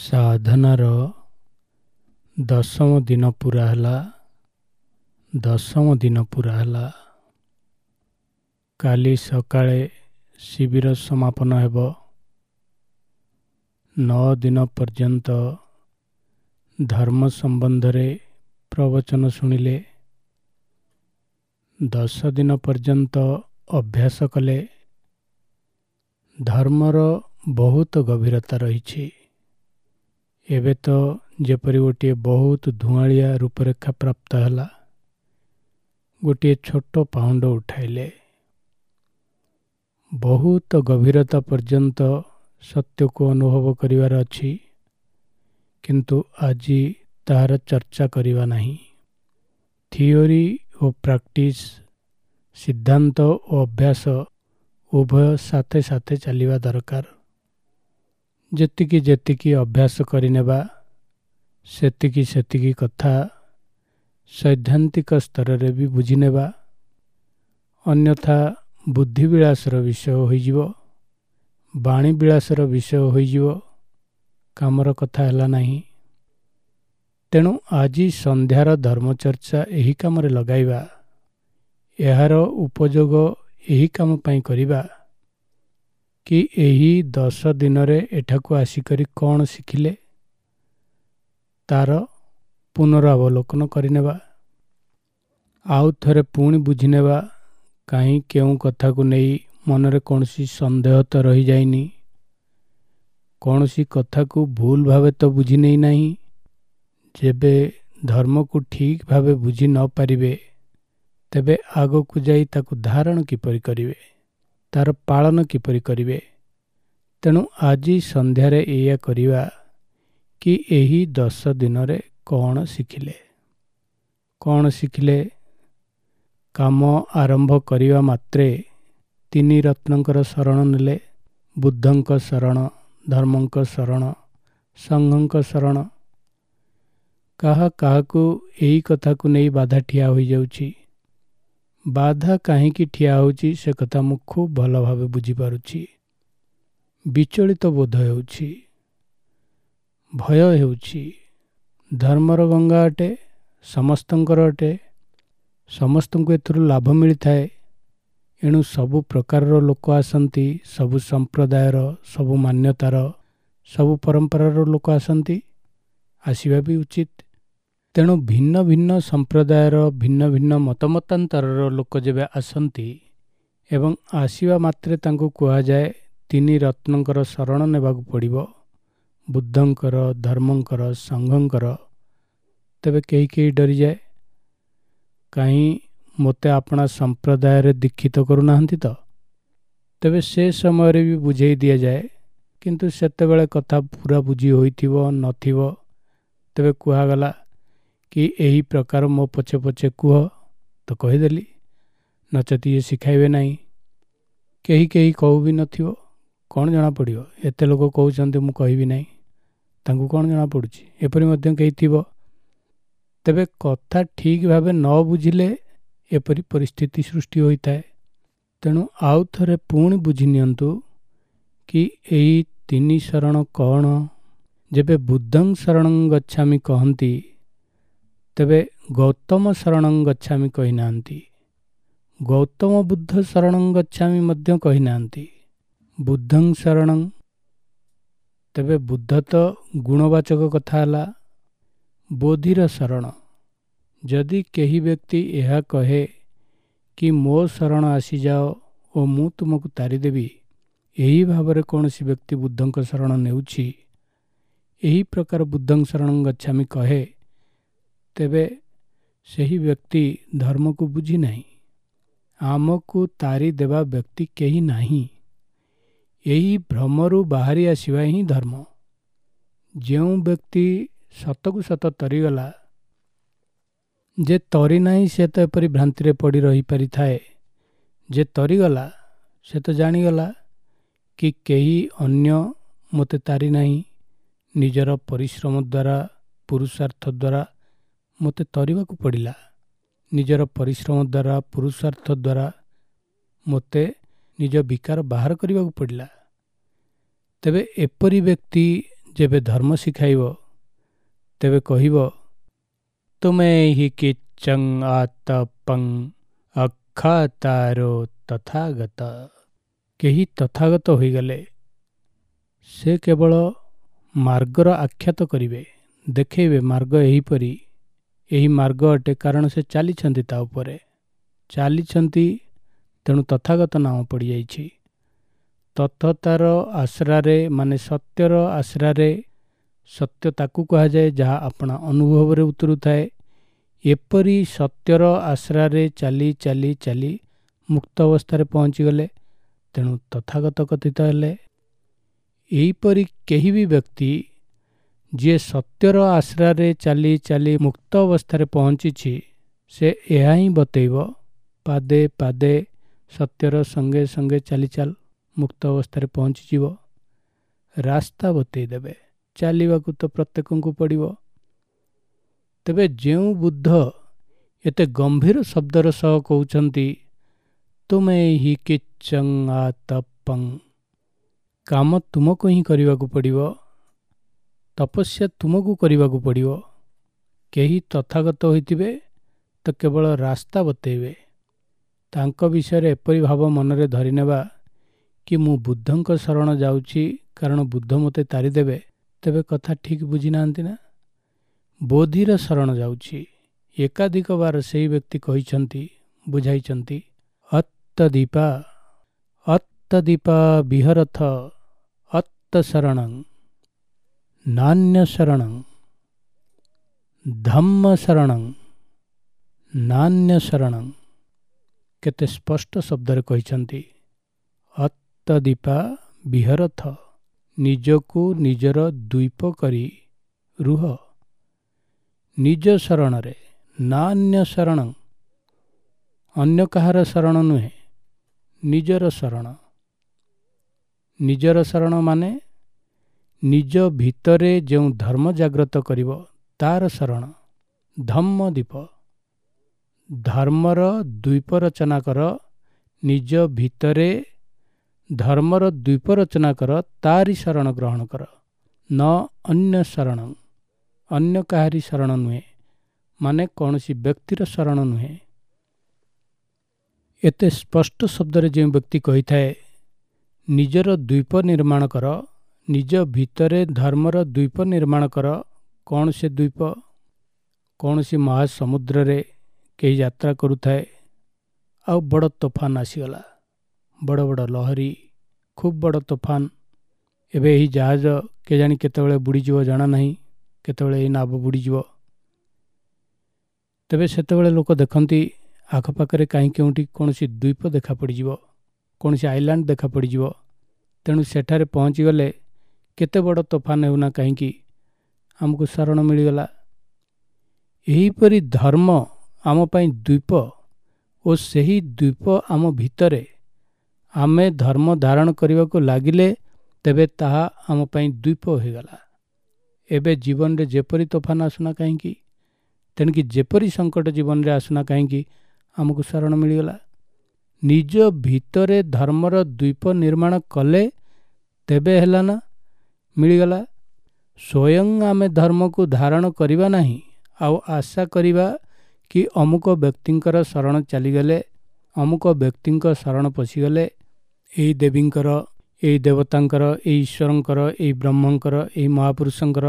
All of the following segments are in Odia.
ସାଧନାର ଦଶମ ଦିନ ପୁରା ହେଲା। ଦଶମ ଦିନ ପୁରା ହେଲା। କାଲି ସକାଳେ ଶିବିର ସମାପନ ହେବ। 9 ଦିନ ପର୍ଯ୍ୟନ୍ତ ଧର୍ମ ସମ୍ବନ୍ଧରେ ପ୍ରବଚନ ଶୁଣିଲେ, 10 ଦିନ ପର୍ଯ୍ୟନ୍ତ ଅଭ୍ୟାସ କଲେ। ଧର୍ମର ବହୁତ ଗଭୀରତା ରହିଛି। ଏବେ ତ ଯେପରି ଗୋଟିଏ ବହୁତ ଧୂଆଁଳିଆ ରୂପରେଖା ପ୍ରାପ୍ତ ହେଲା। ଗୋଟିଏ ଛୋଟ ପାହୁଣ୍ଡ ଉଠାଇଲେ। ବହୁତ ଗଭୀରତା ପର୍ଯ୍ୟନ୍ତ ସତ୍ୟକୁ ଅନୁଭବ କରିବାର ଅଛି, କିନ୍ତୁ ଆଜି ତାହାର ଚର୍ଚ୍ଚା କରିବା ନାହିଁ। ଥିଓରି ଓ ପ୍ରାକ୍ଟିସ୍, ସିଦ୍ଧାନ୍ତ ଓ ଅଭ୍ୟାସ ଉଭୟ ସାଥେ ସାଥେ ଚାଲିବା ଦରକାର। ଯେତିକି ଯେତିକି ଅଭ୍ୟାସ କରିନେବା, ସେତିକି ସେତିକି କଥା ସୈଦ୍ଧାନ୍ତିକ ସ୍ତରରେ ବି ବୁଝିନେବା। ଅନ୍ୟଥା ବୁଦ୍ଧିବିଳାସର ବିଷୟ ହୋଇଯିବ, ବାଣୀବିଳାସର ବିଷୟ ହୋଇଯିବ, କାମର କଥା ହେଲା ନାହିଁ। ତେଣୁ ଆଜି ସନ୍ଧ୍ୟାର ଧର୍ମଚର୍ଚ୍ଚା ଏହି କାମରେ ଲଗାଇବା, ଏହାର ଉପଯୋଗ ଏହି କାମ ପାଇଁ କରିବା କି ଏହି 10 ଦିନରେ ଏଠାକୁ ଆସିକରି କ'ଣ ଶିଖିଲେ ତାର ପୁନରାବଲୋକନ କରିନେବା। ଆଉ ଥରେ ପୁଣି ବୁଝିନେବା, କାହିଁ କେଉଁ କଥାକୁ ନେଇ ମନରେ କୌଣସି ସନ୍ଦେହ ତ ରହିଯାଇନି, କୌଣସି କଥାକୁ ଭୁଲ ଭାବେ ତ ବୁଝି ନେଇନାହିଁ। ଯେବେ ଧର୍ମକୁ ଠିକ୍ ଭାବେ ବୁଝି ନ ପାରିବେ, ତେବେ ଆଗକୁ ଯାଇ ତାକୁ ଧାରଣ କିପରି କରିବେ, ତାର ପାଳନ କିପରି କରିବେ? ତେଣୁ ଆଜି ସନ୍ଧ୍ୟାରେ ଏଇଆ କରିବା କି ଏହି 10 ଦିନରେ କ'ଣ ଶିଖିଲେ, କ'ଣ ଶିଖିଲେ? କାମ ଆରମ୍ଭ କରିବା ମାତ୍ରେ 3 ରତ୍ନଙ୍କର ଶରଣ ନେଲେ, ବୁଦ୍ଧଙ୍କ ଶରଣ, ଧର୍ମଙ୍କ ଶରଣ, ସଂଘଙ୍କ ଶରଣ। କାହା କାହାକୁ ଏହି କଥାକୁ ନେଇ ବାଧା ଠିଆ ହୋଇଯାଉଛି। ବାଧା କାହିଁକି ଠିଆ ହେଉଛି ସେ କଥା ମୁଁ ଖୁବ୍ ଭଲ ଭାବେ ବୁଝିପାରୁଛି। ବିଚଳିତ ବୋଧ ହେଉଛି, ଭୟ ହେଉଛି। ଧର୍ମର ଗଙ୍ଗା ଅଟେ, ସମସ୍ତଙ୍କର ଅଟେ, ସମସ୍ତଙ୍କୁ ଏଥିରୁ ଲାଭ ମିଳିଥାଏ। ଏଣୁ ସବୁ ପ୍ରକାରର ଲୋକ ଆସନ୍ତି, ସବୁ ସମ୍ପ୍ରଦାୟର, ସବୁ ମାନ୍ୟତାର, ସବୁ ପରମ୍ପରାର ଲୋକ ଆସନ୍ତି, ଆସିବା ବି ଉଚିତ। ତେଣୁ ଭିନ୍ନ ଭିନ୍ନ ସମ୍ପ୍ରଦାୟର, ଭିନ୍ନ ଭିନ୍ନ ମତମତାନ୍ତରର ଲୋକ ଯେବେ ଆସନ୍ତି ଏବଂ ଆସିବା ମାତ୍ରେ ତାଙ୍କୁ କୁହାଯାଏ 3 ରତ୍ନଙ୍କର ଶରଣ ନେବାକୁ ପଡ଼ିବ, ବୁଦ୍ଧଙ୍କର, ଧର୍ମଙ୍କର, ସଂଘଙ୍କର, ତେବେ କେହି କେହି ଡରିଯାଏ। କାହିଁ ମୋତେ ଆପଣା ସମ୍ପ୍ରଦାୟରେ ଦୀକ୍ଷିତ କରୁନାହାନ୍ତି ତ? ତେବେ ସେ ସମୟରେ ବି ବୁଝେଇ ଦିଆଯାଏ, କିନ୍ତୁ ସେତେବେଳେ କଥା ପୁରା ବୁଝି ହୋଇଥିବ ନଥିବ। ତେବେ କୁହାଗଲା କି ଏହି ପ୍ରକାର ମୋ ପଛେ ପଛେ କୁହ, ତ କହିଦେଲି, ନଚେତ ଇଏ ଶିଖାଇବେ ନାହିଁ। କେହି କେହି କହୁ ବି ନଥିବ, କ'ଣ ଜଣାପଡ଼ିବ? ଏତେ ଲୋକ କହୁଛନ୍ତି ମୁଁ କହିବି ନାହିଁ, ତାଙ୍କୁ କ'ଣ ଜଣାପଡ଼ୁଛି? ଏପରି ମଧ୍ୟ କେହି ଥିବ। ତେବେ କଥା ଠିକ୍ ଭାବେ ନ ବୁଝିଲେ ଏପରି ପରିସ୍ଥିତି ସୃଷ୍ଟି ହୋଇଥାଏ। ତେଣୁ ଆଉ ଥରେ ପୁଣି ବୁଝି ନିଅନ୍ତୁ କି ଏହି 3 ଶରଣ କ'ଣ। ଯେବେ ବୁଦ୍ଧଂ ଶରଣଂ ଗଚ୍ଛାମି କହନ୍ତି, ତେବେ ଗୌତମ ଶରଣଂ ଗଚ୍ଛାମି କହିନାହାନ୍ତି, ଗୌତମ ବୁଦ୍ଧ ଶରଣଂ ଗଚ୍ଛାମି ମଧ୍ୟ କହିନାହାନ୍ତି। ବୁଦ୍ଧଂ ଶରଣଂ, ତେବେ ବୁଦ୍ଧ ତ ଗୁଣବାଚକ କଥା ହେଲା, ବୋଧିର ଶରଣ। ଯଦି କେହି ବ୍ୟକ୍ତି ଏହା କହେ କି ମୋ ଶରଣ ଆସିଯାଅ ଓ ମୁଁ ତୁମକୁ ତାରିଦେବି, ଏହି ଭାବରେ କୌଣସି ବ୍ୟକ୍ତି ବୁଦ୍ଧଙ୍କ ଶରଣ ନେଉଛି, ଏହି ପ୍ରକାର ବୁଦ୍ଧଂ ଶରଣଂ ଗଚ୍ଛାମି କହେ, ତେବେ ସେହି ବ୍ୟକ୍ତି ଧର୍ମକୁ ବୁଝି ନାହିଁ। ଆମକୁ ତାରି ଦେବା ବ୍ୟକ୍ତି କେହି ନାହିଁ। ଏହି ଭ୍ରମରୁ ବାହାରି ଆସିବା ହିଁ ଧର୍ମ। ଯେଉଁ ବ୍ୟକ୍ତି ସତକୁ ସତ ତରିଗଲା, ଯେ ତରି ନାହିଁ ସେ ତ ଏପରି ଭ୍ରାନ୍ତିରେ ପଡ଼ି ରହିପାରିଥାଏ। ଯେ ତରିଗଲା ସେ ତ ଜାଣିଗଲା କି କେହି ଅନ୍ୟ ମୋତେ ତାରି ନାହିଁ, ନିଜର ପରିଶ୍ରମ ଦ୍ୱାରା, ପୁରୁଷାର୍ଥ ଦ୍ୱାରା ମୋତେ ତରିବାକୁ ପଡ଼ିଲା। ନିଜର ପରିଶ୍ରମ ଦ୍ୱାରା, ପୁରୁଷାର୍ଥ ଦ୍ୱାରା ମୋତେ ନିଜ ବିକାର ବାହାର କରିବାକୁ ପଡ଼ିଲା। ତେବେ ଏପରି ବ୍ୟକ୍ତି ଯେବେ ଧର୍ମ ଶିଖାଇବ ତେବେ କହିବ, ତୁମେ ହି କିଚଂ ଆତପଂ ଅଖାତାରୋ ତଥାଗତ। କେହି ତଥାଗତ ହୋଇଗଲେ ସେ କେବଳ ମାର୍ଗର ଆଖ୍ୟାତ କରିବେ, ଦେଖେଇବେ ମାର୍ଗ ଏହିପରି, ଏହି ମାର୍ଗ ଅଟେ, କାରଣ ସେ ଚାଲିଛନ୍ତି, ତା ଉପରେ ଚାଲିଛନ୍ତି, ତେଣୁ ତଥାଗତ ନାମ ପଡ଼ିଯାଇଛି। ତଥତାର ଆଶ୍ରାରେ ମାନେ ସତ୍ୟର ଆଶ୍ରାରେ, ସତ୍ୟ ତାକୁ କୁହାଯାଏ ଯାହା ଆପଣା ଅନୁଭବରେ ଉତରୁଥାଏ। ଏପରି ସତ୍ୟର ଆଶ୍ରାରେ ଚାଲି ଚାଲି ଚାଲି ମୁକ୍ତ ଅବସ୍ଥାରେ ପହଞ୍ଚିଗଲେ, ତେଣୁ ତଥାଗତ କଥିତ ହେଲେ। ଏହିପରି କେହି ବି ବ୍ୟକ୍ତି ଯିଏ ସତ୍ୟର ଆଶ୍ରାରେ ଚାଲି ଚାଲି ମୁକ୍ତ ଅବସ୍ଥାରେ ପହଞ୍ଚିଛି, ସେ ଏହା ହିଁ ବତେଇବ, ପାଦେ ପାଦେ ସତ୍ୟର ସଙ୍ଗେ ସଙ୍ଗେ ଚାଲି ଚାଲ, ମୁକ୍ତ ଅବସ୍ଥାରେ ପହଞ୍ଚିଯିବ। ରାସ୍ତା ବତେଇ ଦେବେ, ଚାଲିବାକୁ ତ ପ୍ରତ୍ୟେକଙ୍କୁ ପଡ଼ିବ। ତେବେ ଯେଉଁ ବୁଦ୍ଧ ଏତେ ଗମ୍ଭୀର ଶବ୍ଦର ସହ କହୁଛନ୍ତି, ତୁମେ ହି କିଚଂ ଆତପଂ, କାମ ତୁମକୁ ହିଁ କରିବାକୁ ପଡ଼ିବ, ତପସ୍ୟା ତୁମକୁ କରିବାକୁ ପଡ଼ିବ। କେହି ତଥାଗତ ହୋଇଥିବେ ତ କେବଳ ରାସ୍ତା ବତେଇବେ। ତାଙ୍କ ବିଷୟରେ ଏପରି ଭାବ ମନରେ ଧରିନେବା କି ମୁଁ ବୁଦ୍ଧଙ୍କ ଶରଣ ଯାଉଛି କାରଣ ବୁଦ୍ଧ ମୋତେ ତାରିଦେବେ, ତେବେ କଥା ଠିକ୍ ବୁଝିନାହାନ୍ତି ନା? ବୋଧିର ଶରଣ ଯାଉଛି, ଏକାଧିକ ବାର ସେହି ବ୍ୟକ୍ତି କହିଛନ୍ତି, ବୁଝାଇଛନ୍ତି, ଅତ୍ତଦୀପା ଅତ୍ତଦୀପା ବିହରଥ ଅତ୍ତ ଶରଣଂ ନାନ୍ୟ ଶରଣଂ ଧମ୍ମ ଶରଣଂ ନାନ୍ୟ ଶରଣଂ। କେତେ ସ୍ପଷ୍ଟ ଶବ୍ଦରେ କହିଛନ୍ତି, ଅତ୍ତଦୀପା ବିହରଥ, ନିଜକୁ ନିଜର ଦ୍ୱୀପ କରି ରୁହ ନିଜ ଶରଣରେ, ନାନ୍ୟ ଶରଣଂ, ଅନ୍ୟ କାହାର ଶରଣ ନୁହେଁ, ନିଜର ଶରଣ। ନିଜର ଶରଣ ମାନେ ନିଜ ଭିତରେ ଯେଉଁ ଧର୍ମ ଜାଗ୍ରତ କରିବ ତାର ଶରଣ, ଧମ୍ମ ଦୀପ। ଧର୍ମର ଦ୍ୱୀପ ରଚନା କର, ନିଜ ଭିତରେ ଧର୍ମର ଦ୍ୱୀପ ରଚନା କର, ତାରି ଶରଣ ଗ୍ରହଣ କର। ନ ଅନ୍ୟ ଶରଣ, ଅନ୍ୟ କାହାରି ଶରଣ ନୁହେଁ, ମାନେ କୌଣସି ବ୍ୟକ୍ତିର ଶରଣ ନୁହେଁ। ଏତେ ସ୍ପଷ୍ଟ ଶବ୍ଦରେ ଯେଉଁ ବ୍ୟକ୍ତି କହିଥାଏ ନିଜର ଦ୍ୱୀପ ନିର୍ମାଣ କର, ନିଜ ଭିତରେ ଧର୍ମର ଦ୍ୱୀପ ନିର୍ମାଣ କର, କ'ଣ ସେ ଦ୍ୱୀପ? କୌଣସି ମହାସମୁଦ୍ରରେ କେହି ଯାତ୍ରା କରୁଥାଏ, ଆଉ ବଡ଼ ତୋଫାନ ଆସିଗଲା, ବଡ଼ ବଡ଼ ଲହରୀ, ଖୁବ୍ ବଡ଼ ତୋଫାନ। ଏବେ ଏହି ଜାହାଜ କେଜାଣି କେତେବେଳେ ବୁଡ଼ିଯିବ ଜଣା ନାହିଁ, କେତେବେଳେ ଏହି ନାବ ବୁଡ଼ିଯିବ। ତେବେ ସେତେବେଳେ ଲୋକ ଦେଖନ୍ତି ଆଖପାଖରେ କାହିଁ କେଉଁଠି କୌଣସି ଦ୍ୱୀପ ଦେଖା ପଡ଼ିଯିବ, କୌଣସି ଆଇଲ୍ୟାଣ୍ଡ ଦେଖା ପଡ଼ିଯିବ। ତେଣୁ ସେଠାରେ ପହଞ୍ଚିଗଲେ କେତେ ବଡ଼ ତୋଫାନ ହେଉନା କାହିଁକି ଆମକୁ ଶରଣ ମିଳିଗଲା। ଏହିପରି ଧର୍ମ ଆମ ପାଇଁ ଦ୍ୱୀପ, ଓ ସେହି ଦ୍ୱୀପ ଆମ ଭିତରେ ଆମେ ଧର୍ମ ଧାରଣ କରିବାକୁ ଲାଗିଲେ ତେବେ ତାହା ଆମ ପାଇଁ ଦ୍ୱୀପ ହୋଇଗଲା। ଏବେ ଜୀବନରେ ଯେପରି ତୋଫାନ ଆସୁନା କାହିଁକି, ତେଣିକି ଯେପରି ସଙ୍କଟ ଜୀବନରେ ଆସୁନା କାହିଁକି, ଆମକୁ ଶରଣ ମିଳିଗଲା। ନିଜ ଭିତରେ ଧର୍ମର ଦ୍ୱୀପ ନିର୍ମାଣ କଲେ ତେବେ ହେଲା ନା, ମିଳିଗଲା। ସ୍ୱୟଂ ଆମେ ଧର୍ମକୁ ଧାରଣ କରିବା ନାହିଁ, ଆଉ ଆଶା କରିବା କି ଅମୁକ ବ୍ୟକ୍ତିଙ୍କର ଶରଣ ଚାଲିଗଲେ, ଅମୁକ ବ୍ୟକ୍ତିଙ୍କ ଶରଣ ପଶିଗଲେ, ଏଇ ଦେବୀଙ୍କର, ଏଇ ଦେବତାଙ୍କର, ଏଇ ଈଶ୍ୱରଙ୍କର, ଏଇ ବ୍ରହ୍ମଙ୍କର, ଏଇ ମହାପୁରୁଷଙ୍କର,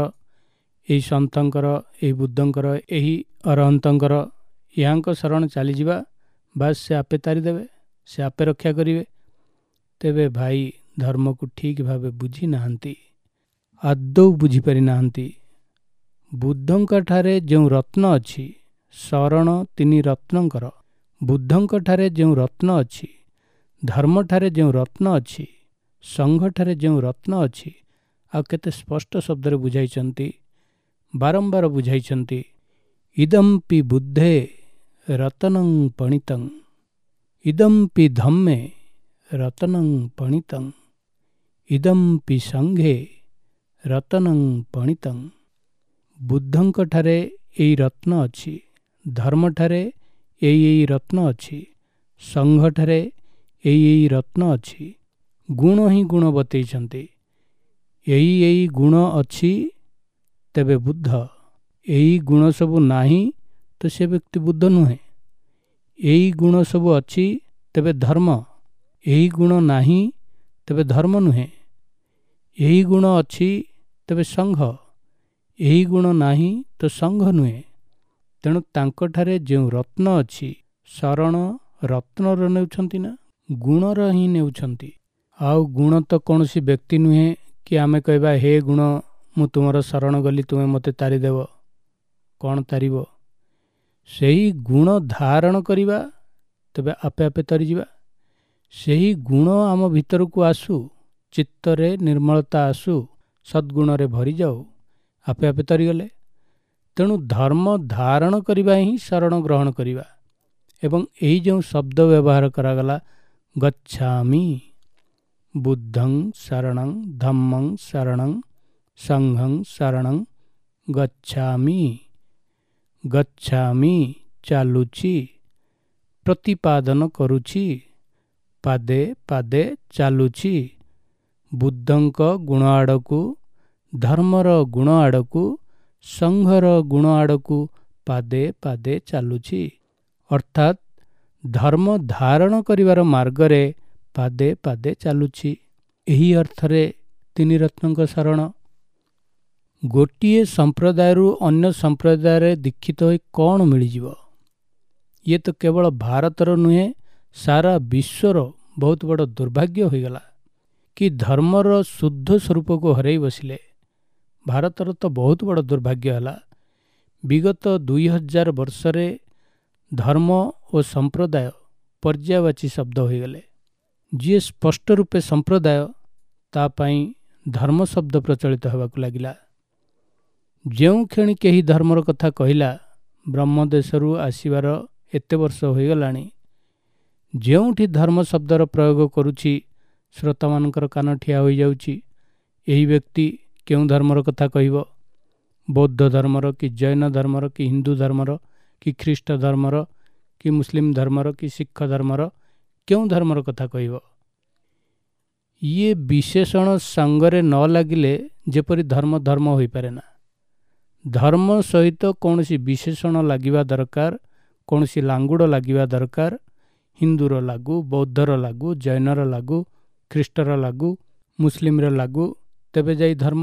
ଏଇ ସନ୍ଥଙ୍କର, ଏଇ ବୁଦ୍ଧଙ୍କର, ଏହି ଅରହନ୍ତଙ୍କର, ଏହାଙ୍କ ଶରଣ ଚାଲିଯିବା, ବାସ୍ ସେ ଆପେ ତାରିଦେବେ, ସେ ଆପେ ରକ୍ଷା କରିବେ। ତେବେ ଭାଇ ଧର୍ମକୁ ଠିକ୍ ଭାବେ ବୁଝି ନାହାନ୍ତି, ଆଦୌ ବୁଝିପାରି ନାହାନ୍ତି। ବୁଦ୍ଧଙ୍କଠାରେ ଯେଉଁ ରତ୍ନ ଅଛି, ଶରଣ ତିନି ରତ୍ନଙ୍କର, ବୁଦ୍ଧଙ୍କଠାରେ ଯେଉଁ ରତ୍ନ ଅଛି, ଧର୍ମଠାରେ ଯେଉଁ ରତ୍ନ ଅଛି, ସଂଘଠାରେ ଯେଉଁ ରତ୍ନ ଅଛି, ଆଉ କେତେ ସ୍ପଷ୍ଟ ଶବ୍ଦରେ ବୁଝାଇଛନ୍ତି, ବାରମ୍ବାର ବୁଝାଇଛନ୍ତି। ଇଦମ୍ପି ବୁଦ୍ଧେ ରତନଂ ପଣିତଂ, ଇଦମ୍ପି ଧମ୍ମେ ରତନଂ ପଣିତଂ, ଇଦମ୍ପି ସଂଘେ ରତନଂ ପଣିତଂ। ବୁଦ୍ଧଙ୍କଠାରେ ଏଇ ରତ୍ନ ଅଛି, ଧର୍ମଠାରେ ଏଇ ଏଇ ରତ୍ନ ଅଛି, ସଂଘଠାରେ ଏଇ ଏଇ ରତ୍ନ ଅଛି। ଗୁଣ ହିଁ ଗୁଣ ବତେଇଛନ୍ତି। ଏଇ ଏଇ ଗୁଣ ଅଛି ତେବେ ବୁଦ୍ଧ, ଏଇ ଗୁଣ ସବୁ ନାହିଁ ତ ସେ ବ୍ୟକ୍ତି ବୁଦ୍ଧ ନୁହେଁ। ଏଇ ଗୁଣ ସବୁ ଅଛି ତେବେ ଧର୍ମ, ଏହି ଗୁଣ ନାହିଁ ତେବେ ଧର୍ମ ନୁହେଁ। ଏହି ଗୁଣ ଅଛି ତେବେ ସଂଘ, ଏହି ଗୁଣ ନାହିଁ ତ ସଂଘ ନୁହେଁ। ତେଣୁ ତାଙ୍କଠାରେ ଯେଉଁ ରତ୍ନ ଅଛି, ଶରଣ ରତ୍ନର ନେଉଛନ୍ତି ନା ଗୁଣର ହିଁ ନେଉଛନ୍ତି। ଆଉ ଗୁଣ ତ କୌଣସି ବ୍ୟକ୍ତି ନୁହେଁ କି ଆମେ କହିବା ହେ ଗୁଣ ମୁଁ ତୁମର ଶରଣ ଗଲି, ତୁମେ ମୋତେ ତାରିଦେବ। କ'ଣ ତାରିବ? ସେହି ଗୁଣ ଧାରଣ କରିବା ତେବେ ଆପେ ଆପେ ତରିଯିବା। ସେହି ଗୁଣ ଆମ ଭିତରକୁ ଆସୁ, ଚିତ୍ତରେ ନିର୍ମଳତା ଆସୁ, ସଦ୍ଗୁଣରେ ଭରିଯାଉ, ଆପେ ଆପେ ତରିଗଲେ। ତେଣୁ ଧର୍ମ ଧାରଣ କରିବା ହିଁ ଶରଣ ଗ୍ରହଣ କରିବା। ଏବଂ ଏହି ଯେଉଁ ଶବ୍ଦ ବ୍ୟବହାର କରାଗଲା ଗଚ୍ଛାମି, ବୁଦ୍ଧଂ ଶରଣଂ ଧମ୍ମଂ ଶରଣଂ ସଂଘଂ ଶରଣଂ ଗଚ୍ଛାମି, ଗଚ୍ଛାମି ଚାଲୁଛି, ପ୍ରତିପାଦନ କରୁଛି, ପାଦେ ପାଦେ ଚାଲୁଛି, ବୁଦ୍ଧଙ୍କ ଗୁଣ ଆଡ଼କୁ, ଧର୍ମର ଗୁଣ ଆଡ଼କୁ, ସଂଘର ଗୁଣ ଆଡ଼କୁ ପାଦେ ପାଦେ ଚାଲୁଛି। ଅର୍ଥାତ୍ ଧର୍ମ ଧାରଣ କରିବାର ମାର୍ଗରେ ପାଦେ ପାଦେ ଚାଲୁଛି। ଏହି ଅର୍ଥରେ ତିନି ରତ୍ନଙ୍କ ଶରଣ। ଗୋଟିଏ ସମ୍ପ୍ରଦାୟରୁ ଅନ୍ୟ ସମ୍ପ୍ରଦାୟରେ ଦୀକ୍ଷିତ ହୋଇ କ'ଣ ମିଳିଯିବ? ଇଏ ତ କେବଳ ଭାରତର ନୁହେଁ, ସାରା ବିଶ୍ୱର ବହୁତ ବଡ଼ ଦୁର୍ଭାଗ୍ୟ ହୋଇଗଲା କି ଧର୍ମର ଶୁଦ୍ଧ ସ୍ୱରୂପକୁ ହରାଇ ବସିଲେ। ଭାରତର ତ ବହୁତ ବଡ଼ ଦୁର୍ଭାଗ୍ୟ ହେଲା। ବିଗତ 2000 ବର୍ଷରେ ଧର୍ମ ଓ ସମ୍ପ୍ରଦାୟ ପର୍ଯ୍ୟାୟବାଚୀ ଶବ୍ଦ ହୋଇଗଲେ। ଯିଏ ସ୍ପଷ୍ଟ ରୂପେ ସମ୍ପ୍ରଦାୟ, ତା ପାଇଁ ଧର୍ମ ଶବ୍ଦ ପ୍ରଚଳିତ ହେବାକୁ ଲାଗିଲା। ଯେଉଁ କ୍ଷଣି କେହି ଧର୍ମର କଥା କହିଲା, ବ୍ରହ୍ମଦେଶରୁ ଆସିବାର ଏତେ ବର୍ଷ ହୋଇଗଲାଣି, ଯେଉଁଠି ଧର୍ମ ଶବ୍ଦର ପ୍ରୟୋଗ କରୁଛି ଶ୍ରୋତାମାନଙ୍କର କାନ ଠିଆ ହୋଇଯାଉଛି। ଏହି ବ୍ୟକ୍ତି କେଉଁ ଧର୍ମର କଥା କହିବ? ବୌଦ୍ଧ ଧର୍ମର କି ଜୈନ ଧର୍ମର କି ହିନ୍ଦୁ ଧର୍ମର କି ଖ୍ରୀଷ୍ଟ ଧର୍ମର କି ମୁସଲିମ ଧର୍ମର କି ଶିଖ ଧର୍ମର, କେଉଁ ଧର୍ମର କଥା କହିବ? ଇଏ ବିଶେଷଣ ସାଙ୍ଗରେ ନ ଲାଗିଲେ ଯେପରି ଧର୍ମ ଧର୍ମ ହୋଇପାରେ ନା। ଧର୍ମ ସହିତ କୌଣସି ବିଶେଷଣ ଲାଗିବା ଦରକାର, କୌଣସି ଲାଙ୍ଗୁଡ଼ ଲାଗିବା ଦରକାର। ହିନ୍ଦୁର ଲାଗୁ, ବୌଦ୍ଧର ଲାଗୁ, ଜୈନର ଲାଗୁ, ଖ୍ରୀଷ୍ଟର ଲାଗୁ, ମୁସଲିମର ଲାଗୁ, ତେବେ ଯାଇ ଧର୍ମ।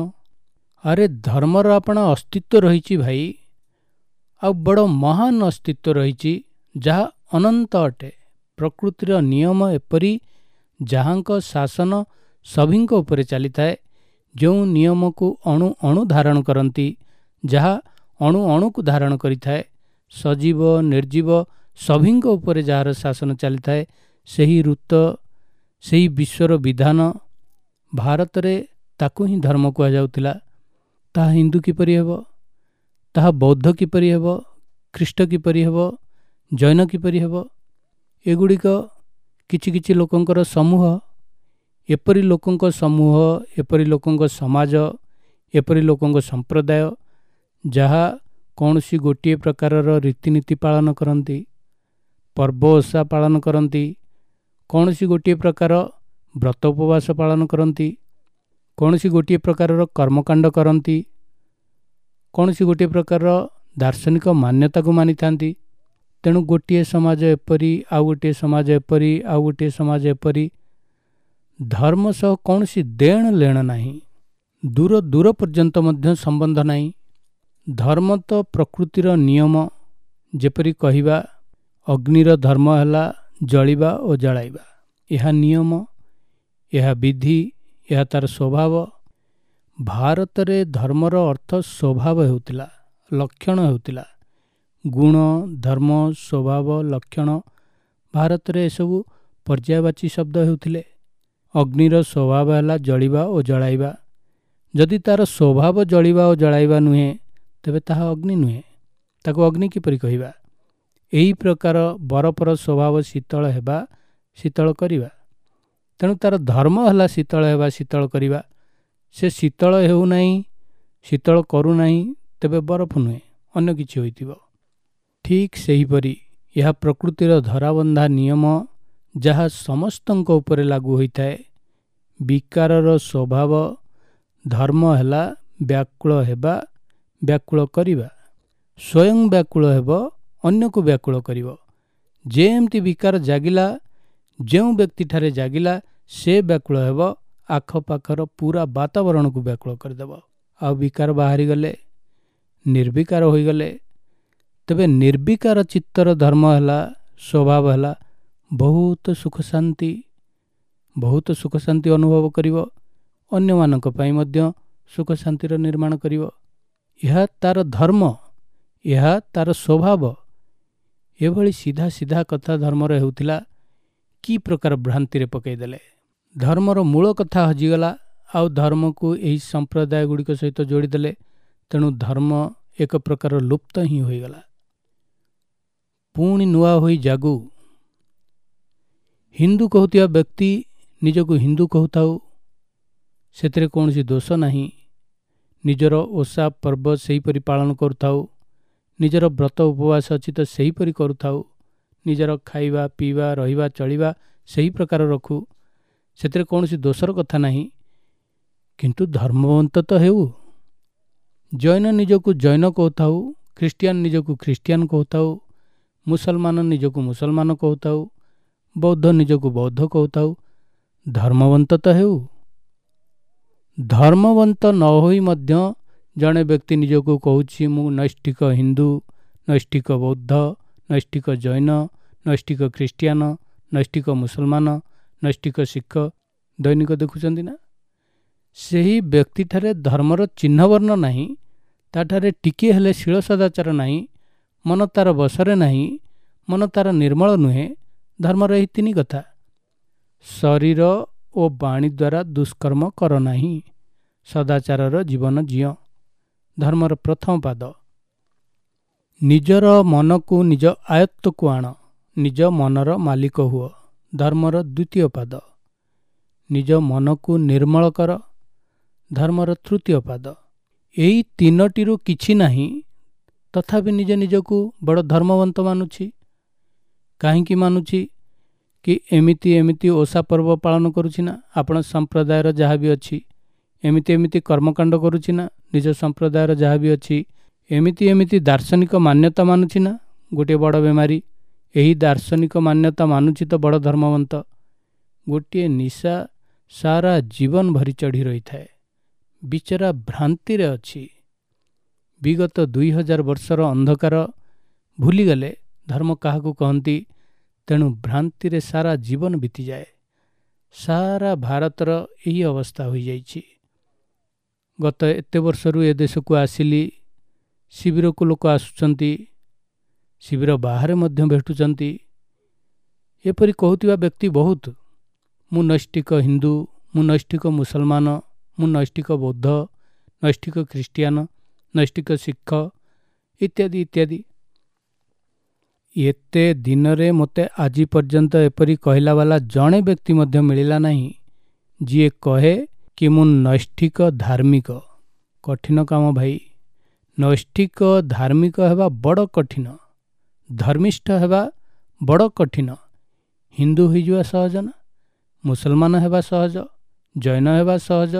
ଆରେ ଧର୍ମର ଆପଣା ଅସ୍ତିତ୍ୱ ରହିଛି ଭାଇ, ଆଉ ବଡ଼ ମହାନ ଅସ୍ତିତ୍ୱ ରହିଛି, ଯାହା ଅନନ୍ତ ଅଟେ। ପ୍ରକୃତିର ନିୟମ ଏପରି ଯାହାଙ୍କ ଶାସନ ସଭିଙ୍କ ଉପରେ ଚାଲିଥାଏ, ଯେଉଁ ନିୟମକୁ ଅଣୁ ଅଣୁ ଧାରଣ କରନ୍ତି, ଯାହା ଅଣୁ ଅଣୁକୁ ଧାରଣ କରିଥାଏ, ସଜୀବ ନିର୍ଜୀବ ସଭିଙ୍କ ଉପରେ ଯାହାର ଶାସନ ଚାଲିଥାଏ, ସେହି ଋତ, ସେହି ବିଶ୍ୱର ବିଧାନ। ଭାରତରେ ତାକୁ ହିଁ ଧର୍ମ କୁହାଯାଉଥିଲା। ତାହା ହିନ୍ଦୁ କିପରି ହେବ? ତାହା ବୌଦ୍ଧ କିପରି ହେବ? ଖ୍ରୀଷ୍ଟ କିପରି ହେବ? ଜୈନ କିପରି ହେବ? ଏଗୁଡ଼ିକ କିଛି କିଛି ଲୋକଙ୍କର ସମୂହ। ଏପରି ଲୋକଙ୍କ ସମୂହ, ଏପରି ଲୋକଙ୍କ ସମାଜ, ଏପରି ଲୋକଙ୍କ ସମ୍ପ୍ରଦାୟ, ଯାହା କୌଣସି ଗୋଟିଏ ପ୍ରକାରର ରୀତିନୀତି ପାଳନ କରନ୍ତି, ପର୍ବ ଓଷା ପାଳନ କରନ୍ତି, କୌଣସି ଗୋଟିଏ ପ୍ରକାର ବ୍ରତ ଉପବାସ ପାଳନ କରନ୍ତି, କୌଣସି ଗୋଟିଏ ପ୍ରକାରର କର୍ମକାଣ୍ଡ କରନ୍ତି, କୌଣସି ଗୋଟିଏ ପ୍ରକାରର ଦାର୍ଶନିକ ମାନ୍ୟତାକୁ ମାନିଥାନ୍ତି। ତେଣୁ ଗୋଟିଏ ସମାଜ ଏପରି, ଆଉ ଗୋଟିଏ ସମାଜ ଏପରି, ଆଉ ଗୋଟିଏ ସମାଜ ଏପରି। ଧର୍ମ ସହ କୌଣସି ଦେଣ ଲେଣ ନାହିଁ, ଦୂର ଦୂର ପର୍ଯ୍ୟନ୍ତ ମଧ୍ୟ ସମ୍ବନ୍ଧ ନାହିଁ। ଧର୍ମ ତ ପ୍ରକୃତିର ନିୟମ। ଯେପରି କହିବା, ଅଗ୍ନିର ଧର୍ମ ହେଲା ଜଳିବା ଓ ଜଳାଇବା। ଏହା ନିୟମ, ଏହା ବିଧି, ଏହା ତାର ସ୍ୱଭାବ। ଭାରତରେ ଧର୍ମର ଅର୍ଥ ସ୍ୱଭାବ ହେଉଥିଲା, ଲକ୍ଷଣ ହେଉଥିଲା। ଗୁଣ, ଧର୍ମ, ସ୍ୱଭାବ, ଲକ୍ଷଣ, ଭାରତରେ ଏସବୁ ପର୍ଯ୍ୟାୟବାଚୀ ଶବ୍ଦ ହେଉଥିଲେ। ଅଗ୍ନିର ସ୍ୱଭାବ ହେଲା ଜଳିବା ଓ ଜଳାଇବା। ଯଦି ତାର ସ୍ୱଭାବ ଜଳିବା ଓ ଜଳାଇବା ନୁହେଁ, ତେବେ ତାହା ଅଗ୍ନି ନୁହେଁ, ତାକୁ ଅଗ୍ନି କିପରି କହିବା? ଏହି ପ୍ରକାର ବରଫର ସ୍ୱଭାବ ଶୀତଳ ହେବା, ଶୀତଳ କରିବା। ତେଣୁ ତାର ଧର୍ମ ହେଲା ଶୀତଳ ହେବା, ଶୀତଳ କରିବା। ସେ ଶୀତଳ ହେଉନାହିଁ, ଶୀତଳ କରୁନାହିଁ, ତେବେ ବରଫ ନୁହେଁ, ଅନ୍ୟ କିଛି ହୋଇଥିବ। ଠିକ୍ ସେହିପରି ଏହା ପ୍ରକୃତିର ଧରାବନ୍ଧା ନିୟମ, ଯାହା ସମସ୍ତଙ୍କ ଉପରେ ଲାଗୁ ହୋଇଥାଏ। ବିକାରର ସ୍ୱଭାବ, ଧର୍ମ ହେଲା ବ୍ୟାକୁଳ ହେବା, ବ୍ୟାକୁଳ କରିବା। ସ୍ୱୟଂ ବ୍ୟାକୁଳ ହେବ, ଅନ୍ୟକୁ ବ୍ୟାକୁଳ କରିବ। ଯେମିତି ବିକାର ଜାଗିଲା, ଯେଉଁ ବ୍ୟକ୍ତିଠାରେ ଜାଗିଲା, ସେ ବ୍ୟାକୁଳ ହେବ, ଆଖପାଖର ପୁରା ବାତାବରଣକୁ ବ୍ୟାକୁଳ କରିଦେବ। ଆଉ ବିକାର ବାହାରିଗଲେ, ନିର୍ବିକାର ହୋଇଗଲେ, ତେବେ ନିର୍ବିକାର ଚିତ୍ତର ଧର୍ମ ହେଲା, ସ୍ୱଭାବ ହେଲା ବହୁତ ସୁଖ ଶାନ୍ତି, ବହୁତ ସୁଖ ଶାନ୍ତି ଅନୁଭବ କରିବ, ଅନ୍ୟମାନଙ୍କ ପାଇଁ ମଧ୍ୟ ସୁଖ ଶାନ୍ତିର ନିର୍ମାଣ କରିବ। ଏହା ତାର ଧର୍ମ, ଏହା ତାର ସ୍ୱଭାବ। ଏଭଳି ସିଧା ସିଧା କଥା ଧର୍ମର ହେଉଥିଲା, କି ପ୍ରକାର ଭ୍ରାନ୍ତିରେ ପକାଇଦେଲେ। ଧର୍ମର ମୂଳ କଥା ହଜିଗଲା, ଆଉ ଧର୍ମକୁ ଏହି ସମ୍ପ୍ରଦାୟ ଗୁଡ଼ିକ ସହିତ ଯୋଡ଼ିଦେଲେ। ତେଣୁ ଧର୍ମ ଏକ ପ୍ରକାର ଲୁପ୍ତ ହିଁ ହୋଇଗଲା। ପୁଣି ନୂଆ ହୋଇ ଜାଗୁ। ହିନ୍ଦୁ କହୁଥିବା ବ୍ୟକ୍ତି ନିଜକୁ ହିନ୍ଦୁ କହୁଥାଉ, ସେଥିରେ କୌଣସି ଦୋଷ ନାହିଁ। ନିଜର ଓଷା ପର୍ବ ସେହିପରି ପାଳନ କରୁଥାଉ, ନିଜର ବ୍ରତ ଉପବାସ ଅଛି ତ ସେହିପରି କରୁଥାଉ, ନିଜର ଖାଇବା ପିଇବା ରହିବା ଚଳିବା ସେହି ପ୍ରକାର ରଖୁ, ସେଥିରେ କୌଣସି ଦୋଷର କଥା ନାହିଁ। କିନ୍ତୁ ଧର୍ମବନ୍ତ ତ ହେଉ। ଜୈନ ନିଜକୁ ଜୈନ କହୁଥାଉ, ଖ୍ରୀଷ୍ଟିଆନ ନିଜକୁ ଖ୍ରୀଷ୍ଟିଆନ କହୁଥାଉ, ମୁସଲମାନ ନିଜକୁ ମୁସଲମାନ କହୁଥାଉ, ବୌଦ୍ଧ ନିଜକୁ ବୌଦ୍ଧ କହୁଥାଉ, ଧର୍ମବନ୍ତ ତ ହେଉ। ଧର୍ମବନ୍ତ ନ ହୋଇ ମଧ୍ୟ ଜଣେ ବ୍ୟକ୍ତି ନିଜକୁ କହୁଛି ମୁଁ ନୈଷ୍ଠିକ ହିନ୍ଦୁ, ନୈଷ୍ଠିକ ବୌଦ୍ଧ, ନୈଷ୍ଠିକ ଜୈନ, ନୈଷ୍ଠିକ ଖ୍ରୀଷ୍ଟିଆନ, ନୈଷ୍ଠିକ ମୁସଲମାନ, ନୈଷ୍ଠିକ ଶିଖ। ଦୈନିକ ଦେଖୁଛନ୍ତି ନା? ସେହି ବ୍ୟକ୍ତିଠାରେ ଧର୍ମର ଚିହ୍ନବର୍ଣ୍ଣ ନାହିଁ, ତାଠାରେ ଟିକିଏ ହେଲେ ଶୀଳ ସଦାଚାର ନାହିଁ, ମନ ତାର ବଶରେ ନାହିଁ, ମନ ତାର ନିର୍ମଳ ନୁହେଁ। ଧର୍ମର ଏହି ତିନି କଥା: ଶରୀର ଓ ବାଣୀ ଦ୍ୱାରା ଦୁଷ୍କର୍ମ କର ନାହିଁ, ସଦାଚାରର ଜୀବନ ଜିଅ, ଧର୍ମର ପ୍ରଥମ ପାଦ। ନିଜର ମନକୁ ନିଜ ଆୟତ୍ତକୁ ଆଣ, ନିଜ ମନର ମାଲିକ ହୁଅ, ଧର୍ମର ଦ୍ୱିତୀୟ ପାଦ। ନିଜ ମନକୁ ନିର୍ମଳ କର, ଧର୍ମର ତୃତୀୟ ପାଦ। ଏଇ ତିନୋଟିରୁ କିଛି ନାହିଁ, ତଥାପି ନିଜ ନିଜକୁ ବଡ଼ ଧର୍ମବନ୍ତ ମାନୁଛି। କାହିଁକି ମାନୁଛି? କି ଏମିତି ଏମିତି ଓଷା ପର୍ବ ପାଳନ କରୁଛି ନା, ଆପଣ ସମ୍ପ୍ରଦାୟର ଯାହା ବି ଅଛି, ଏମିତି ଏମିତି କର୍ମକାଣ୍ଡ କରୁଛି ନା, ନିଜ ସମ୍ପ୍ରଦାୟର ଯାହା ବି ଅଛି, ଏମିତି ଏମିତି ଦାର୍ଶନିକ ମାନ୍ୟତା ମାନୁଛି ନା। ଗୋଟିଏ ବଡ଼ ବେମାରୀ ଏହି ଦାର୍ଶନିକ ମାନ୍ୟତା ମାନୁଛି ତ ବଡ଼ ଧର୍ମବନ୍ତ। ଗୋଟିଏ ନିଶା ସାରା ଜୀବନ ଭରି ଚଢ଼ି ରହିଥାଏ। ବିଚରା ଭ୍ରାନ୍ତିରେ ଅଛି। ବିଗତ 2000 ବର୍ଷର ଅନ୍ଧକାର ଭୁଲିଗଲେ ଧର୍ମ କାହାକୁ କହନ୍ତି। ତେଣୁ ଭ୍ରାନ୍ତିରେ ସାରା ଜୀବନ ବିତିଯାଏ। ସାରା ଭାରତର ଏହି ଅବସ୍ଥା ହୋଇଯାଇଛି। ଗତ ଏତେ ବର୍ଷରୁ ଏ ଦେଶକୁ ଆସିଲି, ଶିବିରକୁ ଲୋକ ଆସୁଛନ୍ତି, ଶିବିର ବାହାରେ ମଧ୍ୟ ଭେଟୁଛନ୍ତି। ଏପରି କହୁଥିବା ବ୍ୟକ୍ତି ବହୁତ। ମୁଁ ନୈଷ୍ଠିକ ହିନ୍ଦୁ, ମୁଁ ନୈଷ୍ଠିକ ମୁସଲମାନ, ମୁଁ ନୈଷ୍ଠିକ ବୌଦ୍ଧ, ନୈଷ୍ଠିକ ଖ୍ରୀଷ୍ଟିଆନ, ନୈଷ୍ଠିକ ଶିଖ ଇତ୍ୟାଦି ଇତ୍ୟାଦି। ଏତେ ଦିନରେ ମୋତେ ଆଜି ପର୍ଯ୍ୟନ୍ତ ଏପରି କହିଲା ବାଲା ଜଣେ ବ୍ୟକ୍ତି ମଧ୍ୟ ମିଳିଲା ନାହିଁ, ଯିଏ କହେ କି ମୁଁ ନୈଷ୍ଠିକ ଧାର୍ମିକ। କଠିନ କାମ ଭାଇ। ନୈଷ୍ଠିକ ଧାର୍ମିକ ହେବା ବଡ଼ କଠିନ, ଧର୍ମିଷ୍ଠ ହେବା ବଡ଼ କଠିନ। ହିନ୍ଦୁ ହୋଇଯିବା ସହଜ ନା? ମୁସଲମାନ ହେବା ସହଜ, ଜୈନ ହେବା ସହଜ,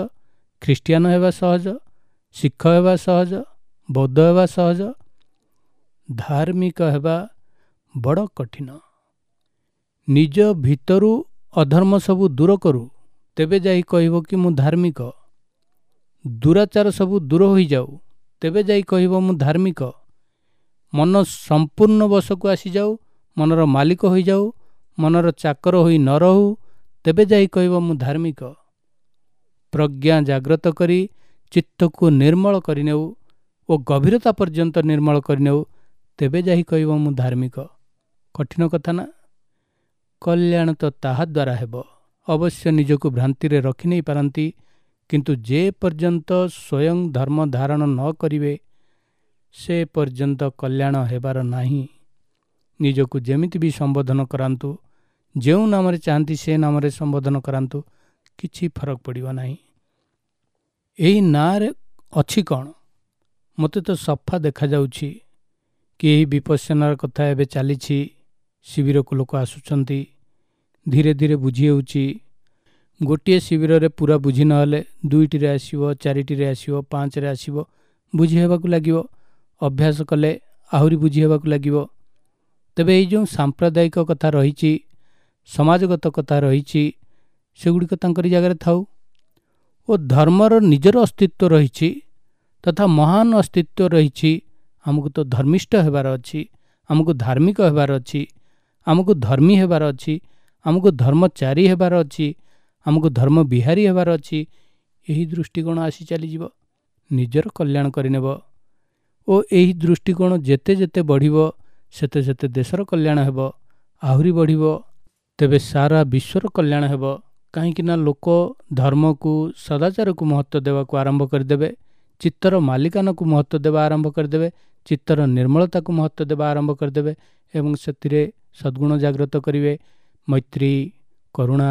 ଖ୍ରୀଷ୍ଟିଆନ ହେବା ସହଜ, ଶିଖ ହେବା ସହଜ, ବୌଦ୍ଧ ହେବା ସହଜ। ଧାର୍ମିକ ହେବା ବଡ଼ କଠିନ। ନିଜ ଭିତରୁ ଅଧର୍ମ ସବୁ ଦୂର କରୁ, ତେବେ ଯାଇ କହିବ କି ମୁଁ ଧାର୍ମିକ। ଦୁରାଚାର ସବୁ ଦୂର ହୋଇଯାଉ, ତେବେ ଯାଇ କହିବ ମୁଁ ଧାର୍ମିକ। ମନ ସମ୍ପୂର୍ଣ୍ଣ ବଶକୁ ଆସିଯାଉ, ମନର ମାଲିକ ହୋଇଯାଉ, ମନର ଚାକର ହୋଇ ନ ରହୁ, ତେବେ ଯାଇ କହିବ ମୁଁ ଧାର୍ମିକ। ପ୍ରଜ୍ଞା ଜାଗ୍ରତ କରି ଚିତ୍ତକୁ ନିର୍ମଳ କରିନେଉ ଓ ଗଭୀରତା ପର୍ଯ୍ୟନ୍ତ ନିର୍ମଳ କରିନେଉ, ତେବେ ଯାଇ କହିବ ମୁଁ ଧାର୍ମିକ। କଠିନ କଥା ନା? କଲ୍ୟାଣ ତ ତାହା ଦ୍ୱାରା ହେବ। ଅବଶ୍ୟ ନିଜକୁ ଭ୍ରାନ୍ତିରେ ରଖିନେଇ ପାରନ୍ତି, କିନ୍ତୁ ଯେ ପର୍ଯ୍ୟନ୍ତ ସ୍ୱୟଂ ଧର୍ମ ଧାରଣ ନ କରିବେ ସେ ପର୍ଯ୍ୟନ୍ତ କଲ୍ୟାଣ ହେବାର ନାହିଁ। ନିଜକୁ ଯେମିତି ବି ସମ୍ବୋଧନ କରାନ୍ତୁ, ଯେଉଁ ନାମରେ ଚାହାନ୍ତି ସେ ନାମରେ ସମ୍ବୋଧନ କରାନ୍ତୁ, କିଛି ଫରକ ପଡ଼ିବ ନାହିଁ। ଏଇ ନାଁରେ ଅଛି କ'ଣ? ମୋତେ ତ ସଫା ଦେଖାଯାଉଛି କି ଏହି ବିପස්සନାର କଥା ଏବେ ଚାଲିଛି, ଶିବିରକୁ ଲୋକ ଆସୁଛନ୍ତି, ଧୀରେ ଧୀରେ ବୁଝି ହେଉଛି। ଗୋଟିଏ ଶିବିରରେ ପୁରା ବୁଝି ନହେଲେ 2ଟିରେ ଆସିବ, 4ଟିରେ ଆସିବ, 5ରେ ଆସିବ, ବୁଝି ହେବାକୁ ଲାଗିବ। ଅଭ୍ୟାସ କଲେ ଆହୁରି ବୁଝି ହେବାକୁ ଲାଗିବ। ତେବେ ଏଇ ଯେଉଁ ସାମ୍ପ୍ରଦାୟିକ କଥା ରହିଛି, ସମାଜଗତ କଥା ରହିଛି, ସେଗୁଡ଼ିକ ତାଙ୍କରି ଜାଗାରେ ଥାଉ ଓ ଧର୍ମର ନିଜର ଅସ୍ତିତ୍ୱ ରହିଛି ତଥା ମହାନ ଅସ୍ତିତ୍ୱ ରହିଛି। ଆମକୁ ତ ଧର୍ମିଷ୍ଠ ହେବାର ଅଛି, ଆମକୁ ଧାର୍ମିକ ହେବାର ଅଛି, ଆମକୁ ଧର୍ମୀ ହେବାର ଅଛି, ଆମକୁ ଧର୍ମଚାରୀ ହେବାର ଅଛି, ଆମକୁ ଧର୍ମ ବିହାରୀ ହେବାର ଅଛି। ଏହି ଦୃଷ୍ଟିକୋଣ ଆସି ଚାଲିଯିବ, ନିଜର କଲ୍ୟାଣ କରିନେବ ଓ ଏହି ଦୃଷ୍ଟିକୋଣ ଯେତେ ଯେତେ ବଢ଼ିବ ସେତେ ସେତେ ଦେଶର କଲ୍ୟାଣ ହେବ, ଆହୁରି ବଢ଼ିବ, ତେବେ ସାରା ବିଶ୍ୱର କଲ୍ୟାଣ ହେବ। କାହିଁକି ନା ଲୋକ ଧର୍ମକୁ, ସଦାଚାରକୁ ମହତ୍ତ୍ୱ ଦେବାକୁ ଆରମ୍ଭ କରିଦେବେ, ଚିତ୍ତର ମାଲିକାନାକୁ ମହତ୍ତ୍ୱ ଦେବା ଆରମ୍ଭ କରିଦେବେ, ଚିତ୍ତର ନିର୍ମଳତାକୁ ମହତ୍ତ୍ୱ ଦେବା ଆରମ୍ଭ କରିଦେବେ ଏବଂ ସେଥିରେ ସଦ୍ଗୁଣ ଜାଗ୍ରତ କରିବେ। ମୈତ୍ରୀ, କରୁଣା,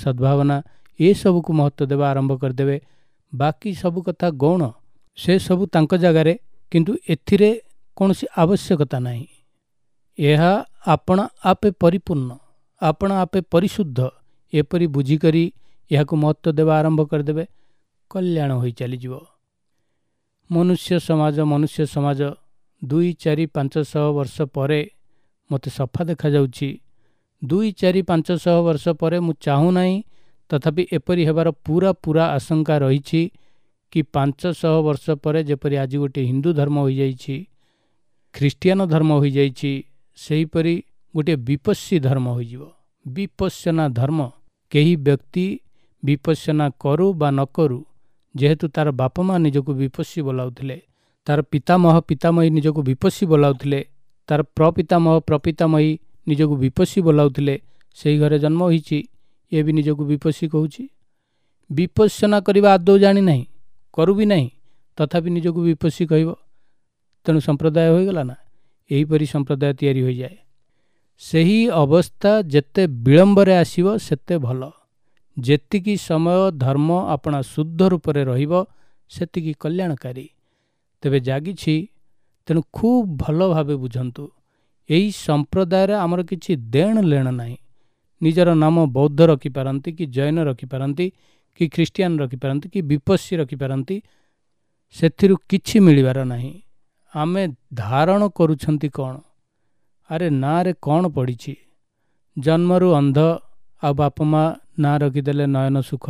ସଦ୍ଭାବନା ଏସବୁକୁ ମହତ୍ତ୍ୱ ଦେବା ଆରମ୍ଭ କରିଦେବେ। ବାକି ସବୁ କଥା ଗୌଣ, ସେସବୁ ତାଙ୍କ ଜାଗାରେ, କିନ୍ତୁ ଏଥିରେ କୌଣସି ଆବଶ୍ୟକତା ନାହିଁ। ଏହା ଆପଣା ଆପେ ପରିପୂର୍ଣ୍ଣ, ଆପଣା ଆପେ ପରିଶୁଦ୍ଧ, ଏପରି ବୁଝିକରି ଏହାକୁ ମହତ୍ତ୍ୱ ଦେବା ଆରମ୍ଭ କରିଦେବେ, କଲ୍ୟାଣ ହୋଇ ଚାଲିଯିବ। ମନୁଷ୍ୟ ସମାଜ, ମନୁଷ୍ୟ ସମାଜ 2, 4, 500 ବର୍ଷ ପରେ ମୋତେ ସଫା ଦେଖାଯାଉଛି। 2, 4, 500 ବର୍ଷ ପରେ ମୁଁ ଚାହୁଁନାହିଁ, ତଥାପି ଏପରି ହେବାର ପୁରା ପୁରା ଆଶଙ୍କା ରହିଛି କି 500 ବର୍ଷ ପରେ ଯେପରି ଆଜି ଗୋଟିଏ ହିନ୍ଦୁ ଧର୍ମ ହୋଇଯାଇଛି, ଖ୍ରୀଷ୍ଟିଆନ ଧର୍ମ ହୋଇଯାଇଛି, ସେହିପରି ଗୋଟିଏ ବିପස්සୀ ଧର୍ମ ହୋଇଯିବ। ବିପස්සନା ଧର୍ମ, କେହି ବ୍ୟକ୍ତି ବିପස්සନା କରୁ ବା ନ କରୁ, ଯେହେତୁ ତାର ବାପା ମା ନିଜକୁ ବିପස්සୀ ବୋଲାଉଥିଲେ, ତାର ପିତାମହ ପିତାମହୀ ନିଜକୁ ବିପස්සୀ ବୋଲାଉଥିଲେ, ତାର ପ୍ରପିତାମହ ପ୍ରପିତାମହୀ ନିଜକୁ ବିପස්සୀ ବୋଲାଉଥିଲେ, ସେଇ ଘରେ ଜନ୍ମ ହୋଇଛି, ଏ ବି ନିଜକୁ ବିପස්සୀ କହୁଛି। ବିପස්සନା କରିବା ଆଦୌ ଜାଣିନାହିଁ, କରୁ ବି ନାହିଁ, ତଥାପି ନିଜକୁ ବିପස්සୀ କହିବ। ତେଣୁ ସମ୍ପ୍ରଦାୟ ହୋଇଗଲା ନା? ଏହିପରି ସମ୍ପ୍ରଦାୟ ତିଆରି ହୋଇଯାଏ। ସେହି ଅବସ୍ଥା ଯେତେ ବିଳମ୍ବରେ ଆସିବ ସେତେ ଭଲ। ଯେତିକି ସମୟ ଧର୍ମ ଆପଣା ଶୁଦ୍ଧ ରୂପରେ ରହିବ ସେତିକି କଲ୍ୟାଣକାରୀ। ତେବେ ଜାଗିଛି, ତେଣୁ ଖୁବ୍ ଭଲ ଭାବେ ବୁଝନ୍ତୁ, ଏହି ସମ୍ପ୍ରଦାୟରେ ଆମର କିଛି ଦେଣ ଲେଣ ନାହିଁ। ନିଜର ନାମ ବୌଦ୍ଧ ରଖିପାରନ୍ତି କି ଜୈନ ରଖିପାରନ୍ତି କି ଖ୍ରୀଷ୍ଟିଆନ ରଖିପାରନ୍ତି କି ବିପස්සୀ ରଖିପାରନ୍ତି, ସେଥିରୁ କିଛି ମିଳିବାର ନାହିଁ। ଆମେ ଧାରଣ କରୁଛନ୍ତି କ'ଣ? ଆରେ ନାଁରେ କ'ଣ ପଡ଼ିଛି? ଜନ୍ମରୁ ଅନ୍ଧ, ଆଉ ବାପା ମା ନାଁ ରଖିଦେଲେ ନୟନ ସୁଖ,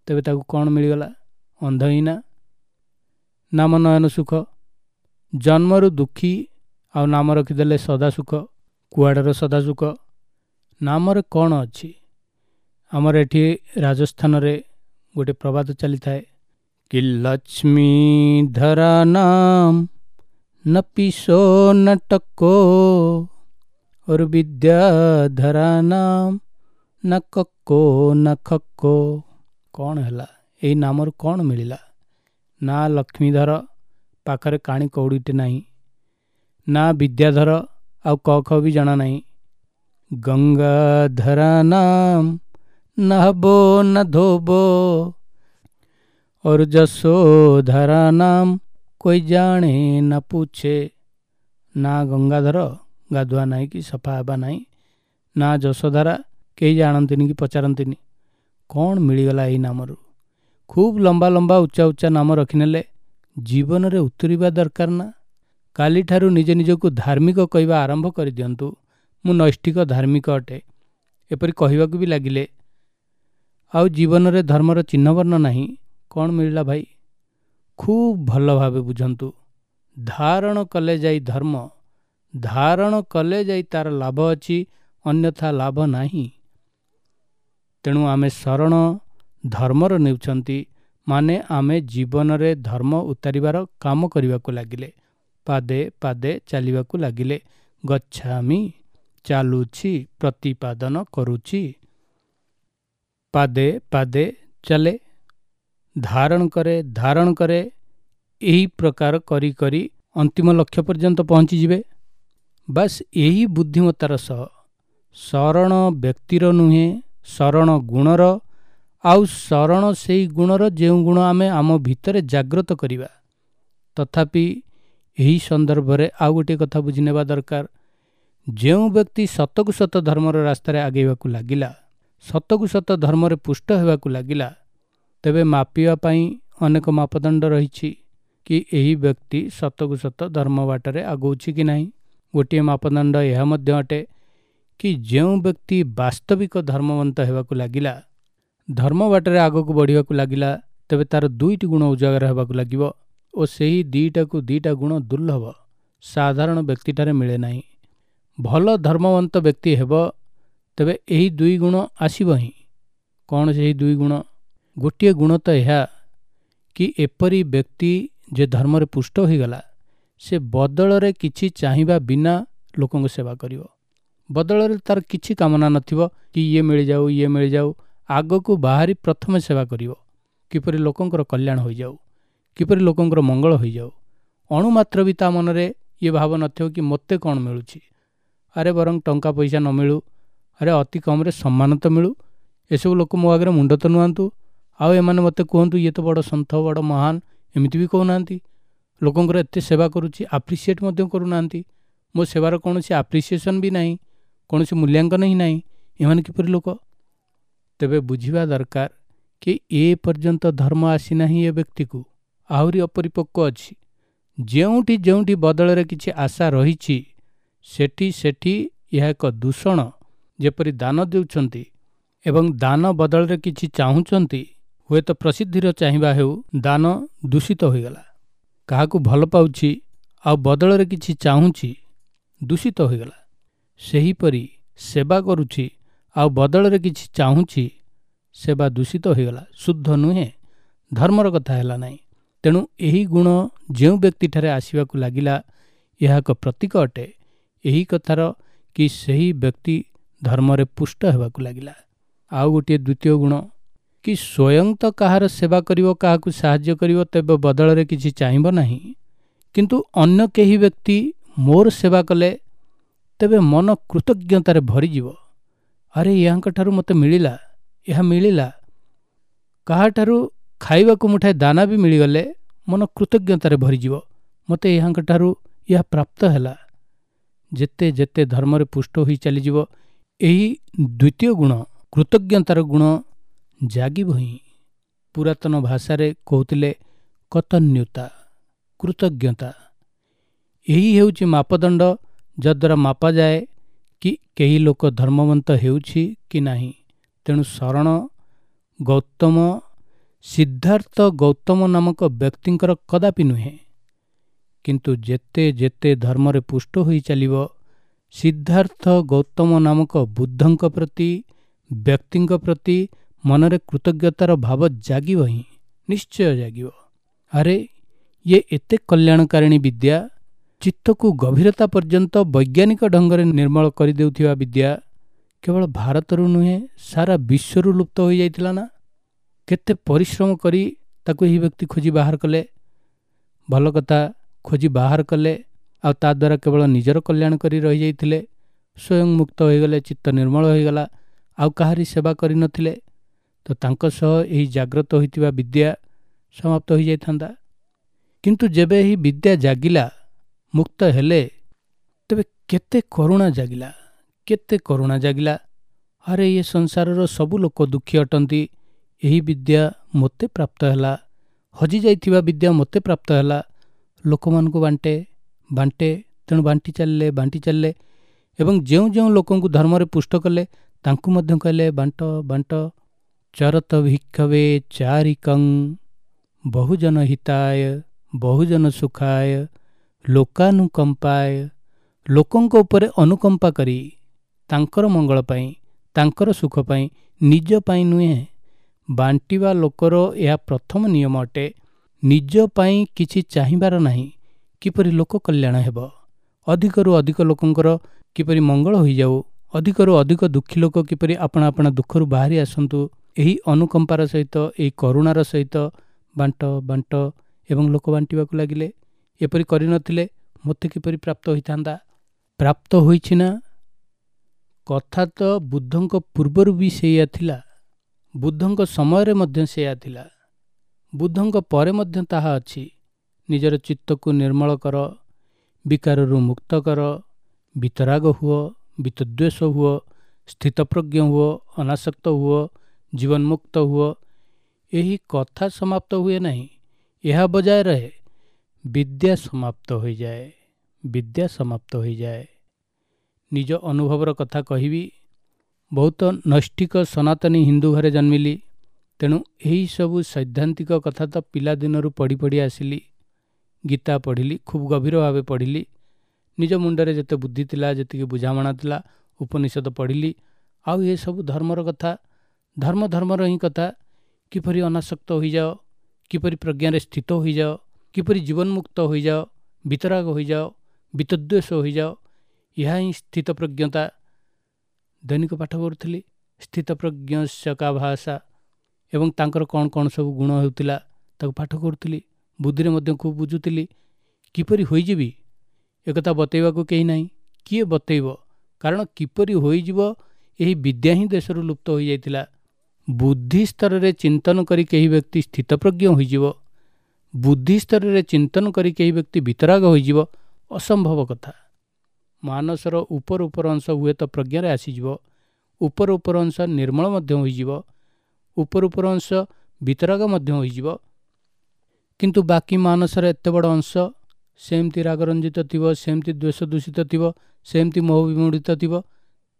ତେବେ ତାକୁ କ'ଣ ମିଳିଗଲା? ଅନ୍ଧ ହିଁ ନା, ନାମ ନୟନ ସୁଖ। ଜନ୍ମରୁ ଦୁଃଖୀ, ଆଉ ନାମ ରଖିଦେଲେ ସଦା ସୁଖ, କୁଆଡ଼ର ସଦା ସୁଖ? ନାମରେ କ'ଣ ଅଛି? ଆମର ଏଠି ରାଜସ୍ଥାନରେ ଗୋଟେ ପ୍ରବାଦ ଚାଲିଥାଏ କି ଲକ୍ଷ୍ମୀ ଧରା ନାମ न पीसो न टको, और विद्याधरा नाम न କକ୍କୋ न ଖକ୍କୋ। କ'ଣ ହେଲା? ଏଇ ନାମରୁ କ'ଣ ମିଳିଲା? ନା ଲକ୍ଷ୍ମୀଧର, ପାଖରେ କାଣି କଉଡ଼ିଟେ ନାହିଁ, ନା ବିଦ୍ୟାଧର, ଆଉ କ ଖ ବି ଜଣା ନାହିଁ। ଗଙ୍ଗାଧରା ନାମ ନହବୋ ନ ଧୋବୋ, और ଯଶୋଧରା ନାମ कोई जाने न पूछे। ନା ଗଙ୍ଗାଧର, ଗାଧୁଆ ନାହିଁ କି ସଫା ହେବା ନାହିଁ, ନା ଯଶୋଧାରା, କେହି ଜାଣନ୍ତିନି କି ପଚାରନ୍ତିନି। କ'ଣ ମିଳିଗଲା ଏଇ ନାମରୁ? ଖୁବ୍ ଲମ୍ବା ଲମ୍ବା ଉଚ୍ଚା ଉଚ୍ଚା ନାମ ରଖିନେଲେ, ଜୀବନରେ ଉତୁରିବା ଦରକାର ନା? କାଲିଠାରୁ ନିଜେ ନିଜକୁ ଧାର୍ମିକ କହିବା ଆରମ୍ଭ କରିଦିଅନ୍ତୁ। ମୁଁ ନୈଷ୍ଠିକ ଧାର୍ମିକ ଅଟେ, ଏପରି କହିବାକୁ ବି ଲାଗିଲେ ଆଉ ଜୀବନରେ ଧର୍ମର ଚିହ୍ନବର୍ଣ୍ଣ ନାହିଁ, କ'ଣ ମିଳିଲା ଭାଇ? ଖୁବ୍ ଭଲ ଭାବେ ବୁଝନ୍ତୁ, ଧାରଣ କଲେ ଯାଇ ଧର୍ମ, ଧାରଣ କଲେ ଯାଇ ତାର ଲାଭ ଅଛି, ଅନ୍ୟଥା ଲାଭ ନାହିଁ। ତେଣୁ ଆମେ ଶରଣ ଧର୍ମର ନେଉଛନ୍ତି, ମାନେ ଆମେ ଜୀବନରେ ଧର୍ମ ଉତାରିବାର କାମ କରିବାକୁ ଲାଗିଲେ, ପାଦେ ପାଦେ ଚାଲିବାକୁ ଲାଗିଲେ। ଗଚ୍ଛାମି, ଚାଲୁଛି, ପ୍ରତିପାଦନ କରୁଛି, ପାଦେ ପାଦେ ଚାଲେ, ଧାରଣ କରେ, ଧାରଣ କରେ। ଏହି ପ୍ରକାର କରି କରି ଅନ୍ତିମ ଲକ୍ଷ୍ୟ ପର୍ଯ୍ୟନ୍ତ ପହଞ୍ଚିଯିବେ। ବାସ୍ ଏହି ବୁଦ୍ଧିମତ୍ତାର ସହ ଶରଣ ବ୍ୟକ୍ତିର ନୁହେଁ, ଶରଣ ଗୁଣର, ଆଉ ଶରଣ ସେଇ ଗୁଣର ଯେଉଁ ଗୁଣ ଆମେ ଆମ ଭିତରେ ଜାଗ୍ରତ କରିବା। ତଥାପି ଏହି ସନ୍ଦର୍ଭରେ ଆଉ ଗୋଟିଏ କଥା ବୁଝିନେବା ଦରକାର। ଯେଉଁ ବ୍ୟକ୍ତି ସତକୁ ସତ ଧର୍ମର ରାସ୍ତାରେ ଆଗେଇବାକୁ ଲାଗିଲା, ସତକୁ ସତ ଧର୍ମରେ ପୁଷ୍ଟ ହେବାକୁ ଲାଗିଲା, ତେବେ ମାପିବା ପାଇଁ ଅନେକ ମାପଦଣ୍ଡ ରହିଛି କି ଏହି ବ୍ୟକ୍ତି ସତକୁ ସତ ଧର୍ମ ବାଟରେ ଆଗଉଛି କି ନାହିଁ। ଗୋଟିଏ ମାପଦଣ୍ଡ ଏହା ମଧ୍ୟ ଅଟେ କି ଯେଉଁ ବ୍ୟକ୍ତି ବାସ୍ତବିକ ଧର୍ମବନ୍ତ ହେବାକୁ ଲାଗିଲା, ଧର୍ମ ବାଟରେ ଆଗକୁ ବଢ଼ିବାକୁ ଲାଗିଲା, ତେବେ ତା'ର ଦୁଇଟି ଗୁଣ ଉଜାଗର ହେବାକୁ ଲାଗିବ ଓ ସେହି ଦୁଇଟାକୁ ଦୁଇଟା ଗୁଣ ଦୁର୍ଲଭ, ସାଧାରଣ ବ୍ୟକ୍ତିଠାରେ ମିଳେ ନାହିଁ। ଭଲ ଧର୍ମବନ୍ତ ବ୍ୟକ୍ତି ହେବ ତେବେ ଏହି ଦୁଇ ଗୁଣ ଆସିବ ହିଁ। କ'ଣ ସେହି ଦୁଇ ଗୁଣ? ଗୋଟିଏ ଗୁଣ ତ ଏହା କି ଏପରି ବ୍ୟକ୍ତି ଯେ ଧର୍ମରେ ପୁଷ୍ଟ ହୋଇଗଲା, ସେ ବଦଳରେ କିଛି ଚାହିଁବା ବିନା ଲୋକଙ୍କ ସେବା କରିବ। ବଦଳରେ ତାର କିଛି କାମନା ନଥିବ କି ଇଏ ମିଳିଯାଉ ଇଏ ମିଳିଯାଉ, ଆଗକୁ ବାହାରି ପ୍ରଥମେ ସେବା କରିବ, କିପରି ଲୋକଙ୍କର କଲ୍ୟାଣ ହୋଇଯାଉ, କିପରି ଲୋକଙ୍କର ମଙ୍ଗଳ ହୋଇଯାଉ। ଅଣୁମାତ୍ର ବି ତା ମନରେ ଇଏ ଭାବ ନଥିବ କି ମୋତେ କ'ଣ ମିଳୁଛି, ଆରେ ବରଂ ଟଙ୍କା ପଇସା ନ ମିଳୁ, ଆରେ ଅତି କମ୍ରେ ସମ୍ମାନ ତ ମିଳୁ, ଏସବୁ ଲୋକ ମୋ ଆଗରେ ମୁଣ୍ଡ ତ ନୁଆନ୍ତୁ, ଆଉ ଏମାନେ ମୋତେ କୁହନ୍ତୁ ଇଏ ତ ବଡ଼ ସନ୍ଥ ବଡ଼ ମହାନ, ଏମିତି ବି କହୁନାହାନ୍ତି, ଲୋକଙ୍କର ଏତେ ସେବା କରୁଛି ଆପ୍ରିସିଏଟ୍ ମଧ୍ୟ କରୁନାହାନ୍ତି, ମୋ ସେବାର କୌଣସି ଆପ୍ରିସିଏସନ୍ ବି ନାହିଁ, କୌଣସି ମୂଲ୍ୟାଙ୍କନ ହିଁ ନାହିଁ, ଏମାନେ କିପରି ଲୋକ? ତେବେ ବୁଝିବା ଦରକାର କି ଏ ପର୍ଯ୍ୟନ୍ତ ଧର୍ମ ଆସିନାହିଁ ଏ ବ୍ୟକ୍ତିକୁ, ଆହୁରି ଅପରିପକ୍ୱ ଅଛି। ଯେଉଁଠି ଯେଉଁଠି ବଦଳରେ କିଛି ଆଶା ରହିଛି ସେଠି ସେଠି ଏହା ଏକ ଦୂଷଣ। ଯେପରି ଦାନ ଦେଉଛନ୍ତି ଏବଂ ଦାନ ବଦଳରେ କିଛି ଚାହୁଁଛନ୍ତି, ହୁଏତ ପ୍ରସିଦ୍ଧିର ଚାହିଁବା ହେଉ, ଦାନ ଦୂଷିତ ହୋଇଗଲା। କାହାକୁ ଭଲ ପାଉଛି ଆଉ ବଦଳରେ କିଛି ଚାହୁଁଛି, ଦୂଷିତ ହୋଇଗଲା। ସେହିପରି ସେବା କରୁଛି ଆଉ ବଦଳରେ କିଛି ଚାହୁଁଛି, ସେବା ଦୂଷିତ ହୋଇଗଲା, ଶୁଦ୍ଧ ନୁହେଁ, ଧର୍ମର କଥା ହେଲା ନାହିଁ। ତେଣୁ ଏହି ଗୁଣ ଯେଉଁ ବ୍ୟକ୍ତିଠାରେ ଆସିବାକୁ ଲାଗିଲା, ଏହା ଏକ ପ୍ରତୀକ ଅଟେ ଏହି କଥାର କି ସେହି ବ୍ୟକ୍ତି ଧର୍ମରେ ପୁଷ୍ଟ ହେବାକୁ ଲାଗିଲା। ଆଉ ଗୋଟିଏ ଦ୍ୱିତୀୟ ଗୁଣ କି ସ୍ୱୟଂ ତ କାହାର ସେବା କରିବ, କାହାକୁ ସାହାଯ୍ୟ କରିବ, ତେବେ ବଦଳରେ କିଛି ଚାହିଁବ ନାହିଁ, କିନ୍ତୁ ଅନ୍ୟ କେହି ବ୍ୟକ୍ତି ମୋର ସେବା କଲେ ତେବେ ମନ କୃତଜ୍ଞତାରେ ଭରିଯିବ। ଆରେ ୟାଙ୍କଠାରୁ ମୋତେ ମିଳିଲା, ଏହା ମିଳିଲା। କାହାଠାରୁ ଖାଇବାକୁ ମୁଠାଏ ଦାନା ବି ମିଳିଗଲେ ମନ କୃତଜ୍ଞତାରେ ଭରିଯିବ, ମୋତେ ଏହାଙ୍କଠାରୁ ଏହା ପ୍ରାପ୍ତ ହେଲା। ଯେତେ ଯେତେ ଧର୍ମରେ ପୁଷ୍ଟ ହୋଇ ଚାଲିଯିବ, ଏହି ଦ୍ୱିତୀୟ ଗୁଣ କୃତଜ୍ଞତାର ଗୁଣ ଜାଗିବ ହିଁ। ପୁରାତନ ଭାଷାରେ କହୁଥିଲେ କତନ୍ୟୁତା, କୃତଜ୍ଞତା। ଏହି ହେଉଛି ମାପଦଣ୍ଡ ଯଦ୍ୱାରା ମାପାଯାଏ କି କେହି ଲୋକ ଧର୍ମବନ୍ତ ହେଉଛି କି ନାହିଁ। ତେଣୁ ଶରଣ ଗୌତମ, ସିଦ୍ଧାର୍ଥ ଗୌତମ ନାମକ ବ୍ୟକ୍ତିଙ୍କର କଦାପି ନୁହେଁ, କିନ୍ତୁ ଯେତେ ଯେତେ ଧର୍ମରେ ପୁଷ୍ଟ ହୋଇ ଚାଲିବ, ସିଦ୍ଧାର୍ଥ ଗୌତମ ନାମକ ବୁଦ୍ଧଙ୍କ ପ୍ରତି, ବ୍ୟକ୍ତିଙ୍କ ପ୍ରତି ମନରେ କୃତଜ୍ଞତାର ଭାବ ଜାଗିବ ହିଁ, ନିଶ୍ଚୟ ଜାଗିବ। ଆରେ ଇଏ ଏତେ କଲ୍ୟାଣକାରିଣୀ ବିଦ୍ୟା, ଚିତ୍ତକୁ ଗଭୀରତା ପର୍ଯ୍ୟନ୍ତ ବୈଜ୍ଞାନିକ ଢଙ୍ଗରେ ନିର୍ମଳ କରିଦେଉଥିବା ବିଦ୍ୟା କେବଳ ଭାରତରୁ ନୁହେଁ, ସାରା ବିଶ୍ୱରୁ ଲୁପ୍ତ ହୋଇଯାଇଥିଲା ନା? କେତେ ପରିଶ୍ରମ କରି ତାକୁ ଏହି ବ୍ୟକ୍ତି ଖୋଜି ବାହାର କଲେ। ଭଲ କଥା, ଖୋଜି ବାହାର କଲେ ଆଉ ତା ଦ୍ୱାରା କେବଳ ନିଜର କଲ୍ୟାଣ କରି ରହିଯାଇଥିଲେ, ସ୍ୱୟଂ ମୁକ୍ତ ହୋଇଗଲେ, ଚିତ୍ତ ନିର୍ମଳ ହୋଇଗଲା, ଆଉ କାହାରି ସେବା କରିନଥିଲେ, ତ ତାଙ୍କ ସହ ଏହି ଜାଗ୍ରତ ହୋଇଥିବା ବିଦ୍ୟା ସମାପ୍ତ ହୋଇଯାଇଥାନ୍ତା। କିନ୍ତୁ ଯେବେ ଏହି ବିଦ୍ୟା ଜାଗିଲା, ମୁକ୍ତ ହେଲେ, ତେବେ କେତେ କରୁଣା ଜାଗିଲା, କେତେ କରୁଣା ଜାଗିଲା। ଆରେ ଏ ସଂସାରର ସବୁ ଲୋକ ଦୁଃଖୀ ଅଟନ୍ତି, ଏହି ବିଦ୍ୟା ମୋତେ ପ୍ରାପ୍ତ ହେଲା, ହଜିଯାଇଥିବା ବିଦ୍ୟା ମୋତେ ପ୍ରାପ୍ତ ହେଲା, ଲୋକମାନଙ୍କୁ ବାଣ୍ଟେ ବାଣ୍ଟେ, ତେଣୁ ବାଣ୍ଟି ଚାଲିଲେ ବାଣ୍ଟି ଚାଲିଲେ ଏବଂ ଯେଉଁ ଯେଉଁ ଲୋକଙ୍କୁ ଧର୍ମରେ ପୁଷ୍ଟ କଲେ ତାଙ୍କୁ ମଧ୍ୟ କହିଲେ ବାଣ୍ଟ ବାଣ୍ଟ। ଚରତ ଭିକ୍ଷବେ ଚାରିକଂ ବହୁଜନ ହିତାୟ ବହୁଜନ ସୁଖାୟ ଲୋକାନୁକମ୍ପାୟ। ଲୋକଙ୍କ ଉପରେ ଅନୁକମ୍ପା କରି ତାଙ୍କର ମଙ୍ଗଳ ପାଇଁ, ତାଙ୍କର ସୁଖ ପାଇଁ, ନିଜ ପାଇଁ ନୁହେଁ। ବାଣ୍ଟିବା ଲୋକର ଏହା ପ୍ରଥମ ନିୟମ ଅଟେ, ନିଜ ପାଇଁ କିଛି ଚାହିଁବାର ନାହିଁ, କିପରି ଲୋକ କଲ୍ୟାଣ ହେବ, ଅଧିକରୁ ଅଧିକ ଲୋକଙ୍କର କିପରି ମଙ୍ଗଳ ହୋଇଯାଉ, ଅଧିକରୁ ଅଧିକ ଦୁଃଖୀ ଲୋକ କିପରି ଆପଣା ଆପଣା ଦୁଃଖରୁ ବାହାରି ଆସନ୍ତୁ, ଏହି ଅନୁକମ୍ପାର ସହିତ, ଏହି କରୁଣାର ସହିତ ବାଣ୍ଟ ବାଣ୍ଟ। ଏବଂ ଲୋକ ବାଣ୍ଟିବାକୁ ଲାଗିଲେ। ଏପରି କରିନଥିଲେ ମୋତେ କିପରି ପ୍ରାପ୍ତ ହୋଇଥାନ୍ତା? ପ୍ରାପ୍ତ ହୋଇଛି ନା? କଥା ତ ବୁଦ୍ଧଙ୍କ ପୂର୍ବରୁ ବି ସେଇଆ ଥିଲା, ବୁଦ୍ଧଙ୍କ ସମୟରେ ମଧ୍ୟ ସେଇଆ ଥିଲା, ବୁଦ୍ଧଙ୍କ ପରେ ମଧ୍ୟ ତାହା ଅଛି। ନିଜର ଚିତ୍ତକୁ ନିର୍ମଳ କର, ବିକାରରୁ ମୁକ୍ତ କର, ବିତରାଗ ହୁଅ, ବିତଦ୍ୱେଷ ହୁଅ, ସ୍ଥିତପ୍ରଜ୍ଞ ହୁଅ, ଅନାସକ୍ତ ହୁଅ, ଜୀବନମୁକ୍ତ ହୁଅ। ଏହି କଥା ସମାପ୍ତ ହୁଏ ନାହିଁ, ଏହା ବଜାୟ ରହେ। ବିଦ୍ୟା ସମାପ୍ତ ହୋଇଯାଏ, ବିଦ୍ୟା ସମାପ୍ତ ହୋଇଯାଏ। ନିଜ ଅନୁଭବର କଥା କହିବି। ବହୁତ ନୈଷ୍ଠିକ ସନାତନୀ ହିନ୍ଦୁ ଘରେ ଜନ୍ମିଲି, ତେଣୁ ଏହିସବୁ ସୈଦ୍ଧାନ୍ତିକ କଥା ତ ପିଲାଦିନରୁ ପଢ଼ି ପଢ଼ି ଆସିଲି। ଗୀତା ପଢ଼ିଲି, ଖୁବ୍ ଗଭୀର ଭାବେ ପଢ଼ିଲି। ନିଜ ମୁଣ୍ଡରେ ଯେତେ ବୁଦ୍ଧି ଥିଲା, ଯେତିକି ବୁଝାମଣା ଥିଲା, ଉପନିଷଦ ପଢ଼ିଲି। ଆଉ ଏସବୁ ଧର୍ମର କଥା, ଧର୍ମ ଧର୍ମର ହିଁ କଥା। କିପରି ଅନାସକ୍ତ ହୋଇଯାଅ, କିପରି ପ୍ରଜ୍ଞାରେ ସ୍ଥିତ ହୋଇଯାଅ, କିପରି ଜୀବନମୁକ୍ତ ହୋଇଯାଅ, ବିତରାଗ ହୋଇଯାଅ, ବିତଦ୍ୱେଷ ହୋଇଯାଅ, ଏହା ହିଁ ସ୍ଥିତପ୍ରଜ୍ଞତା। ଦୈନିକ ପାଠ କରୁଥିଲି ସ୍ଥିତପ୍ରଜ୍ଞସ୍ୟ କା ଭାଷା, ଏବଂ ତାଙ୍କର କ'ଣ କ'ଣ ସବୁ ଗୁଣ ହେଉଥିଲା ତାକୁ ପାଠ କରୁଥିଲି। ବୁଦ୍ଧିରେ ମଧ୍ୟ ଖୁବ୍ ବୁଝୁଥିଲି। କିପରି ହୋଇଯିବି ଏକଥା ବତେଇବାକୁ କେହି ନାହିଁ। କିଏ ବତେଇବ? କାରଣ କିପରି ହୋଇଯିବ ଏହି ବିଦ୍ୟା ହିଁ ଦେଶରୁ ଲୁପ୍ତ ହୋଇଯାଇଥିଲା। ବୁଦ୍ଧି ସ୍ତରରେ ଚିନ୍ତନ କରି କେହି ବ୍ୟକ୍ତି ସ୍ଥିତପ୍ରଜ୍ଞ ହୋଇଯିବ, ବୁଦ୍ଧି ସ୍ତରରେ ଚିନ୍ତନ କରି କେହି ବ୍ୟକ୍ତି ବିତରାଗ ହୋଇଯିବ, ଅସମ୍ଭବ କଥା। ମାନସର ଉପର ଉପର ଅଂଶ ହୁଏତ ପ୍ରଜ୍ଞାରେ ଆସିଯିବ, ଉପର ଉପର ଅଂଶ ନିର୍ମଳ ମଧ୍ୟ ହୋଇଯିବ, ଉପର ଉପର ଅଂଶ ବିତରାଗ ମଧ୍ୟ ହୋଇଯିବ, କିନ୍ତୁ ବାକି ମାନସର ଏତେ ବଡ଼ ଅଂଶ ସେମିତି ରାଗରଞ୍ଜିତ ଥିବ, ସେମିତି ଦ୍ୱେଷ ଦୂଷିତ ଥିବ, ସେମିତି ମୋହ ବିମୂଢ଼ିତ ଥିବ।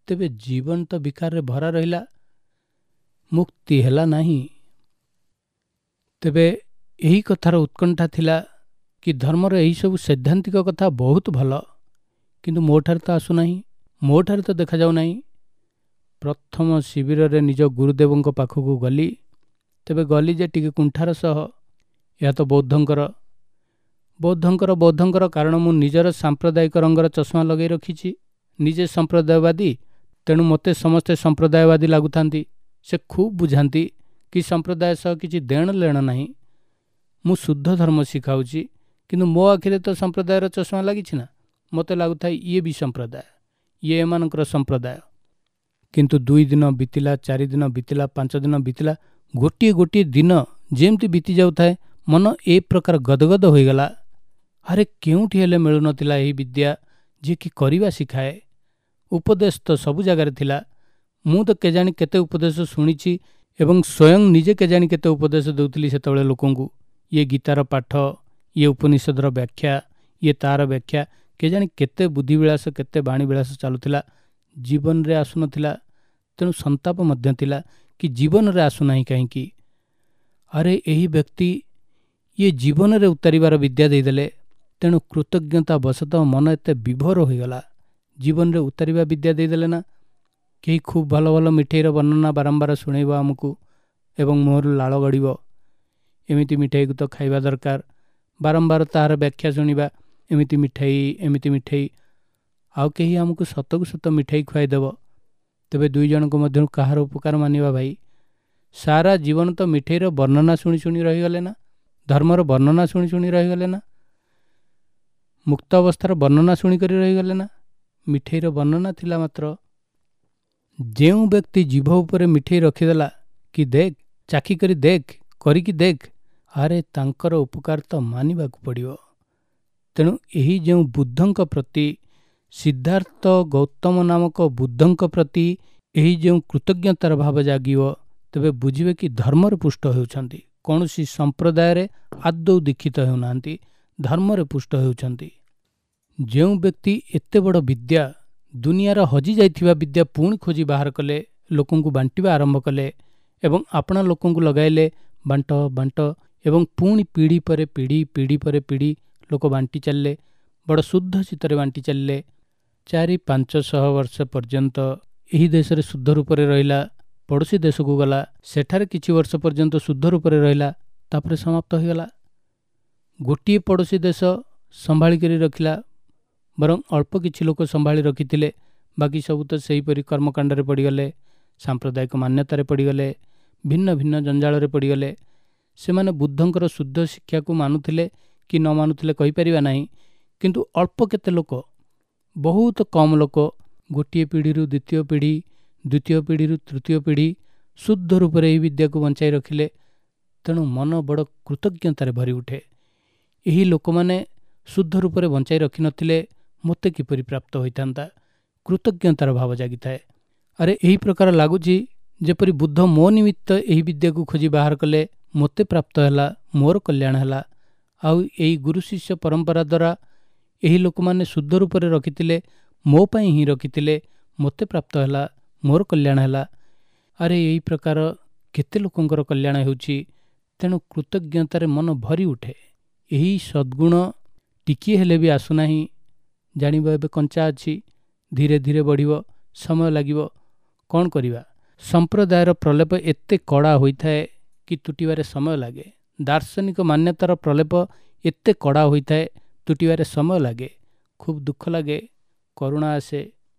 ତେବେ ଜୀବନ ତ ବିକାରରେ ଭରା ରହିଲା, ମୁକ୍ତି ହେଲା ନାହିଁ। ତେବେ ଏହି କଥାର ଉତ୍କଣ୍ଠା ଥିଲା କି ଧର୍ମର ଏହିସବୁ ସୈଦ୍ଧାନ୍ତିକ କଥା ବହୁତ ଭଲ, କିନ୍ତୁ ମୋଠାରେ ତ ଆସୁନାହିଁ, ମୋଠାରେ ତ ଦେଖାଯାଉନାହିଁ। ପ୍ରଥମ ଶିବିରରେ ନିଜ ଗୁରୁଦେବଙ୍କ ପାଖକୁ ଗଲି। ତେବେ ଗଲି ଯେ ଟିକେ କୁଣ୍ଠାର ସହ, ଏହା ତ ବୌଦ୍ଧଙ୍କର ବୌଦ୍ଧଙ୍କର ବୌଦ୍ଧଙ୍କର, କାରଣ ମୁଁ ନିଜର ସାମ୍ପ୍ରଦାୟିକ ରଙ୍ଗର ଚଷମା ଲଗାଇ ରଖିଛି। ନିଜେ ସମ୍ପ୍ରଦାୟବାଦୀ, ତେଣୁ ମୋତେ ସମସ୍ତେ ସମ୍ପ୍ରଦାୟବାଦୀ ଲାଗୁଥାନ୍ତି। ସେ ଖୁବ୍ ବୁଝାନ୍ତି କି ସମ୍ପ୍ରଦାୟ ସହ କିଛି ଦେଣ ଲେଣ ନାହିଁ, ମୁଁ ଶୁଦ୍ଧ ଧର୍ମ ଶିଖାଉଛି, କିନ୍ତୁ ମୋ ଆଖିରେ ତ ସମ୍ପ୍ରଦାୟର ଚଷମା ଲାଗିଛି ନା। ମୋତେ ଲାଗୁଥାଏ ଇଏ ବି ସମ୍ପ୍ରଦାୟ, ଇଏ ଏମାନଙ୍କର ସମ୍ପ୍ରଦାୟ। କିନ୍ତୁ 2 ଦିନ ବିତିଲା, 4 ଦିନ ବିତିଲା, 5 ଦିନ ବିତିଲା, ଗୋଟିଏ ଗୋଟିଏ ଦିନ ଯେମିତି ବିତି ଯାଉଥାଏ ମନ ଏ ପ୍ରକାର ଗଦଗଦ ହୋଇଗଲା। ଆରେ କେଉଁଠି ହେଲେ ମିଳୁନଥିଲା ଏହି ବିଦ୍ୟା ଯିଏକି କରିବା ଶିଖାଏ। ଉପଦେଶ ତ ସବୁ ଜାଗାରେ ଥିଲା। ମୁଁ ତ କେଜାଣି କେତେ ଉପଦେଶ ଶୁଣିଛି ଏବଂ ସ୍ୱୟଂ ନିଜେ କେଜାଣି କେତେ ଉପଦେଶ ଦେଉଥିଲି ସେତେବେଳେ ଲୋକଙ୍କୁ। ଇଏ ଗୀତାର ପାଠ, ଇଏ ଉପନିଷଦର ବ୍ୟାଖ୍ୟା, ଇଏ ତାର ବ୍ୟାଖ୍ୟା, କେଜାଣି କେତେ ବୁଦ୍ଧିବିଳାସ, କେତେ ବାଣୀବିଳାସ ଚାଲୁଥିଲା, ଜୀବନରେ ଆସୁନଥିଲା। ତେଣୁ ସନ୍ତାପ ମଧ୍ୟ ଥିଲା କି ଜୀବନରେ ଆସୁନାହିଁ କାହିଁକି। ଆରେ ଏହି ବ୍ୟକ୍ତି ଇଏ ଜୀବନରେ ଉତାରିବାର ବିଦ୍ୟା ଦେଇଦେଲେ। ତେଣୁ କୃତଜ୍ଞତା ବଶତଃ ମନ ଏତେ ବିଭୋର ହୋଇଗଲା। ଜୀବନରେ ଉତାରିବା ବିଦ୍ୟା ଦେଇଦେଲେ ନା। କେହି ଖୁବ୍ ଭଲ ଭଲ ମିଠେଇର ବର୍ଣ୍ଣନା ବାରମ୍ବାର ଶୁଣେଇବ ଆମକୁ ଏବଂ ମୁହଁରୁ ଲାଳ ଗଡ଼ିବ। ଏମିତି ମିଠେଇକୁ ତ ଖାଇବା ଦରକାର, ବାରମ୍ବାର ତାହାର ବ୍ୟାଖ୍ୟା ଶୁଣିବା, ଏମିତି ମିଠେଇ, ଏମିତି ମିଠେଇ। ଆଉ କେହି ଆମକୁ ସତକୁ ସତ ମିଠେଇ ଖୁଆଇଦେବ। ତେବେ 2 ଜଣଙ୍କ ମଧ୍ୟରୁ କାହାର ଉପକାର ମାନିବା ଭାଇ? ସାରା ଜୀବନ ତ ମିଠେଇର ବର୍ଣ୍ଣନା ଶୁଣି ଶୁଣି ରହିଗଲେ ନା, ଧର୍ମର ବର୍ଣ୍ଣନା ଶୁଣି ଶୁଣି ରହିଗଲେ ନା, ମୁକ୍ତ ଅବସ୍ଥାର ବର୍ଣ୍ଣନା ଶୁଣିକରି ରହିଗଲେ ନା। ମିଠେଇର ବର୍ଣ୍ଣନା ଥିଲା ମାତ୍ର। ଯେଉଁ ବ୍ୟକ୍ତି ଜିଭ ଉପରେ ମିଠେଇ ରଖିଦେଲା କି ଦେଖ, ଚାଖି କରି ଦେଖ, କରିକି ଦେଖ, ଆରେ ତାଙ୍କର ଉପକାର ତ ମାନିବାକୁ ପଡ଼ିବ। ତେଣୁ ଏହି ଯେଉଁ ବୁଦ୍ଧଙ୍କ ପ୍ରତି, ସିଦ୍ଧାର୍ଥ ଗୌତମ ନାମକ ବୁଦ୍ଧଙ୍କ ପ୍ରତି ଏହି ଯେଉଁ କୃତଜ୍ଞତାର ଭାବ ଜାଗିବ, ତେବେ ବୁଝିବେ କି ଧର୍ମରେ ପୁଷ୍ଟ ହେଉଛନ୍ତି। କୌଣସି ସମ୍ପ୍ରଦାୟରେ ଆଦୌ ଦୀକ୍ଷିତ ହେଉନାହାନ୍ତି, ଧର୍ମରେ ପୁଷ୍ଟ ହେଉଛନ୍ତି। ଯେଉଁ ବ୍ୟକ୍ତି ଏତେ ବଡ଼ ବିଦ୍ୟା, ଦୁନିଆର ହଜିଯାଇଥିବା ବିଦ୍ୟା ପୁଣି ଖୋଜି ବାହାର କଲେ, ଲୋକଙ୍କୁ ବାଣ୍ଟିବା ଆରମ୍ଭ କଲେ ଏବଂ ଆପଣା ଲୋକଙ୍କୁ ଲଗାଇଲେ, ବାଣ୍ଟ ବାଣ୍ଟ, ଏବଂ ପୁଣି ପିଢ଼ି ପରେ ପିଢ଼ି, ପିଢ଼ି ପରେ ପିଢ଼ି ଲୋକ ବାଣ୍ଟି ଚାଲିଲେ, ବଡ଼ ଶୁଦ୍ଧ ଚିତ୍ତରେ ବାଣ୍ଟି ଚାଲିଲେ। 400-500 ବର୍ଷ ପର୍ଯ୍ୟନ୍ତ ଏହି ଦେଶରେ ଶୁଦ୍ଧ ରୂପରେ ରହିଲା, ପଡ଼ୋଶୀ ଦେଶକୁ ଗଲା, ସେଠାରେ କିଛି ବର୍ଷ ପର୍ଯ୍ୟନ୍ତ ଶୁଦ୍ଧ ରୂପରେ ରହିଲା, ତାପରେ ସମାପ୍ତ ହୋଇଗଲା। ଗୋଟିଏ ପଡ଼ୋଶୀ ଦେଶ ସମ୍ଭାଳିକରି ରଖିଲା, ବରଂ ଅଳ୍ପ କିଛି ଲୋକ ସମ୍ଭାଳି ରଖିଥିଲେ, ବାକି ସବୁ ତ ସେହିପରି କର୍ମକାଣ୍ଡରେ ପଡ଼ିଗଲେ, ସାମ୍ପ୍ରଦାୟିକ ମାନ୍ୟତାରେ ପଡ଼ିଗଲେ, ଭିନ୍ନ ଭିନ୍ନ ଜଞ୍ଜାଳରେ ପଡ଼ିଗଲେ। ସେମାନେ ବୁଦ୍ଧଙ୍କର ଶୁଦ୍ଧ ଶିକ୍ଷାକୁ ମାନୁଥିଲେ କି ନ ମାନୁଥିଲେ କହିପାରିବା ନାହିଁ, କିନ୍ତୁ ଅଳ୍ପ କେତେ ଲୋକ, ବହୁତ କମ୍ ଲୋକ, ଗୋଟିଏ ପିଢ଼ିରୁ ଦ୍ୱିତୀୟ ପିଢ଼ି, ଦ୍ୱିତୀୟ ପିଢ଼ିରୁ ତୃତୀୟ ପିଢ଼ି ଶୁଦ୍ଧ ରୂପରେ ଏହି ବିଦ୍ୟାକୁ ବଞ୍ଚାଇ ରଖିଲେ। ତେଣୁ ମନ ବଡ଼ କୃତଜ୍ଞତାରେ ଭରି ଉଠେ। ଏହି ଲୋକମାନେ ଶୁଦ୍ଧ ରୂପରେ ବଞ୍ଚାଇ ରଖିନଥିଲେ ମୋତେ କିପରି ପ୍ରାପ୍ତ ହୋଇଥାନ୍ତା? କୃତଜ୍ଞତାର ଭାବ ଜାଗିଥାଏ। ଆରେ ଏହି ପ୍ରକାର ଲାଗୁଛି ଯେପରି ବୁଦ୍ଧ ମୋ ନିମିତ୍ତ ଏହି ବିଦ୍ୟାକୁ ଖୋଜି ବାହାର କଲେ, ମୋତେ ପ୍ରାପ୍ତ ହେଲା, ମୋର କଲ୍ୟାଣ ହେଲା। ଆଉ ଏଇ ଗୁରୁ ଶିଷ୍ୟ ପରମ୍ପରା ଦ୍ୱାରା ଏହି ଲୋକମାନେ ଶୁଦ୍ଧ ରୂପରେ ରଖିଥିଲେ, ମୋ ପାଇଁ ହିଁ ରଖିଥିଲେ, ମୋତେ ପ୍ରାପ୍ତ ହେଲା, ମୋର କଲ୍ୟାଣ ହେଲା। ଆରେ ଏହି ପ୍ରକାର କେତେ ଲୋକଙ୍କର କଲ୍ୟାଣ ହେଉଛି। ତେଣୁ କୃତଜ୍ଞତାରେ ମନ ଭରି ଉଠେ। ଏହି ସଦ୍ଗୁଣ ଟିକିଏ ହେଲେ ବି ଆସୁନାହିଁ, ଜାଣିବ ଏବେ କଞ୍ଚା ଅଛି, ଧୀରେ ଧୀରେ ବଢ଼ିବ, ସମୟ ଲାଗିବ। କ'ଣ କରିବା? ସମ୍ପ୍ରଦାୟର ପ୍ରଲେପ ଏତେ କଡ଼ା ହୋଇଥାଏ କି ତୁଟିବାରେ ସମୟ ଲାଗେ। ଦାର୍ଶନିକ ମାନ୍ୟତାର ପ୍ରଲେପ ଏତେ କଡ଼ା ହୋଇଥାଏ, ତୁଟିବାରେ ସମୟ ଲାଗେ। ଖୁବ୍ ଦୁଃଖ ଲାଗେ, କରୁଣା ଆସେ।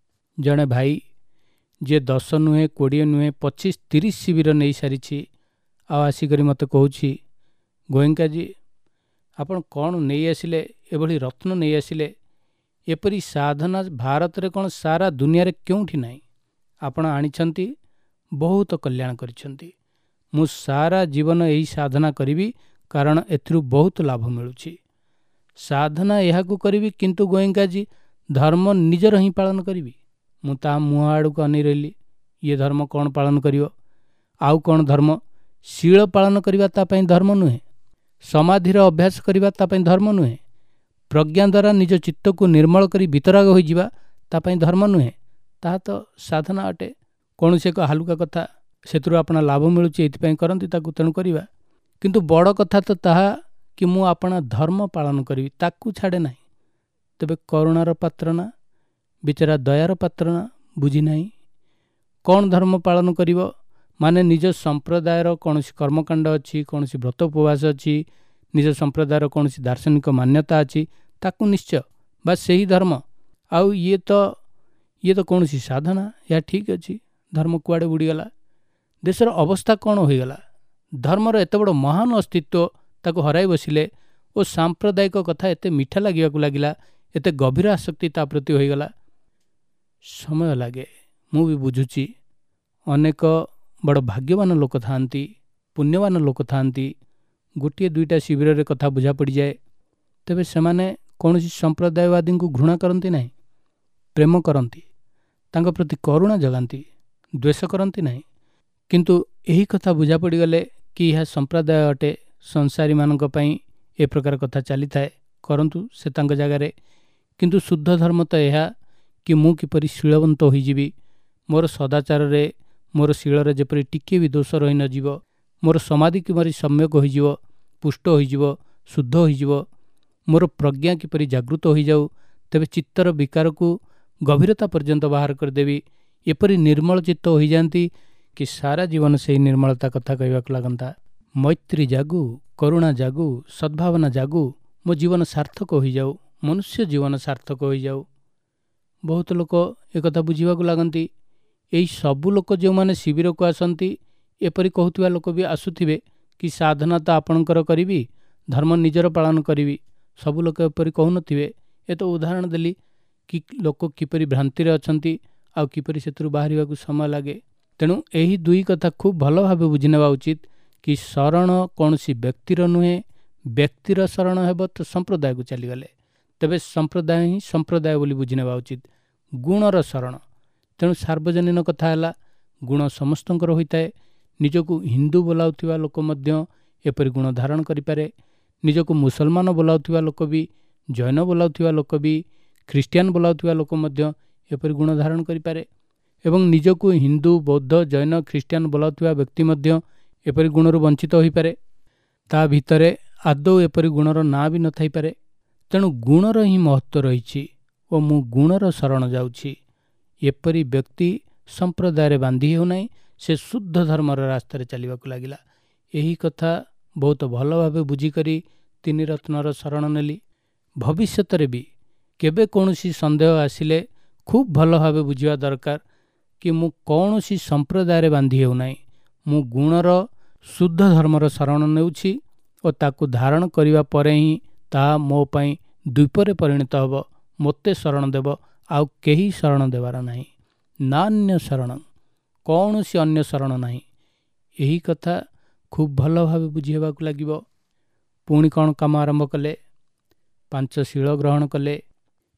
ଜଣେ ଭାଇ ଯିଏ 10 ନୁହେଁ, 20 ନୁହେଁ, 25 30 ଶିବିର ନେଇସାରିଛି, ଆଉ ଆସିକରି ମୋତେ କହୁଛି, ଗୋଏଙ୍କାଜୀ ଆପଣ କ'ଣ ନେଇ ଆସିଲେ, ଏଭଳି ରତ୍ନ ନେଇ ଆସିଲେ, ଏପରି ସାଧନା ଭାରତରେ କ'ଣ ସାରା ଦୁନିଆରେ କେଉଁଠି ନାହିଁ, ଆପଣ ଆଣିଛନ୍ତି, ବହୁତ କଲ୍ୟାଣ କରିଛନ୍ତି। ମୁଁ ସାରା ଜୀବନ ଏହି ସାଧନା କରିବି, କାରଣ ଏଥିରୁ ବହୁତ ଲାଭ ମିଳୁଛି। ସାଧନା ଏହାକୁ କରିବି, କିନ୍ତୁ ଗୋଏଙ୍କାଜୀ ଧର୍ମ ନିଜର ହିଁ ପାଳନ କରିବି। ମୁଁ ତା ମୁହଁ ଆଡ଼କୁ ଅନେଇ ରହିଲି। ଇଏ ଧର୍ମ କ'ଣ ପାଳନ କରିବ? ଆଉ କ'ଣ ଧର୍ମ? ଶୀଳ ପାଳନ କରିବା ତା ପାଇଁ ଧର୍ମ ନୁହେଁ, ସମାଧିର ଅଭ୍ୟାସ କରିବା ତା ପାଇଁ ଧର୍ମ ନୁହେଁ, ପ୍ରଜ୍ଞା ଦ୍ୱାରା ନିଜ ଚିତ୍ତକୁ ନିର୍ମଳ କରି ବିତରାଗ ହୋଇଯିବା ତା ପାଇଁ ଧର୍ମ ନୁହେଁ, ତାହା ତ ସାଧନା ଅଟେ। କୌଣସି ଏକ ହାଲୁକା କଥା, ସେଥିରୁ ଆପଣା ଲାଭ ମିଳୁଛି, ଏଥିପାଇଁ କରନ୍ତି ତାକୁ, ତେଣୁ କରିବା। କିନ୍ତୁ ବଡ଼ କଥା ତ ତାହା କି ମୁଁ ଆପଣା ଧର୍ମ ପାଳନ କରିବି, ତାକୁ ଛାଡ଼େ ନାହିଁ। ତେବେ କରୁଣାର ପାତ୍ର ନା ବିଚରା ଦୟାର ପାତ୍ର ନା, ବୁଝି ନାହିଁ। କ'ଣ ଧର୍ମ ପାଳନ କରିବ? ମାନେ ନିଜ ସମ୍ପ୍ରଦାୟର କୌଣସି କର୍ମକାଣ୍ଡ ଅଛି, କୌଣସି ବ୍ରତ ଉପବାସ ଅଛି, ନିଜ ସମ୍ପ୍ରଦାୟର କୌଣସି ଦାର୍ଶନିକ ମାନ୍ୟତା ଅଛି, ତାକୁ ନିଶ୍ଚୟ ବା ସେହି ଧର୍ମ। ଆଉ ଇଏ ତ କୌଣସି ସାଧନା, ଏହା ଠିକ୍ ଅଛି। ଧର୍ମ କୁଆଡ଼େ ବୁଡ଼ିଗଲା? ଦେଶର ଅବସ୍ଥା କ'ଣ ହୋଇଗଲା? ଧର୍ମର ଏତେ ବଡ଼ ମହାନ ଅସ୍ତିତ୍ୱ ତାକୁ ହରାଇ ବସିଲେ ଓ ସାମ୍ପ୍ରଦାୟିକ କଥା ଏତେ ମିଠା ଲାଗିବାକୁ ଲାଗିଲା, ଏତେ ଗଭୀର ଆସକ୍ତି ତା ପ୍ରତି ହୋଇଗଲା। ସମୟ ଲାଗେ, ମୁଁ ବି ବୁଝୁଛି। ଅନେକ ବଡ଼ ଭାଗ୍ୟବାନ ଲୋକ ଥାଆନ୍ତି, ପୁଣ୍ୟବାନ ଲୋକ ଥାଆନ୍ତି, ଗୋଟିଏ ଦୁଇଟା ଶିବିରରେ କଥା ବୁଝା ପଡ଼ିଯାଏ। ତେବେ ସେମାନେ କୌଣସି ସମ୍ପ୍ରଦାୟବାଦୀଙ୍କୁ ଘୃଣା କରନ୍ତି ନାହିଁ, ପ୍ରେମ କରନ୍ତି, ତାଙ୍କ ପ୍ରତି କରୁଣା ଜଗାନ୍ତି, ଦ୍ୱେଷ କରନ୍ତି ନାହିଁ। କିନ୍ତୁ ଏହି କଥା ବୁଝା ପଡ଼ିଗଲେ କି ଏହା ସମ୍ପ୍ରଦାୟ ଅଟେ, ସଂସାରୀମାନଙ୍କ ପାଇଁ ଏ ପ୍ରକାର କଥା ଚାଲିଥାଏ, କରନ୍ତୁ ସେ ତାଙ୍କ ଜାଗାରେ। କିନ୍ତୁ ଶୁଦ୍ଧ ଧର୍ମ ତ ଏହା କି ମୁଁ କିପରି ଶୀଳବନ୍ତ ହୋଇଯିବି, ମୋର ସଦାଚାରରେ ମୋର ଶୀଳରେ ଯେପରି ଟିକିଏ ବି ଦୋଷ ରହିନଯିବ, ମୋର ସମାଧି କିପରି ସମ୍ୟକ ହୋଇଯିବ, ପୁଷ୍ଟ ହୋଇଯିବ, ଶୁଦ୍ଧ ହୋଇଯିବ, ମୋର ପ୍ରଜ୍ଞା କିପରି ଜାଗୃତ ହୋଇଯାଉ, ତେବେ ଚିତ୍ତର ବିକାରକୁ ଗଭୀରତା ପର୍ଯ୍ୟନ୍ତ ବାହାର କରିଦେବି। ଏପରି ନିର୍ମଳ ଚିତ୍ତ ହୋଇଯାଆନ୍ତି କି ସାରା ଜୀବନ ସେହି ନିର୍ମଳତା କଥା କହିବାକୁ ଲାଗନ୍ତା। ମୈତ୍ରୀ ଜାଗୁ, କରୁଣା ଜାଗୁ, ସଦ୍ଭାବନା ଜାଗୁ, ମୋ ଜୀବନ ସାର୍ଥକ ହୋଇଯାଉ, ମନୁଷ୍ୟ ଜୀବନ ସାର୍ଥକ ହୋଇଯାଉ। ବହୁତ ଲୋକ ଏକଥା ବୁଝିବାକୁ ଲାଗନ୍ତି। ଏହି ସବୁ ଲୋକ ଯେଉଁମାନେ ଶିବିରକୁ ଆସନ୍ତି, ଏପରି କହୁଥିବା ଲୋକ ବି ଆସୁଥିବେ କି ସାଧନା ତ ଆପଣଙ୍କର କରିବି, ଧର୍ମ ନିଜର ପାଳନ କରିବି। ସବୁ ଲୋକ ଏପରି କହୁନଥିବେ। ଏ ତ ଉଦାହରଣ ଦେଲି କି ଲୋକ କିପରି ଭ୍ରାନ୍ତିରେ ଅଛନ୍ତି ଆଉ କିପରି ସେଥିରୁ ବାହାରିବାକୁ ସମୟ ଲାଗେ। ତେଣୁ ଏହି ଦୁଇ କଥା ଖୁବ୍ ଭଲ ଭାବେ ବୁଝିନେବା ଉଚିତ କି ଶରଣ କୌଣସି ବ୍ୟକ୍ତିର ନୁହେଁ। ବ୍ୟକ୍ତିର ଶରଣ ହେବ ତ ସମ୍ପ୍ରଦାୟକୁ ଚାଲିଗଲେ, ତେବେ ସମ୍ପ୍ରଦାୟ ହିଁ ସମ୍ପ୍ରଦାୟ ବୋଲି ବୁଝିନେବା ଉଚିତ। ଗୁଣର ଶରଣ, ତେଣୁ ସାର୍ବଜନୀନ କଥା ହେଲା ଗୁଣ ସମସ୍ତଙ୍କର ହୋଇଥାଏ। ନିଜକୁ ହିନ୍ଦୁ ବୋଲାଉଥିବା ଲୋକ ମଧ୍ୟ ଏପରି ଗୁଣ ଧାରଣ କରିପାରେ, ନିଜକୁ ମୁସଲମାନ ବୋଲାଉଥିବା ଲୋକ ବି, ଜୈନ ବୋଲାଉଥିବା ଲୋକ ବି, ଖ୍ରୀଷ୍ଟିଆନ ବୋଲାଉଥିବା ଲୋକ ମଧ୍ୟ ଏପରି ଗୁଣ ଧାରଣ କରିପାରେ। ଏବଂ ନିଜକୁ ହିନ୍ଦୁ, ବୌଦ୍ଧ, ଜୈନ, ଖ୍ରୀଷ୍ଟିଆନ ବୋଲାଉଥିବା ବ୍ୟକ୍ତି ମଧ୍ୟ ଏପରି ଗୁଣରୁ ବଞ୍ଚିତ ହୋଇପାରେ। ତା ଭିତରେ ଆଦୌ ଏପରି ଗୁଣର ନାଁ ବି ନଥାଇପାରେ। ତେଣୁ ଗୁଣର ହିଁ ମହତ୍ତ୍ୱ ରହିଛି ଓ ମୁଁ ଗୁଣର ଶରଣ ଯାଉଛି। ଏପରି ବ୍ୟକ୍ତି ସମ୍ପ୍ରଦାୟରେ ବାନ୍ଧି ହେଉନାହିଁ, ସେ ଶୁଦ୍ଧ ଧର୍ମର ରାସ୍ତାରେ ଚାଲିବାକୁ ଲାଗିଲା। ଏହି କଥା ବହୁତ ଭଲ ଭାବେ ବୁଝିକରି ତିନି ରତ୍ନର ଶରଣ ନେଲି। ଭବିଷ୍ୟତରେ ବି କେବେ କୌଣସି ସନ୍ଦେହ ଆସିଲେ ଖୁବ୍ ଭଲ ଭାବେ ବୁଝିବା ଦରକାର କି ମୁଁ କୌଣସି ସମ୍ପ୍ରଦାୟରେ ବାନ୍ଧି ହେଉନାହିଁ, ମୁଁ ଗୁଣର ଶୁଦ୍ଧ ଧର୍ମର ଶରଣ ନେଉଛି ଓ ତାକୁ ଧାରଣ କରିବା ପରେ ହିଁ ତାହା ମୋ ପାଇଁ ଦ୍ୱୀପରେ ପରିଣତ ହେବ, ମୋତେ ଶରଣ ଦେବ, ଆଉ କେହି ଶରଣ ଦେବାର ନାହିଁ। ନାନ୍ୟ ଶରଣ, କୌଣସି ଅନ୍ୟ ଶରଣ ନାହିଁ। ଏହି କଥା ଖୁବ୍ ଭଲ ଭାବେ ବୁଝି ହେବାକୁ ଲାଗିବ। ପୁଣି କ'ଣ କାମ ଆରମ୍ଭ କଲେ? 5 ଶୀଳ ଗ୍ରହଣ କଲେ।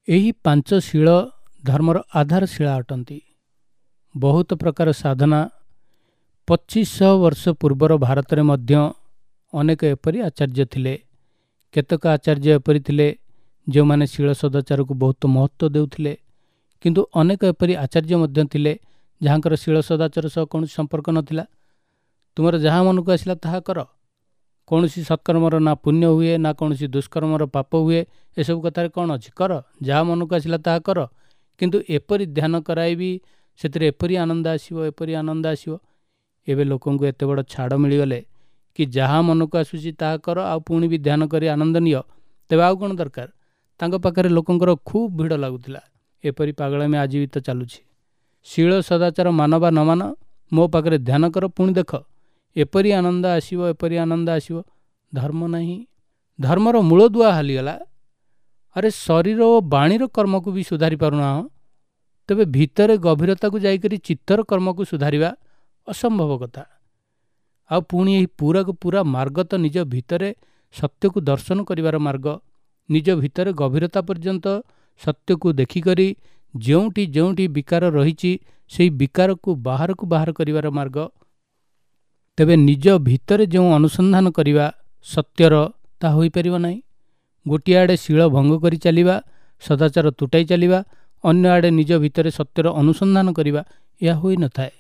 ଏହି 5 ଶୀଳ ଧର୍ମର ଆଧାରଶିଳା ଅଟନ୍ତି। ବହୁତ ପ୍ରକାର ସାଧନା। 2500 ବର୍ଷ ପୂର୍ବର ଭାରତରେ ମଧ୍ୟ ଅନେକ ଏପରି ଆଚାର୍ଯ୍ୟ ଥିଲେ। କେତେକ ଆଚାର୍ଯ୍ୟ ଏପରି ଥିଲେ ଯେଉଁମାନେ ଶୀଳ ସଦାଚାରକୁ ବହୁତ ମହତ୍ତ୍ୱ ଦେଉଥିଲେ, କିନ୍ତୁ ଅନେକ ଏପରି ଆଚାର୍ଯ୍ୟ ମଧ୍ୟ ଥିଲେ ଯାହାଙ୍କର ଶୀଳ ସଦାଚାର ସହ କୌଣସି ସମ୍ପର୍କ ନଥିଲା। ତୁମର ଯାହା ମନକୁ ଆସିଲା ତାହା କର, କୌଣସି ସତ୍କର୍ମର ନା ପୁଣ୍ୟ ହୁଏ ନା କୌଣସି ଦୁଷ୍କର୍ମର ପାପ ହୁଏ, ଏସବୁ କଥାରେ କ'ଣ ଅଛି, କର, ଯାହା ମନକୁ ଆସିଲା ତାହା କର। କିନ୍ତୁ ଏପରି ଧ୍ୟାନ କରାଇବି, ସେଥିରେ ଏପରି ଆନନ୍ଦ ଆସିବ, ଏପରି ଆନନ୍ଦ ଆସିବ। ଏବେ ଲୋକଙ୍କୁ ଏତେ ବଡ଼ ଛାଡ଼ ମିଳିଗଲେ କି ଯାହା ମନକୁ ଆସୁଛି ତାହା କର, ଆଉ ପୁଣି ବି ଧ୍ୟାନ କରି ଆନନ୍ଦ ନିଅ, ତେବେ ଆଉ କ'ଣ ଦରକାର। ତାଙ୍କ ପାଖରେ ଲୋକଙ୍କର ଖୁବ୍ ଭିଡ଼ ଲାଗୁଥିଲା। ଏପରି ପାଗଳାମି ଆଜି ବି ତ ଚାଲୁଛି। ଶୀଳ ସଦାଚାର ମାନ ବା ନ ମାନ, ମୋ ପାଖରେ ଧ୍ୟାନ କର, ପୁଣି ଦେଖ ଏପରି ଆନନ୍ଦ ଆସିବ, ଏପରି ଆନନ୍ଦ ଆସିବ। ଧର୍ମ ନାହିଁ, ଧର୍ମର ମୂଳଦୁଆ ହାଲିଗଲା। ଆରେ ଶରୀର ଓ ବାଣୀର କର୍ମକୁ ବି ସୁଧାରି ପାରୁନାହଁ, ତେବେ ଭିତରେ ଗଭୀରତାକୁ ଯାଇକରି ଚିତ୍ତର କର୍ମକୁ ସୁଧାରିବା ଅସମ୍ଭବ କଥା। ଆଉ ପୁଣି ଏହି ପୁରାକୁ ପୁରା ମାର୍ଗ ତ ନିଜ ଭିତରେ ସତ୍ୟକୁ ଦର୍ଶନ କରିବାର ମାର୍ଗ। ନିଜ ଭିତରେ ଗଭୀରତା ପର୍ଯ୍ୟନ୍ତ ସତ୍ୟକୁ ଦେଖିକରି ଯେଉଁଠି ଯେଉଁଠି ବିକାର ରହିଛି ସେଇ ବିକାରକୁ ବାହାରକୁ ବାହାର କରିବାର ମାର୍ଗ। ତେବେ ନିଜ ଭିତରେ ଯେଉଁ ଅନୁସନ୍ଧାନ କରିବା ସତ୍ୟର, ତାହା ହୋଇପାରିବ ନାହିଁ। ଗୋଟିଏ ଆଡ଼େ ଶୀଳ ଭଙ୍ଗ କରି ଚାଲିବା, ସଦାଚାର ତୁଟାଇ ଚାଲିବା, ଅନ୍ୟ ଆଡ଼େ ନିଜ ଭିତରେ ସତ୍ୟର ଅନୁସନ୍ଧାନ କରିବା, ଏହା ହୋଇନଥାଏ।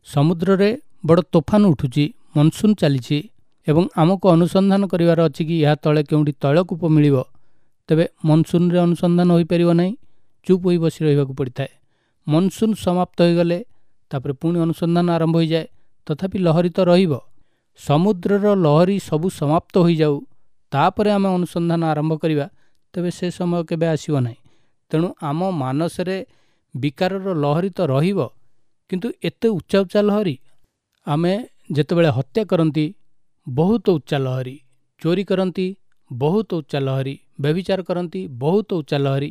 ସମୁଦ୍ରରେ ବଡ଼ ତୋଫାନ ଉଠୁଛି, ମନସୁନ୍ ଚାଲିଛି, ଏବଂ ଆମକୁ ଅନୁସନ୍ଧାନ କରିବାର ଅଛି କି ଏହା ତଳେ କେଉଁଠି ତୈଳକୂପ ମିଳିବ, ତେବେ ମନସୁନ୍ରେ ଅନୁସନ୍ଧାନ ହୋଇପାରିବ ନାହିଁ, ଚୁପ୍ ହୋଇ ବସି ରହିବାକୁ ପଡ଼ିଥାଏ। ମନସୁନ୍ ସମାପ୍ତ ହୋଇଗଲେ ତାପରେ ପୁଣି ଅନୁସନ୍ଧାନ ଆରମ୍ଭ ହୋଇଯାଏ, ତଥାପି ଲହରୀ ତ ରହିବ। ସମୁଦ୍ରର ଲହରୀ ସବୁ ସମାପ୍ତ ହୋଇଯାଉ, ତାପରେ ଆମେ ଅନୁସନ୍ଧାନ ଆରମ୍ଭ କରିବା, ତେବେ ସେ ସମୟ କେବେ ଆସିବ ନାହିଁ। ତେଣୁ ଆମ ମାନସରେ ବିକାରର ଲହରୀ ତ ରହିବ, କିନ୍ତୁ ଏତେ ଉଚ୍ଚା ଉଚ୍ଚା ଲହରୀ। ଆମେ ଯେତେବେଳେ ହତ୍ୟା କରନ୍ତି ବହୁତ ଉଚ୍ଚା ଲହରୀ, ଚୋରି କରନ୍ତି ବହୁତ ଉଚ୍ଚା ଲହରୀ, ବ୍ୟଭିଚାର କରନ୍ତି ବହୁତ ଉଚ୍ଚା ଲହରୀ,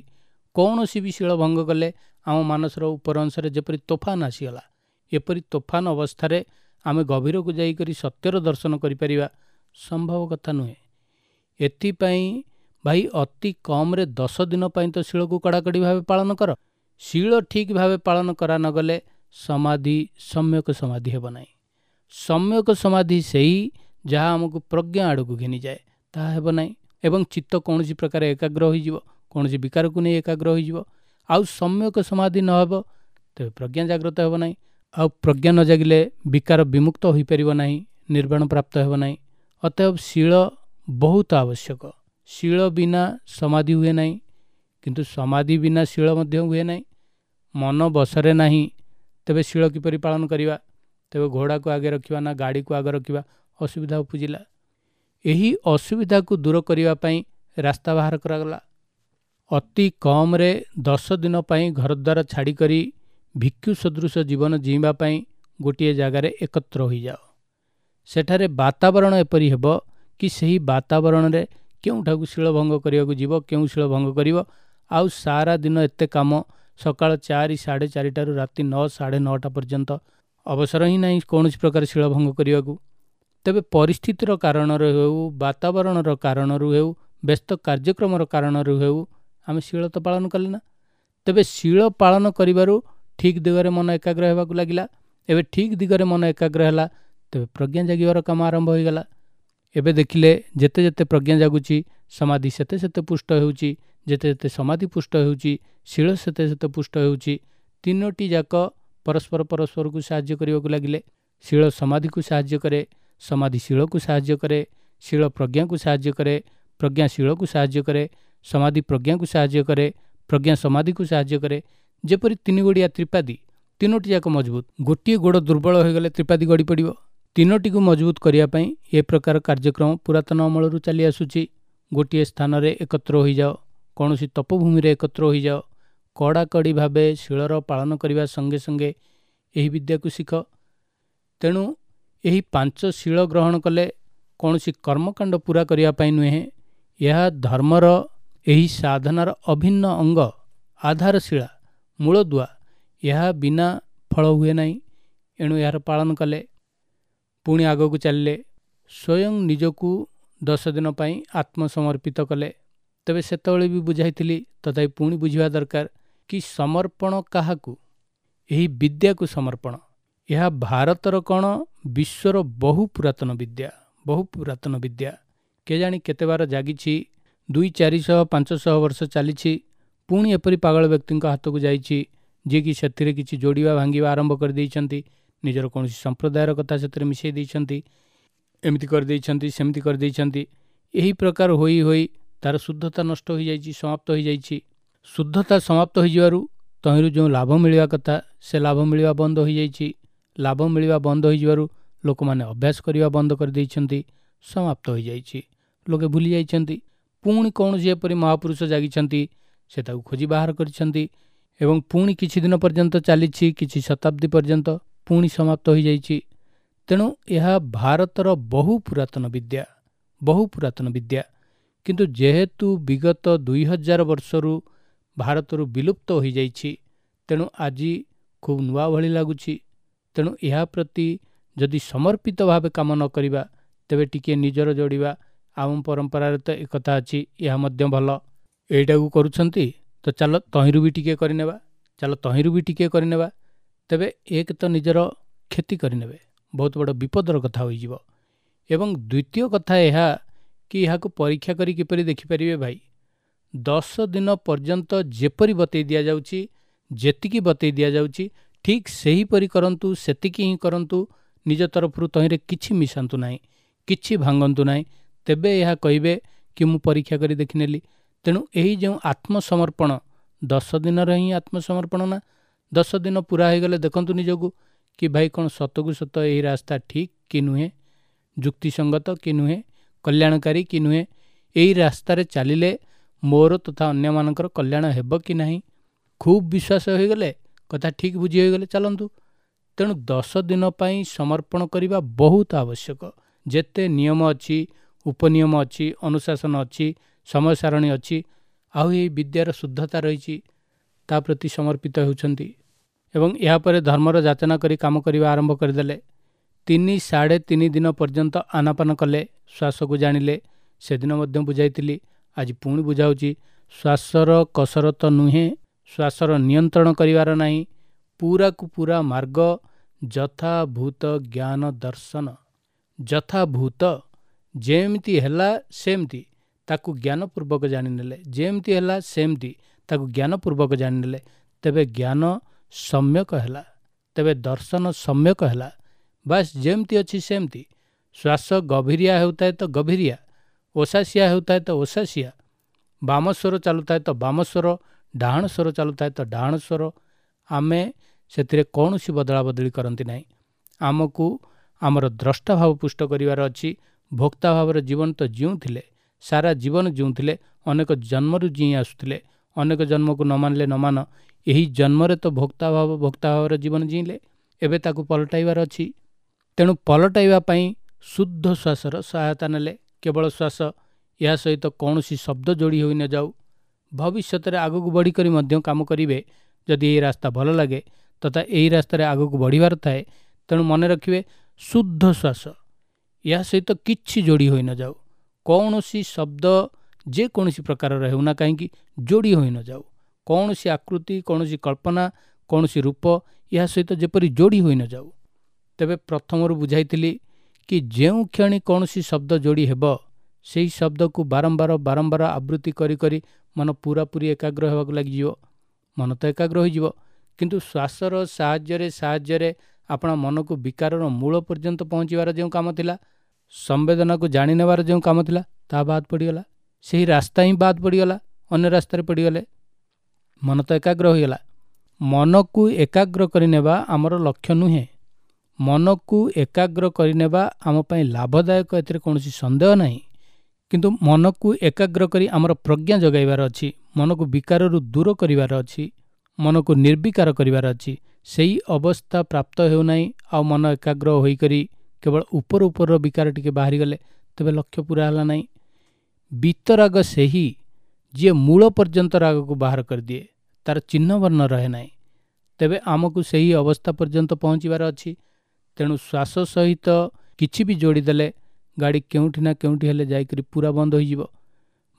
କୌଣସି ବି ଶୀଳ ଭଙ୍ଗ କଲେ ଆମ ମାନସର ଉପର ଅଂଶରେ ଯେପରି ତୋଫାନ ଆସିଗଲା, ଏପରି ତୋଫାନ ଅବସ୍ଥାରେ ଆମେ ଗଭୀରକୁ ଯାଇକରି ସତ୍ୟର ଦର୍ଶନ କରିପାରିବା ସମ୍ଭବ କଥା ନୁହେଁ। ଏଥିପାଇଁ ଭାଇ ଅତି କମ୍ରେ 10 ଦିନ ପାଇଁ ତ ଶୀଳକୁ କଡ଼ାକଡ଼ି ଭାବେ ପାଳନ କର। ଶୀଳ ଠିକ୍ ଭାବେ ପାଳନ କରା ନଗଲେ ସମାଧି ସମ୍ୟକ ସମାଧି ହେବ ନାହିଁ। ସମ୍ୟକ ସମାଧି ସେଇ ଯାହା ଆମକୁ ପ୍ରଜ୍ଞା ଆଡ଼କୁ ଘେନିଯାଏ, ତାହା ହେବ ନାହିଁ। ଏବଂ ଚିତ୍ତ କୌଣସି ପ୍ରକାର ଏକାଗ୍ର ହୋଇଯିବ, କୌଣସି ବିକାରକୁ ନେଇ ଏକାଗ୍ର ହୋଇଯିବ। ଆଉ ସମ୍ୟକ ସମାଧି ନ ହେବ ତେବେ ପ୍ରଜ୍ଞା ଜାଗ୍ରତ ହେବ ନାହିଁ। ଆଉ ପ୍ରଜ୍ଞା ନ ଜାଗିଲେ ବିକାର ବିମୁକ୍ତ ହୋଇପାରିବ ନାହିଁ, ନିର୍ବାଣ ପ୍ରାପ୍ତ ହେବ ନାହିଁ। ଅତଏବ ଶୀଳ ବହୁତ ଆବଶ୍ୟକ। ଶୀଳ ବିନା ସମାଧି ହୁଏ ନାହିଁ, କିନ୍ତୁ ସମାଧି ବିନା ଶୀଳ ମଧ୍ୟ ହୁଏ ନାହିଁ। ମନ ବଶରେ ନାହିଁ, ତେବେ ଶୀଳ କିପରି ପାଳନ କରିବା? ତେବେ ଘୋଡ଼ାକୁ ଆଗେ ରଖିବା ନା ଗାଡ଼ିକୁ ଆଗେ ରଖିବା, ଅସୁବିଧା ଉପୁଜିଲା। ଏହି ଅସୁବିଧାକୁ ଦୂର କରିବା ପାଇଁ ରାସ୍ତା ବାହାର କରାଗଲା। ଅତି କମ୍ରେ 10 ଦିନ ପାଇଁ ଘରଦ୍ୱାର ଛାଡ଼ିକରି ଭିକ୍ଷୁ ସଦୃଶ ଜୀବନ ଜୀଇଁବା ପାଇଁ ଗୋଟିଏ ଜାଗାରେ ଏକତ୍ର ହୋଇଯାଅ। ସେଠାରେ ବାତାବରଣ ଏପରି ହେବ କି ସେହି ବାତାବରଣରେ କେଉଁଠାକୁ ଶୀଳଭଙ୍ଗ କରିବାକୁ ଯିବ, କେଉଁ ଶୀଳଭଙ୍ଗ କରିବ। ଆଉ ସାରା ଦିନ ଏତେ କାମ, ସକାଳ 4, 4:30ରୁ ରାତି 9, 9:30 ପର୍ଯ୍ୟନ୍ତ ଅବସର ହିଁ ନାହିଁ କୌଣସି ପ୍ରକାର ଶୀଳଭଙ୍ଗ କରିବାକୁ। ତେବେ ପରିସ୍ଥିତିର କାରଣରୁ ହେଉ, ବାତାବରଣର କାରଣରୁ ହେଉ, ବ୍ୟସ୍ତ କାର୍ଯ୍ୟକ୍ରମର କାରଣରୁ ହେଉ, ଆମେ ଶୀଳ ତ ପାଳନ କଲେ ନା। ତେବେ ଶୀଳ ପାଳନ କରିବାରୁ ଠିକ୍ ଦିଗରେ ମନ ଏକାଗ୍ର ହେବାକୁ ଲାଗିଲା। ଏବେ ଠିକ୍ ଦିଗରେ ମନ ଏକାଗ୍ର ହେଲା, ତେବେ ପ୍ରଜ୍ଞା ଜାଗିବାର କାମ ଆରମ୍ଭ ହୋଇଗଲା। ଏବେ ଦେଖିଲେ ଯେତେ ଯେତେ ପ୍ରଜ୍ଞା ଜାଗୁଛି, ସମାଧି ସେତେ ସେତେ ପୁଷ୍ଟ ହେଉଛି, ଯେତେ ଯେତେ ସମାଧି ପୁଷ୍ଟ ହେଉଛି, ଶୀଳ ସେତେ ସେତେ ପୁଷ୍ଟ ହେଉଛି। ତିନୋଟି ଯାକ ପରସ୍ପର ପରସ୍ପରକୁ ସାହାଯ୍ୟ କରିବାକୁ ଲାଗିଲେ। ଶୀଳ ସମାଧିକୁ ସାହାଯ୍ୟ କରେ, ସମାଧି ଶୀଳକୁ ସାହାଯ୍ୟ କରେ, ଶୀଳ ପ୍ରଜ୍ଞାକୁ ସାହାଯ୍ୟ କରେ, ପ୍ରଜ୍ଞା ଶୀଳକୁ ସାହାଯ୍ୟ କରେ, ସମାଧି ପ୍ରଜ୍ଞାକୁ ସାହାଯ୍ୟ କରେ, ପ୍ରଜ୍ଞା ସମାଧିକୁ ସାହାଯ୍ୟ କରେ। ଯେପରି ତିନି ଗୋଡ଼ିଆ ତ୍ରିପାଦୀ, ତିନୋଟି ଯାକ ମଜବୁତ। ଗୋଟିଏ ଗୋଡ଼ ଦୁର୍ବଳ ହୋଇଗଲେ ତ୍ରିପାଦୀ ଗଡ଼ି ପଡ଼ିବ। ତିନୋଟିକୁ ମଜବୁତ କରିବା ପାଇଁ ଏ ପ୍ରକାର କାର୍ଯ୍ୟକ୍ରମ ପୁରାତନ ଅମଳରୁ ଚାଲି ଆସୁଛି। ଗୋଟିଏ ସ୍ଥାନରେ ଏକତ୍ର ହୋଇଯାଅ, କୌଣସି ତପଭୂମିରେ ଏକତ୍ର ହୋଇଯାଅ, କଡ଼ାକଡ଼ି ଭାବେ ଶୀଳର ପାଳନ କରିବା ସଙ୍ଗେ ସଙ୍ଗେ ଏହି ବିଦ୍ୟାକୁ ଶିଖ। ତେଣୁ ଏହି 5 ଶୀଳ ଗ୍ରହଣ କଲେ କୌଣସି କର୍ମକାଣ୍ଡ ପୂରା କରିବା ପାଇଁ ନୁହେଁ, ଏହା ଧର୍ମର ଏହି ସାଧନାର ଅଭିନ୍ନ ଅଙ୍ଗ, ଆଧାରଶିଳା, ମୂଳଦୁଆ। ଏହା ବିନା ଫଳ ହୁଏ ନାହିଁ। ଏଣୁ ଏହାର ପାଳନ କଲେ ପୁଣି ଆଗକୁ ଚାଲିଲେ, ସ୍ୱୟଂ ନିଜକୁ 10 ଦିନ ପାଇଁ ଆତ୍ମସମର୍ପିତ କଲେ। ତେବେ ସେତେବେଳେ ବି ବୁଝାଇଥିଲି, ତଥାପି ପୁଣି ବୁଝିବା ଦରକାର କି ସମର୍ପଣ କାହାକୁ? ଏହି ବିଦ୍ୟାକୁ ସମର୍ପଣ। ଏହା ଭାରତର କ'ଣ ବିଶ୍ୱର ବହୁ ପୁରାତନ ବିଦ୍ୟା, ବହୁ ପୁରାତନ ବିଦ୍ୟା। କେଜାଣି କେତେବାର ଜାଗିଛି, 200 400 500 ବର୍ଷ ଚାଲିଛି, ପୁଣି ଏପରି ପାଗଳ ବ୍ୟକ୍ତିଙ୍କ ହାତକୁ ଯାଇଛି ଯିଏକି ସେଥିରେ କିଛି ଯୋଡ଼ିବା ଭାଙ୍ଗିବା ଆରମ୍ଭ କରିଦେଇଛନ୍ତି, ନିଜର କୌଣସି ସମ୍ପ୍ରଦାୟର କଥା ସେଥିରେ ମିଶାଇ ଦେଇଛନ୍ତି, ଏମିତି କରିଦେଇଛନ୍ତି, ସେମିତି କରିଦେଇଛନ୍ତି। ଏହି ପ୍ରକାର ହୋଇ ହୋଇ ତା'ର ଶୁଦ୍ଧତା ନଷ୍ଟ ହୋଇଯାଇଛି, ସମାପ୍ତ ହୋଇଯାଇଛି। ଶୁଦ୍ଧତା ସମାପ୍ତ ହୋଇଯିବାରୁ ତହିଁରୁ ଯେଉଁ ଲାଭ ମିଳିବା କଥା ସେ ଲାଭ ମିଳିବା ବନ୍ଦ ହୋଇଯାଇଛି। ଲାଭ ମିଳିବା ବନ୍ଦ ହୋଇଯିବାରୁ ଲୋକମାନେ ଅଭ୍ୟାସ କରିବା ବନ୍ଦ କରିଦେଇଛନ୍ତି, ସମାପ୍ତ ହୋଇଯାଇଛି, ଲୋକେ ଭୁଲି ଯାଇଛନ୍ତି। ପୁଣି କୌଣସି ଏପରି ମହାପୁରୁଷ ଜାଗିଛନ୍ତି, ସେ ତାକୁ ଖୋଜି ବାହାର କରିଛନ୍ତି ଏବଂ ପୁଣି କିଛି ଦିନ ପର୍ଯ୍ୟନ୍ତ ଚାଲିଛି, କିଛି ଶତାବ୍ଦୀ ପର୍ଯ୍ୟନ୍ତ, ପୁଣି ସମାପ୍ତ ହୋଇଯାଇଛି। ତେଣୁ ଏହା ଭାରତର ବହୁ ପୁରାତନ ବିଦ୍ୟା, ବହୁ ପୁରାତନ ବିଦ୍ୟା। କିନ୍ତୁ ଯେହେତୁ ବିଗତ 2000 ବର୍ଷରୁ ଭାରତରୁ ବିଲୁପ୍ତ ହୋଇଯାଇଛି, ତେଣୁ ଆଜି ଖୁବ୍ ନୂଆ ଭଳି ଲାଗୁଛି। ତେଣୁ ଏହା ପ୍ରତି ଯଦି ସମର୍ପିତ ଭାବେ କାମ ନ କରିବା, ତେବେ ଟିକିଏ ନିଜର ଯୋଡ଼ିବା, ଆମ ପରମ୍ପରାରେ ତ ଏକଥା ଅଛି, ଏହା ମଧ୍ୟ ଭଲ, ଏଇଟାକୁ କରୁଛନ୍ତି ତ ଚାଲ ତହିଁରୁ ବି ଟିକିଏ କରିନେବା, ଚାଲ ତହିଁରୁ ବି ଟିକିଏ କରିନେବା, ତେବେ ଏକ ତ ନିଜର କ୍ଷତି କରିନେବେ, ବହୁତ ବଡ଼ ବିପଦର କଥା ହୋଇଯିବ। ଏବଂ ଦ୍ୱିତୀୟ କଥା ଏହା କି ଏହାକୁ ପରୀକ୍ଷା କରି କିପରି ଦେଖିପାରିବେ ଭାଇ? 10 ଦିନ ପର୍ଯ୍ୟନ୍ତ ଯେପରି ବତେଇ ଦିଆଯାଉଛି, ଯେତିକି ବତେଇ ଦିଆଯାଉଛି, ଠିକ୍ ସେହିପରି କରନ୍ତୁ, ସେତିକି ହିଁ କରନ୍ତୁ, ନିଜ ତରଫରୁ ତହିଁରେ କିଛି ମିଶାନ୍ତୁ ନାହିଁ, କିଛି ଭାଙ୍ଗନ୍ତୁ ନାହିଁ, ତେବେ ଏହା କହିବେ କି ମୁଁ ପରୀକ୍ଷା କରି ଦେଖିନେଲି। ତେଣୁ ଏହି ଯେଉଁ ଆତ୍ମସମର୍ପଣ, 10 ଦିନର ହିଁ ଆତ୍ମସମର୍ପଣ ନା, 10 ଦିନ ପୁରା ହୋଇଗଲେ ଦେଖନ୍ତୁ ନିଜକୁ କି ଭାଇ କ'ଣ ସତକୁ ସତ ଏହି ରାସ୍ତା ଠିକ୍ କି ନୁହେଁ, ଯୁକ୍ତିସଙ୍ଗତ କି ନୁହେଁ, କଲ୍ୟାଣକାରୀ କି ନୁହେଁ, ଏହି ରାସ୍ତାରେ ଚାଲିଲେ ମୋର ତଥା ଅନ୍ୟମାନଙ୍କର କଲ୍ୟାଣ ହେବ କି ନାହିଁ। ଖୁବ୍ ବିଶ୍ୱାସ ହୋଇଗଲେ, କଥା ଠିକ୍ ବୁଝି ହୋଇଗଲେ, ଚାଲନ୍ତୁ। ତେଣୁ 10 ଦିନ ପାଇଁ ସମର୍ପଣ କରିବା ବହୁତ ଆବଶ୍ୟକ। ଯେତେ ନିୟମ ଅଛି, ଉପନିୟମ ଅଛି, ଅନୁଶାସନ ଅଛି, ସମୟ ସାରଣୀ ଅଛି, ଆଉ ଏହି ବିଦ୍ୟାର ଶୁଦ୍ଧତା ରହିଛି, ତା ପ୍ରତି ସମର୍ପିତ ହେଉଛନ୍ତି। ଏବଂ ଏହାପରେ ଧର୍ମର ଯାଚନା କରି କାମ କରିବା ଆରମ୍ଭ କରିଦେଲେ। 3 3.5 ଦିନ ପର୍ଯ୍ୟନ୍ତ ଆନାପାନ କଲେ, ଶ୍ୱାସକୁ ଜାଣିଲେ। ସେଦିନ ମଧ୍ୟ ବୁଝାଇଥିଲି, ଆଜି ପୁଣି ବୁଝାଉଛି। ଶ୍ୱାସର କସରତ ନୁହେଁ, ଶ୍ୱାସର ନିୟନ୍ତ୍ରଣ କରିବାର ନାହିଁ, ପୁରାକୁ ପୁରା ମାର୍ଗ ଯଥାଭୂତ ଜ୍ଞାନ ଦର୍ଶନ। ଯଥାଭୂତ, ଯେମିତି ହେଲା ସେମିତି ତାକୁ ଜ୍ଞାନପୂର୍ବକ ଜାଣିନେଲେ, ଯେମିତି ହେଲା ସେମିତି ତାକୁ ଜ୍ଞାନପୂର୍ବକ ଜାଣିନେଲେ, ତେବେ ଜ୍ଞାନ ସମ୍ୟକ ହେଲା, ତେବେ ଦର୍ଶନ ସମ୍ୟକ ହେଲା। ବାସ୍ ଯେମିତି ଅଛି ସେମିତି। ଶ୍ୱାସ ଗଭୀରିଆ ହେଉଥାଏ ତ ଗଭୀରିଆ, ଓସାସିଆ ହେଉଥାଏ ତ ଓସାସିଆ, ବାମ ସ୍ୱର ଚାଲୁଥାଏ ତ ବାମ ସ୍ୱର, ଡାହାଣ ସ୍ୱର ଚାଲୁଥାଏ ତ ଡାହାଣ ସ୍ୱର। ଆମେ ସେଥିରେ କୌଣସି ବଦଳା ବଦଳି କରନ୍ତି ନାହିଁ। ଆମକୁ ଆମର ଦ୍ରଷ୍ଟା ଭାବ ପୁଷ୍ଟ କରିବାର ଅଛି। ଭୋକ୍ତା ଭାବରେ ଜୀବନ ତ ଜିଉଁଥିଲେ, ସାରା ଜୀବନ ଜିଉଁଥିଲେ, ଅନେକ ଜନ୍ମରୁ ଜିଇଁ ଆସୁଥିଲେ, ଅନେକ ଜନ୍ମକୁ ନ ମାନିଲେ ନ ମାନ, ଏହି ଜନ୍ମରେ ତ ଭୋକ୍ତା ଭାବ, ଭୋକ୍ତା ଭାବରେ ଜୀବନ ଜିଇଁଲେ, ଏବେ ତାକୁ ପଲଟାଇବାର ଅଛି। ତେଣୁ ପଲଟାଇବା ପାଇଁ ଶୁଦ୍ଧ ଶ୍ୱାସର ସହାୟତା ନେଲେ, କେବଳ ଶ୍ୱାସ, ଏହା ସହିତ କୌଣସି ଶବ୍ଦ ଯୋଡ଼ି ହୋଇ ନଯାଉ। ଭବିଷ୍ୟତରେ ଆଗକୁ ବଢ଼ିକରି ମଧ୍ୟ କାମ କରିବେ ଯଦି ଏହି ରାସ୍ତା ଭଲ ଲାଗେ ତଥା ଏହି ରାସ୍ତାରେ ଆଗକୁ ବଢ଼ିବାର ଥାଏ। ତେଣୁ ମନେ ରଖିବେ, ଶୁଦ୍ଧ ଶ୍ୱାସ, ଏହା ସହିତ କିଛି ଯୋଡ଼ି ହୋଇ ନଯାଉ, କୌଣସି ଶବ୍ଦ ଯେକୌଣସି ପ୍ରକାରର ହେଉନା କାହିଁକି ଯୋଡ଼ି ହୋଇ ନଯାଉ, କୌଣସି ଆକୃତି, କୌଣସି କଳ୍ପନା, କୌଣସି ରୂପ ଏହା ସହିତ ଯେପରି ଯୋଡ଼ି ହୋଇ ନଯାଉ। ତେବେ ପ୍ରଥମରୁ ବୁଝାଇଥିଲି କି ଯେଉଁ କ୍ଷଣି କୌଣସି ଶବ୍ଦ ଯୋଡ଼ି ହେବ, ସେହି ଶବ୍ଦକୁ ବାରମ୍ବାର ବାରମ୍ବାର ଆବୃତ୍ତି କରି କରି ମନ ପୁରାପୁରି ଏକାଗ୍ର ହେବାକୁ ଲାଗିଯିବ। ମନ ତ ଏକାଗ୍ର ହୋଇଯିବ, କିନ୍ତୁ ଶ୍ୱାସର ସାହାଯ୍ୟରେ ଆପଣ ମନକୁ ବିକାରର ମୂଳ ପର୍ଯ୍ୟନ୍ତ ପହଞ୍ଚିବାର ଯେଉଁ କାମ ଥିଲା, ସମ୍ବେଦନାକୁ ଜାଣିନେବାର ଯେଉଁ କାମ ଥିଲା, ତାହା ବାଦ ପଡ଼ିଗଲା। ସେହି ରାସ୍ତା ହିଁ ବାଦ ପଡ଼ିଗଲା, ଅନ୍ୟ ରାସ୍ତାରେ ପଡ଼ିଗଲେ। ମନ ତ ଏକାଗ୍ର ହୋଇଗଲା। ମନକୁ ଏକାଗ୍ର କରିନେବା ଆମର ଲକ୍ଷ୍ୟ ନୁହେଁ। ମନକୁ ଏକାଗ୍ର କରିନେବା ଆମ ପାଇଁ ଲାଭଦାୟକ, ଏଥିରେ କୌଣସି ସନ୍ଦେହ ନାହିଁ। କିନ୍ତୁ ମନକୁ ଏକାଗ୍ର କରି ଆମର ପ୍ରଜ୍ଞା ଜଗାଇବାର ଅଛି, ମନକୁ ବିକାରରୁ ଦୂର କରିବାର ଅଛି, ମନକୁ ନିର୍ବିକାର କରିବାର ଅଛି। ସେହି ଅବସ୍ଥା ପ୍ରାପ୍ତ ହେଉନାହିଁ, ଆଉ ମନ ଏକାଗ୍ର ହୋଇକରି କେବଳ ଉପର ଉପରର ବିକାର ଟିକେ ବାହାରିଗଲେ ତେବେ ଲକ୍ଷ୍ୟ ପୁରା ହେଲା ନାହିଁ। ବିତରାଗ ସେହି ଯିଏ ମୂଳ ପର୍ଯ୍ୟନ୍ତ ରାଗକୁ ବାହାର କରିଦିଏ, ତାର ଚିହ୍ନବର୍ଣ୍ଣ ରହେ ନାହିଁ। ତେବେ ଆମକୁ ସେହି ଅବସ୍ଥା ପର୍ଯ୍ୟନ୍ତ ପହଞ୍ଚିବାର ଅଛି। ତେଣୁ ଶ୍ୱାସ ସହିତ କିଛି ବି ଯୋଡ଼ିଦେଲେ ଗାଡ଼ି କେଉଁଠି ନା କେଉଁଠି ହେଲେ ଯାଇକରି ପୁରା ବନ୍ଦ ହୋଇଯିବ।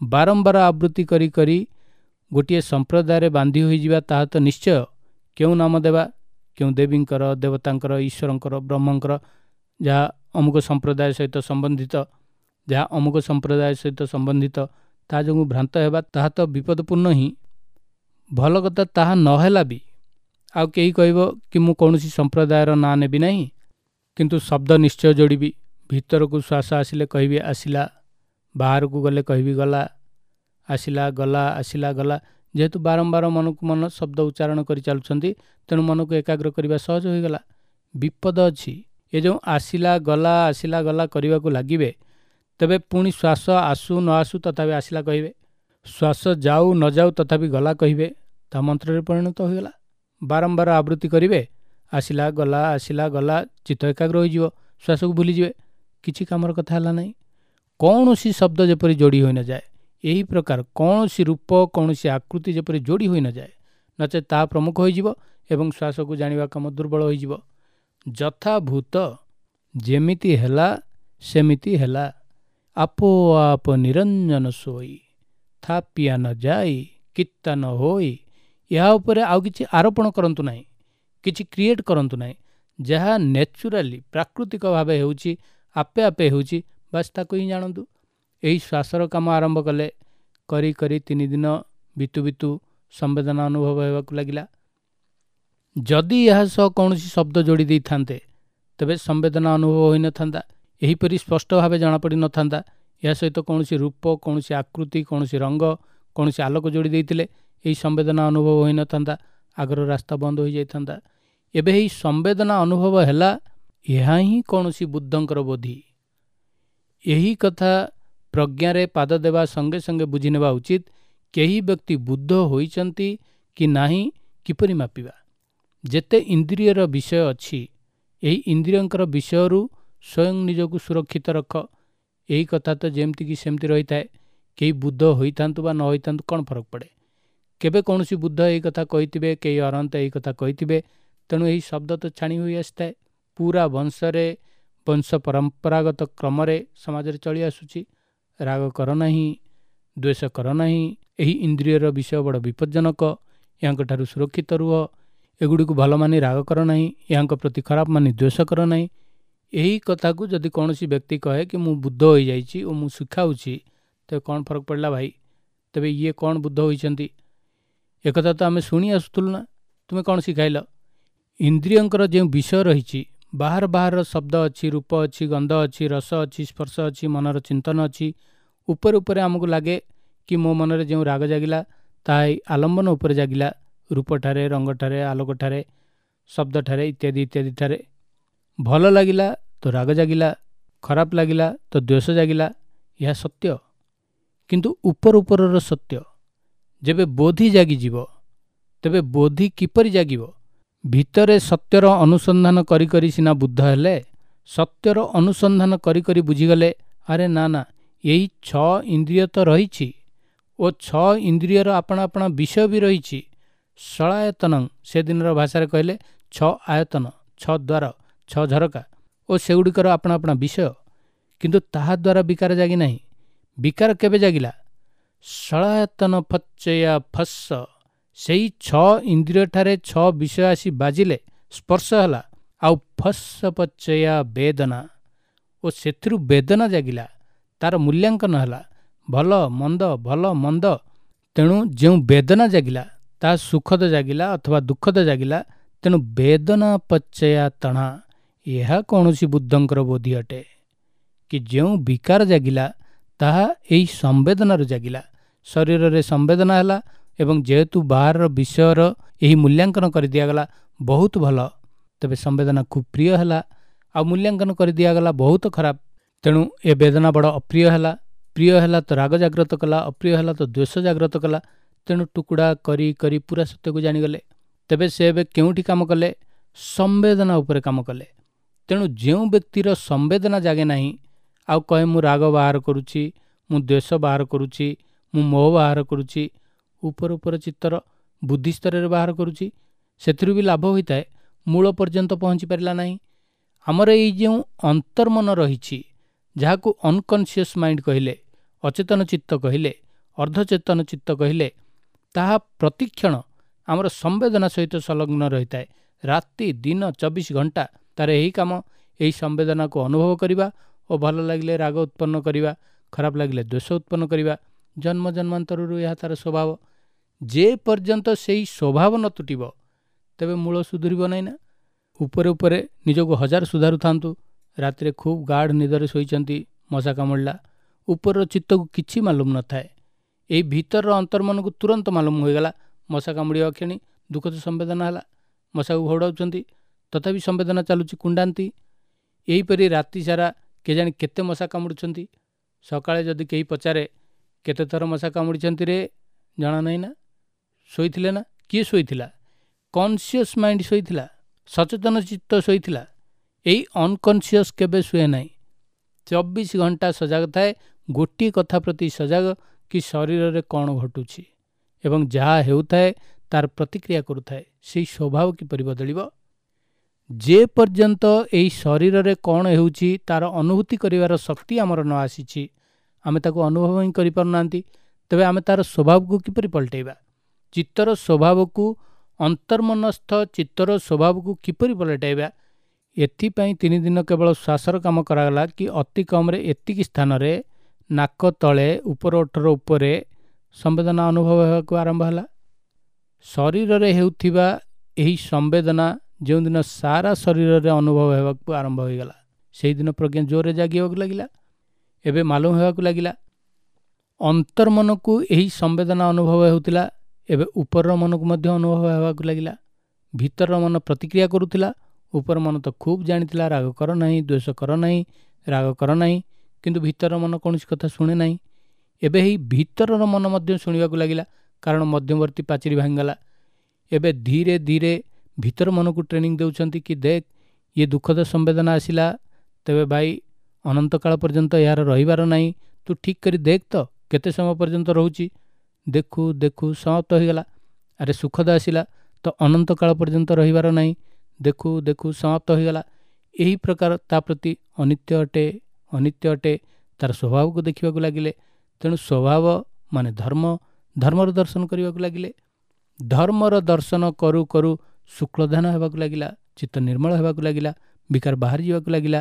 ବାରମ୍ବାର ଆବୃତ୍ତି କରି କରି ଗୋଟିଏ ସମ୍ପ୍ରଦାୟରେ ବାନ୍ଧି ହୋଇଯିବା ତାହା ତ ନିଶ୍ଚୟ। କେଉଁ ନାମ ଦେବା, କେଉଁ ଦେବୀଙ୍କର, ଦେବତାଙ୍କର, ଈଶ୍ୱରଙ୍କର, ବ୍ରହ୍ମଙ୍କର, ଯାହା ଅମୁକ ସମ୍ପ୍ରଦାୟ ସହିତ ସମ୍ବନ୍ଧିତ, ଯାହା ଅମୁକ ସମ୍ପ୍ରଦାୟ ସହିତ ସମ୍ବନ୍ଧିତ, ତା ଯୋଗୁଁ ଭ୍ରାନ୍ତ ହେବା ତାହା ତ ବିପଦପୂର୍ଣ୍ଣ ହିଁ। ଭଲ କଥା, ତାହା ନହେଲା ବି ଆଉ କେହି କହିବ କି ମୁଁ କୌଣସି ସମ୍ପ୍ରଦାୟର ନାଁ ନେବି ନାହିଁ, କିନ୍ତୁ ଶବ୍ଦ ନିଶ୍ଚୟ ଯୋଡ଼ିବି। ଭିତରକୁ ଶ୍ୱାସ ଆସିଲେ କହିବି ଆସିଲା, ବାହାରକୁ ଗଲେ କହିବି ଗଲା, ଆସିଲା ଗଲା, ଆସିଲା ଗଲା। ଯେହେତୁ ବାରମ୍ବାର ମନକୁ ମନ ଶବ୍ଦ ଉଚ୍ଚାରଣ କରି ଚାଲୁଛନ୍ତି, ତେଣୁ ମନକୁ ଏକାଗ୍ର କରିବା ସହଜ ହୋଇଗଲା। ବିପଦ ଅଛି, ଏ ଯେଉଁ ଆସିଲା ଗଲା ଆସିଲା ଗଲା କରିବାକୁ ଲାଗିବେ, ତେବେ ପୁଣି ଶ୍ୱାସ ଆସୁ ନ ଆସୁ ତଥାପି ଆସିଲା କହିବେ, ଶ୍ୱାସ ଯାଉ ନ ଯାଉ ତଥାପି ଗଲା କହିବେ, ତା ମନ୍ତ୍ରରେ ପରିଣତ ହୋଇଗଲା। ବାରମ୍ବାର ଆବୃତ୍ତି କରିବେ, ଆସିଲା ଗଲା ଆସିଲା ଗଲା, ଚିତ୍ତ ଏକାଗ୍ର ହୋଇଯିବ, ଶ୍ୱାସକୁ ଭୁଲିଯିବେ, କିଛି କାମର କଥା ହେଲା ନାହିଁ। କୌଣସି ଶବ୍ଦ ଯେପରି ଯୋଡ଼ି ହୋଇନଯାଏ, ଏହି ପ୍ରକାର କୌଣସି ରୂପ, କୌଣସି ଆକୃତି ଯେପରି ଯୋଡ଼ି ହୋଇନଯାଏ, ନଚେତ୍ ତାହା ପ୍ରମୁଖ ହୋଇଯିବ ଏବଂ ଶ୍ୱାସକୁ ଜାଣିବା କାମ ଦୁର୍ବଳ ହୋଇଯିବ। ଯଥାଭୂତ, ଯେମିତି ହେଲା ସେମିତି ହେଲା, ଆପୋ ଆପ ନିରଞ୍ଜନ ସୋଇ, ଥାପିଆ ନ ଯାଇ କିତ୍ତା ନ ହୋଇ। ଏହା ଉପରେ ଆଉ କିଛି ଆରୋପଣ କରନ୍ତୁ ନାହିଁ, କିଛି କ୍ରିଏଟ୍ କରନ୍ତୁ ନାହିଁ। ଯାହା ନ୍ୟାଚୁରାଲି ପ୍ରାକୃତିକ ଭାବେ ହେଉଛି, ଆପେ ଆପେ ହେଉଛି, ବାସ୍ ତାକୁ ହିଁ ଜାଣନ୍ତୁ। ଏହି ଶ୍ୱାସର କାମ ଆରମ୍ଭ କଲେ, କରି କରି 3 ଦିନ ବିତୁ ବିତୁ ସମ୍ବେଦନା ଅନୁଭବ ହେବାକୁ ଲାଗିଲା। ଯଦି ଏହା ସହ କୌଣସି ଶବ୍ଦ ଯୋଡ଼ି ଦେଇଥାନ୍ତେ ତେବେ ସମ୍ବେଦନା ଅନୁଭବ ହୋଇନଥାନ୍ତା, ଏହିପରି ସ୍ପଷ୍ଟ ଭାବେ ଜଣାପଡ଼ିନଥାନ୍ତା। ଏହା ସହିତ କୌଣସି ରୂପ, କୌଣସି ଆକୃତି, କୌଣସି ରଙ୍ଗ, କୌଣସି ଆଲୋକ ଯୋଡ଼ି ଦେଇଥିଲେ ଏହି ସମ୍ବେଦନା ଅନୁଭବ ହୋଇନଥାନ୍ତା, ଆଗର ରାସ୍ତା ବନ୍ଦ ହୋଇଯାଇଥାନ୍ତା। ଏବେ ଏହି ସମ୍ବେଦନା ଅନୁଭବ ହେଲା, ଏହା ହିଁ କୌଣସି ବୁଦ୍ଧଙ୍କର ବୋଧି। ଏହି କଥା ପ୍ରଜ୍ଞାରେ ପାଦ ଦେବା ସଙ୍ଗେ ସଙ୍ଗେ ବୁଝିନେବା ଉଚିତ। କେହି ବ୍ୟକ୍ତି ବୁଦ୍ଧ ହୋଇଛନ୍ତି କି ନାହିଁ କିପରି ମାପିବା? ଯେତେ ଇନ୍ଦ୍ରିୟର ବିଷୟ ଅଛି, ଏହି ଇନ୍ଦ୍ରିୟଙ୍କର ବିଷୟରୁ ସ୍ୱୟଂ ନିଜକୁ ସୁରକ୍ଷିତ ରଖ। ଏହି କଥା ତ ଯେମିତିକି ସେମିତି ରହିଥାଏ। କେହି ବୁଦ୍ଧ ହୋଇଥାନ୍ତୁ ବା ନ ହୋଇଥାନ୍ତୁ କ'ଣ ଫରକ ପଡ଼େ? କେବେ କୌଣସି ବୁଦ୍ଧ ଏହି କଥା କହିଥିବେ, କେହି ଅରହନ୍ତ ଏହି କଥା କହିଥିବେ, ତେଣୁ ଏହି ଶବ୍ଦ ତ ଛାଣି ହୋଇ ଆସିଥାଏ। ପୁରା ବଂଶରେ, ବଂଶ ପରମ୍ପରାଗତ କ୍ରମରେ ସମାଜରେ ଚଳି ଆସୁଛି। ରାଗ କର ନାହିଁ, ଦ୍ୱେଷ କର ନାହିଁ, ଏହି ଇନ୍ଦ୍ରିୟର ବିଷୟ ବଡ଼ ବିପଜ୍ଜନକ, ଏହାଙ୍କଠାରୁ ସୁରକ୍ଷିତ ରୁହ, ଏଗୁଡ଼ିକୁ ଭଲ ମାନି ରାଗ କର ନାହିଁ, ଏହାଙ୍କ ପ୍ରତି ଖରାପ ମାନି ଦ୍ୱେଷ କର ନାହିଁ। ଏହି କଥାକୁ ଯଦି କୌଣସି ବ୍ୟକ୍ତି କହେ କି ମୁଁ ବୁଦ୍ଧ ହୋଇଯାଇଛି ଓ ମୁଁ ଶିଖାଉଛି, ତେବେ କ'ଣ ଫରକ ପଡ଼ିଲା ଭାଇ? ତେବେ ଇଏ କ'ଣ ବୁଦ୍ଧ ହୋଇଛନ୍ତି? ଏକଥା ତ ଆମେ ଶୁଣି ଆସୁଥିଲୁ ନା, ତୁମେ କ'ଣ ଶିଖାଇଲ? ଇନ୍ଦ୍ରିୟଙ୍କର ଯେଉଁ ବିଷୟ ରହିଛି, ବାହାର ବାହାରର ଶବ୍ଦ ଅଛି, ରୂପ ଅଛି, ଗନ୍ଧ ଅଛି, ରସ ଅଛି, ସ୍ପର୍ଶ ଅଛି, ମନର ଚିନ୍ତନ ଅଛି। ଉପରେ ଉପରେ ଆମକୁ ଲାଗେ କି ମୋ ମନରେ ଯେଉଁ ରାଗ ଜାଗିଲା ତାହା ଏହି ଆଲମ୍ବନ ଉପରେ ଜାଗିଲା, ରୂପଠାରେ, ରଙ୍ଗଠାରେ, ଆଲୋକଠାରେ, ଶବ୍ଦଠାରେ ଇତ୍ୟାଦି ଇତ୍ୟାଦି ଠାରେ। ଭଲ ଲାଗିଲା ତ ରାଗ ଜାଗିଲା, ଖରାପ ଲାଗିଲା ତ ଦ୍ୱେଷ ଜାଗିଲା। ଏହା ସତ୍ୟ, କିନ୍ତୁ ଉପର ଉପରର ସତ୍ୟ। ଯେବେ ବୋଧି ଜାଗିଯିବ, ତେବେ ବୋଧି କିପରି ଜାଗିବ? ଭିତରେ ସତ୍ୟର ଅନୁସନ୍ଧାନ କରି କରି ସିନା ବୁଦ୍ଧ ହେଲେ, ସତ୍ୟର ଅନୁସନ୍ଧାନ କରି କରି ବୁଝିଗଲେ, ଆରେ ନା ନା, ଏହି 6 ଇନ୍ଦ୍ରିୟ ତ ରହିଛି ଓ 6 ଇନ୍ଦ୍ରିୟର ଆପଣା ଆପଣା ବିଷୟ ବି ରହିଛି। ଷଳାୟତନଂ, ସେଦିନର ଭାଷାରେ କହିଲେ 6 ଆୟତନ, 6 ଦ୍ୱାର, 6 ଝରକା ଓ ସେଗୁଡ଼ିକର ଆପଣା ଆପଣା ବିଷୟ। କିନ୍ତୁ ତାହା ଦ୍ୱାରା ବିକାର ଜାଗି ନାହିଁ। ବିକାର କେବେ ଜାଗିଲା? ଷଳାୟତନ ଫଚୟା ଫସ, ସେଇ 6 ଇନ୍ଦ୍ରିୟଠାରେ 6 ବିଷୟ ଆସି ବାଜିଲେ, ସ୍ପର୍ଶ ହେଲା, ଆଉ ଫସ ପଚୟା ବେଦନା, ଓ ସେଥିରୁ ବେଦନା ଜାଗିଲା, ତାର ମୂଲ୍ୟାଙ୍କନ ହେଲା, ଭଲ ମନ୍ଦ ଭଲ ମନ୍ଦ। ତେଣୁ ଯେଉଁ ବେଦନା ଜାଗିଲା ତାହା ସୁଖଦ ଜାଗିଲା ଅଥବା ଦୁଃଖଦ ଜାଗିଲା। ତେଣୁ ବେଦନା ପଚୟା ତଣା, ଏହା କୌଣସି ବୁଦ୍ଧଙ୍କର ବୋଧି ଅଟେ କି ଯେଉଁ ବିକାର ଜାଗିଲା ତାହା ଏହି ସମ୍ବେଦନାରୁ ଜାଗିଲା। ଶରୀରରେ ସମ୍ବେଦନା ହେଲା ଏବଂ ଯେହେତୁ ବାହାରର ବିଷୟର ଏହି ମୂଲ୍ୟାଙ୍କନ କରିଦିଆଗଲା ବହୁତ ଭଲ, ତେବେ ସମ୍ବେଦନା ଖୁବ୍ ପ୍ରିୟ ହେଲା, ଆଉ ମୂଲ୍ୟାଙ୍କନ କରିଦିଆଗଲା ବହୁତ ଖରାପ, ତେଣୁ ଏ ବେଦନା ବଡ଼ ଅପ୍ରିୟ ହେଲା। ପ୍ରିୟ ହେଲା ତ ରାଗ ଜାଗ୍ରତ କଲା, ଅପ୍ରିୟ ହେଲା ତ ଦ୍ୱେଷ ଜାଗ୍ରତ କଲା। ତେଣୁ ଟୁକୁଡ଼ା କରି କରି ପୁରା ସତ୍ୟକୁ ଜାଣିଗଲେ। ତେବେ ସେ ଏବେ କେଉଁଠି କାମ କଲେ? ସମ୍ବେଦନା ଉପରେ କାମ କଲେ। ତେଣୁ ଯେଉଁ ବ୍ୟକ୍ତିର ସମ୍ବେଦନା ଜାଗେ ନାହିଁ, ଆଉ କହେ ମୁଁ ରାଗ ବାହାର କରୁଛି, ମୁଁ ଦ୍ୱେଷ ବାହାର କରୁଛି, ମୁଁ ମୋହ ବାହାର କରୁଛି, ଉପର ଉପର ଚିତ୍ତର ବୁଦ୍ଧି ସ୍ତରରେ ବାହାର କରୁଛି, ସେଥିରୁ ବି ଲାଭ ହୋଇଥାଏ, ମୂଳ ପର୍ଯ୍ୟନ୍ତ ପହଞ୍ଚି ପାରିଲା ନାହିଁ। ଆମର ଏଇ ଯେଉଁ ଅନ୍ତର୍ମନ ରହିଛି, ଯାହାକୁ ଅନକନସିୟସ୍ ମାଇଣ୍ଡ କହିଲେ, ଅଚେତନ ଚିତ୍ତ କହିଲେ, ଅର୍ଦ୍ଧଚେତନ ଚିତ୍ତ କହିଲେ, ତାହା ପ୍ରତିକ୍ଷଣ ଆମର ସମ୍ବେଦନା ସହିତ ସଂଲଗ୍ନ ରହିଥାଏ। ରାତି ଦିନ 24 ଘଣ୍ଟା ତାର ଏହି କାମ, ଏହି ସମ୍ବେଦନାକୁ ଅନୁଭବ କରିବା ଓ ଭଲ ଲାଗିଲେ ରାଗ ଉତ୍ପନ୍ନ କରିବା, ଖରାପ ଲାଗିଲେ ଦ୍ୱେଷ ଉତ୍ପନ୍ନ କରିବା। ଜନ୍ମ ଜନ୍ମାନ୍ତରରୁ ଏହା ତାର ସ୍ୱଭାବ। ଯେ ପର୍ଯ୍ୟନ୍ତ ସେଇ ସ୍ୱଭାବ ନ ତୁଟିବ ତେବେ ମୂଳ ସୁଧୁରିବ ନାହିଁ ନା। ଉପରେ ଉପରେ ନିଜକୁ ହଜାର ସୁଧାରୁଥାନ୍ତୁ, ରାତିରେ ଖୁବ୍ ଗାଢ଼ ନିଦରେ ଶୋଇଛନ୍ତି, ମଶା କାମୁଡ଼ିଲା, ଉପରର ଚିତ୍ତକୁ କିଛି ମାଲୁମ ନଥାଏ, ଏଇ ଭିତରର ଅନ୍ତର୍ମନକୁ ତୁରନ୍ତ ମାଲୁମ ହୋଇଗଲା। ମଶା କାମୁଡ଼ିବା କ୍ଷଣି ଦୁଃଖଦ ସମ୍ବେଦନା ହେଲା, ମଶାକୁ ଘଉଡ଼ାଉଛନ୍ତି, ତଥାପି ସମ୍ବେଦନା ଚାଲୁଛି, କୁଣ୍ଡାନ୍ତି। ଏହିପରି ରାତି ସାରା କେଜାଣି କେତେ ମଶା କାମୁଡ଼ୁଛନ୍ତି। ସକାଳେ ଯଦି କେହି ପଚାରେ କେତେ ଥର ମଶା କାମୁଡ଼ିଛନ୍ତି ରେ, ଜଣା ନାହିଁ ନା, ଶୋଇଥିଲେ ନା? କିଏ ଶୋଇଥିଲା? କନସିୟସ୍ ମାଇଣ୍ଡ ଶୋଇଥିଲା, ସଚେତନ ଚିତ୍ତ ଶୋଇଥିଲା। ଏଇ ଅନକନସିୟସ୍ କେବେ ଶୁଏ ନାହିଁ। 24 ଘଣ୍ଟା ସଜାଗ ଥାଏ, ଗୋଟିଏ କଥା ପ୍ରତି ସଜାଗ କି ଶରୀରରେ କ'ଣ ଘଟୁଛି ଏବଂ ଯାହା ହେଉଥାଏ ତାର ପ୍ରତିକ୍ରିୟା କରୁଥାଏ। ସେଇ ସ୍ୱଭାବ କିପରି ବଦଳିବ? ଯେ ପର୍ଯ୍ୟନ୍ତ ଏଇ ଶରୀରରେ କ'ଣ ହେଉଛି ତାର ଅନୁଭୂତି କରିବାର ଶକ୍ତି ଆମର ନ ଆସିଛି, ଆମେ ତାକୁ ଅନୁଭବ ହିଁ କରିପାରୁନାହାନ୍ତି, ତେବେ ଆମେ ତାର ସ୍ୱଭାବକୁ କିପରି ପଲଟେଇବା? ଚିତ୍ତର ସ୍ୱଭାବକୁ, ଅନ୍ତର୍ମନସ୍ଥ ଚିତ୍ତର ସ୍ୱଭାବକୁ କିପରି ପଲଟାଇବା? ଏଥିପାଇଁ 3 ଦିନ କେବଳ ଶ୍ୱାସର କାମ କରାଗଲା କି ଅତି କମ୍ରେ ଏତିକି ସ୍ଥାନରେ ନାକ ତଳେ ଉପର ଓଠର ଉପରେ ସମ୍ବେଦନା ଅନୁଭବ ହେବାକୁ ଆରମ୍ଭ ହେଲା। ଶରୀରରେ ହେଉଥିବା ଏହି ସମ୍ବେଦନା ଯେଉଁଦିନ ସାରା ଶରୀରରେ ଅନୁଭବ ହେବାକୁ ଆରମ୍ଭ ହୋଇଗଲା, ସେଇଦିନ ପ୍ରଜ୍ଞା ଜୋରରେ ଜାଗିବାକୁ ଲାଗିଲା। ଏବେ ମାଲୁମ ହେବାକୁ ଲାଗିଲା ଅନ୍ତର୍ମନକୁ ଏହି ସମ୍ବେଦନା ଅନୁଭବ ହେଉଥିଲା, ଏବେ ଉପରର ମନକୁ ମଧ୍ୟ ଅନୁଭବ ହେବାକୁ ଲାଗିଲା। ଭିତରର ମନ ପ୍ରତିକ୍ରିୟା କରୁଥିଲା, ଉପର ମନ ତ ଖୁବ୍ ଜାଣିଥିଲା ରାଗ କର ନାହିଁ, ଦ୍ୱେଷ କର ନାହିଁ, ରାଗ କର ନାହିଁ, କିନ୍ତୁ ଭିତରର ମନ କୌଣସି କଥା ଶୁଣେ ନାହିଁ। ଏବେ ଏହି ଭିତରର ମନ ମଧ୍ୟ ଶୁଣିବାକୁ ଲାଗିଲା, କାରଣ ମଧ୍ୟବର୍ତ୍ତୀ ପାଚେରୀ ଭାଙ୍ଗିଗଲା। ଏବେ ଧୀରେ ଧୀରେ ଭିତର ମନକୁ ଟ୍ରେନିଂ ଦେଉଛନ୍ତି କି ଦେଖ, ଇଏ ଦୁଃଖଦ ସମ୍ବେଦନା ଆସିଲା, ତେବେ ଭାଇ ଅନନ୍ତ କାଳ ପର୍ଯ୍ୟନ୍ତ ଏହାର ରହିବାର ନାହିଁ, ତୁ ଠିକ୍ କରି ଦେଖ ତ କେତେ ସମୟ ପର୍ଯ୍ୟନ୍ତ ରହୁଛି। ଦେଖୁ ଦେଖୁ ସମାପ୍ତ ହୋଇଗଲା। ଆରେ ସୁଖଦ ଆସିଲା ତ ଅନନ୍ତ କାଳ ପର୍ଯ୍ୟନ୍ତ ରହିବାର ନାହିଁ, ଦେଖୁ ଦେଖୁ ସମାପ୍ତ ହୋଇଗଲା। ଏହି ପ୍ରକାର ତା ପ୍ରତି ଅନିତ୍ୟ ଅଟେ, ଅନିତ୍ୟ ଅଟେ, ତାର ସ୍ୱଭାବକୁ ଦେଖିବାକୁ ଲାଗିଲେ। ତେଣୁ ସ୍ୱଭାବ ମାନେ ଧର୍ମ, ଧର୍ମର ଦର୍ଶନ କରିବାକୁ ଲାଗିଲେ। ଧର୍ମର ଦର୍ଶନ କରୁ କରୁ ଶୁକ୍ଳଧ୍ୟାନ ହେବାକୁ ଲାଗିଲା, ଚିତ୍ତ ନିର୍ମଳ ହେବାକୁ ଲାଗିଲା, ବିକାର ବାହାରି ଯିବାକୁ ଲାଗିଲା।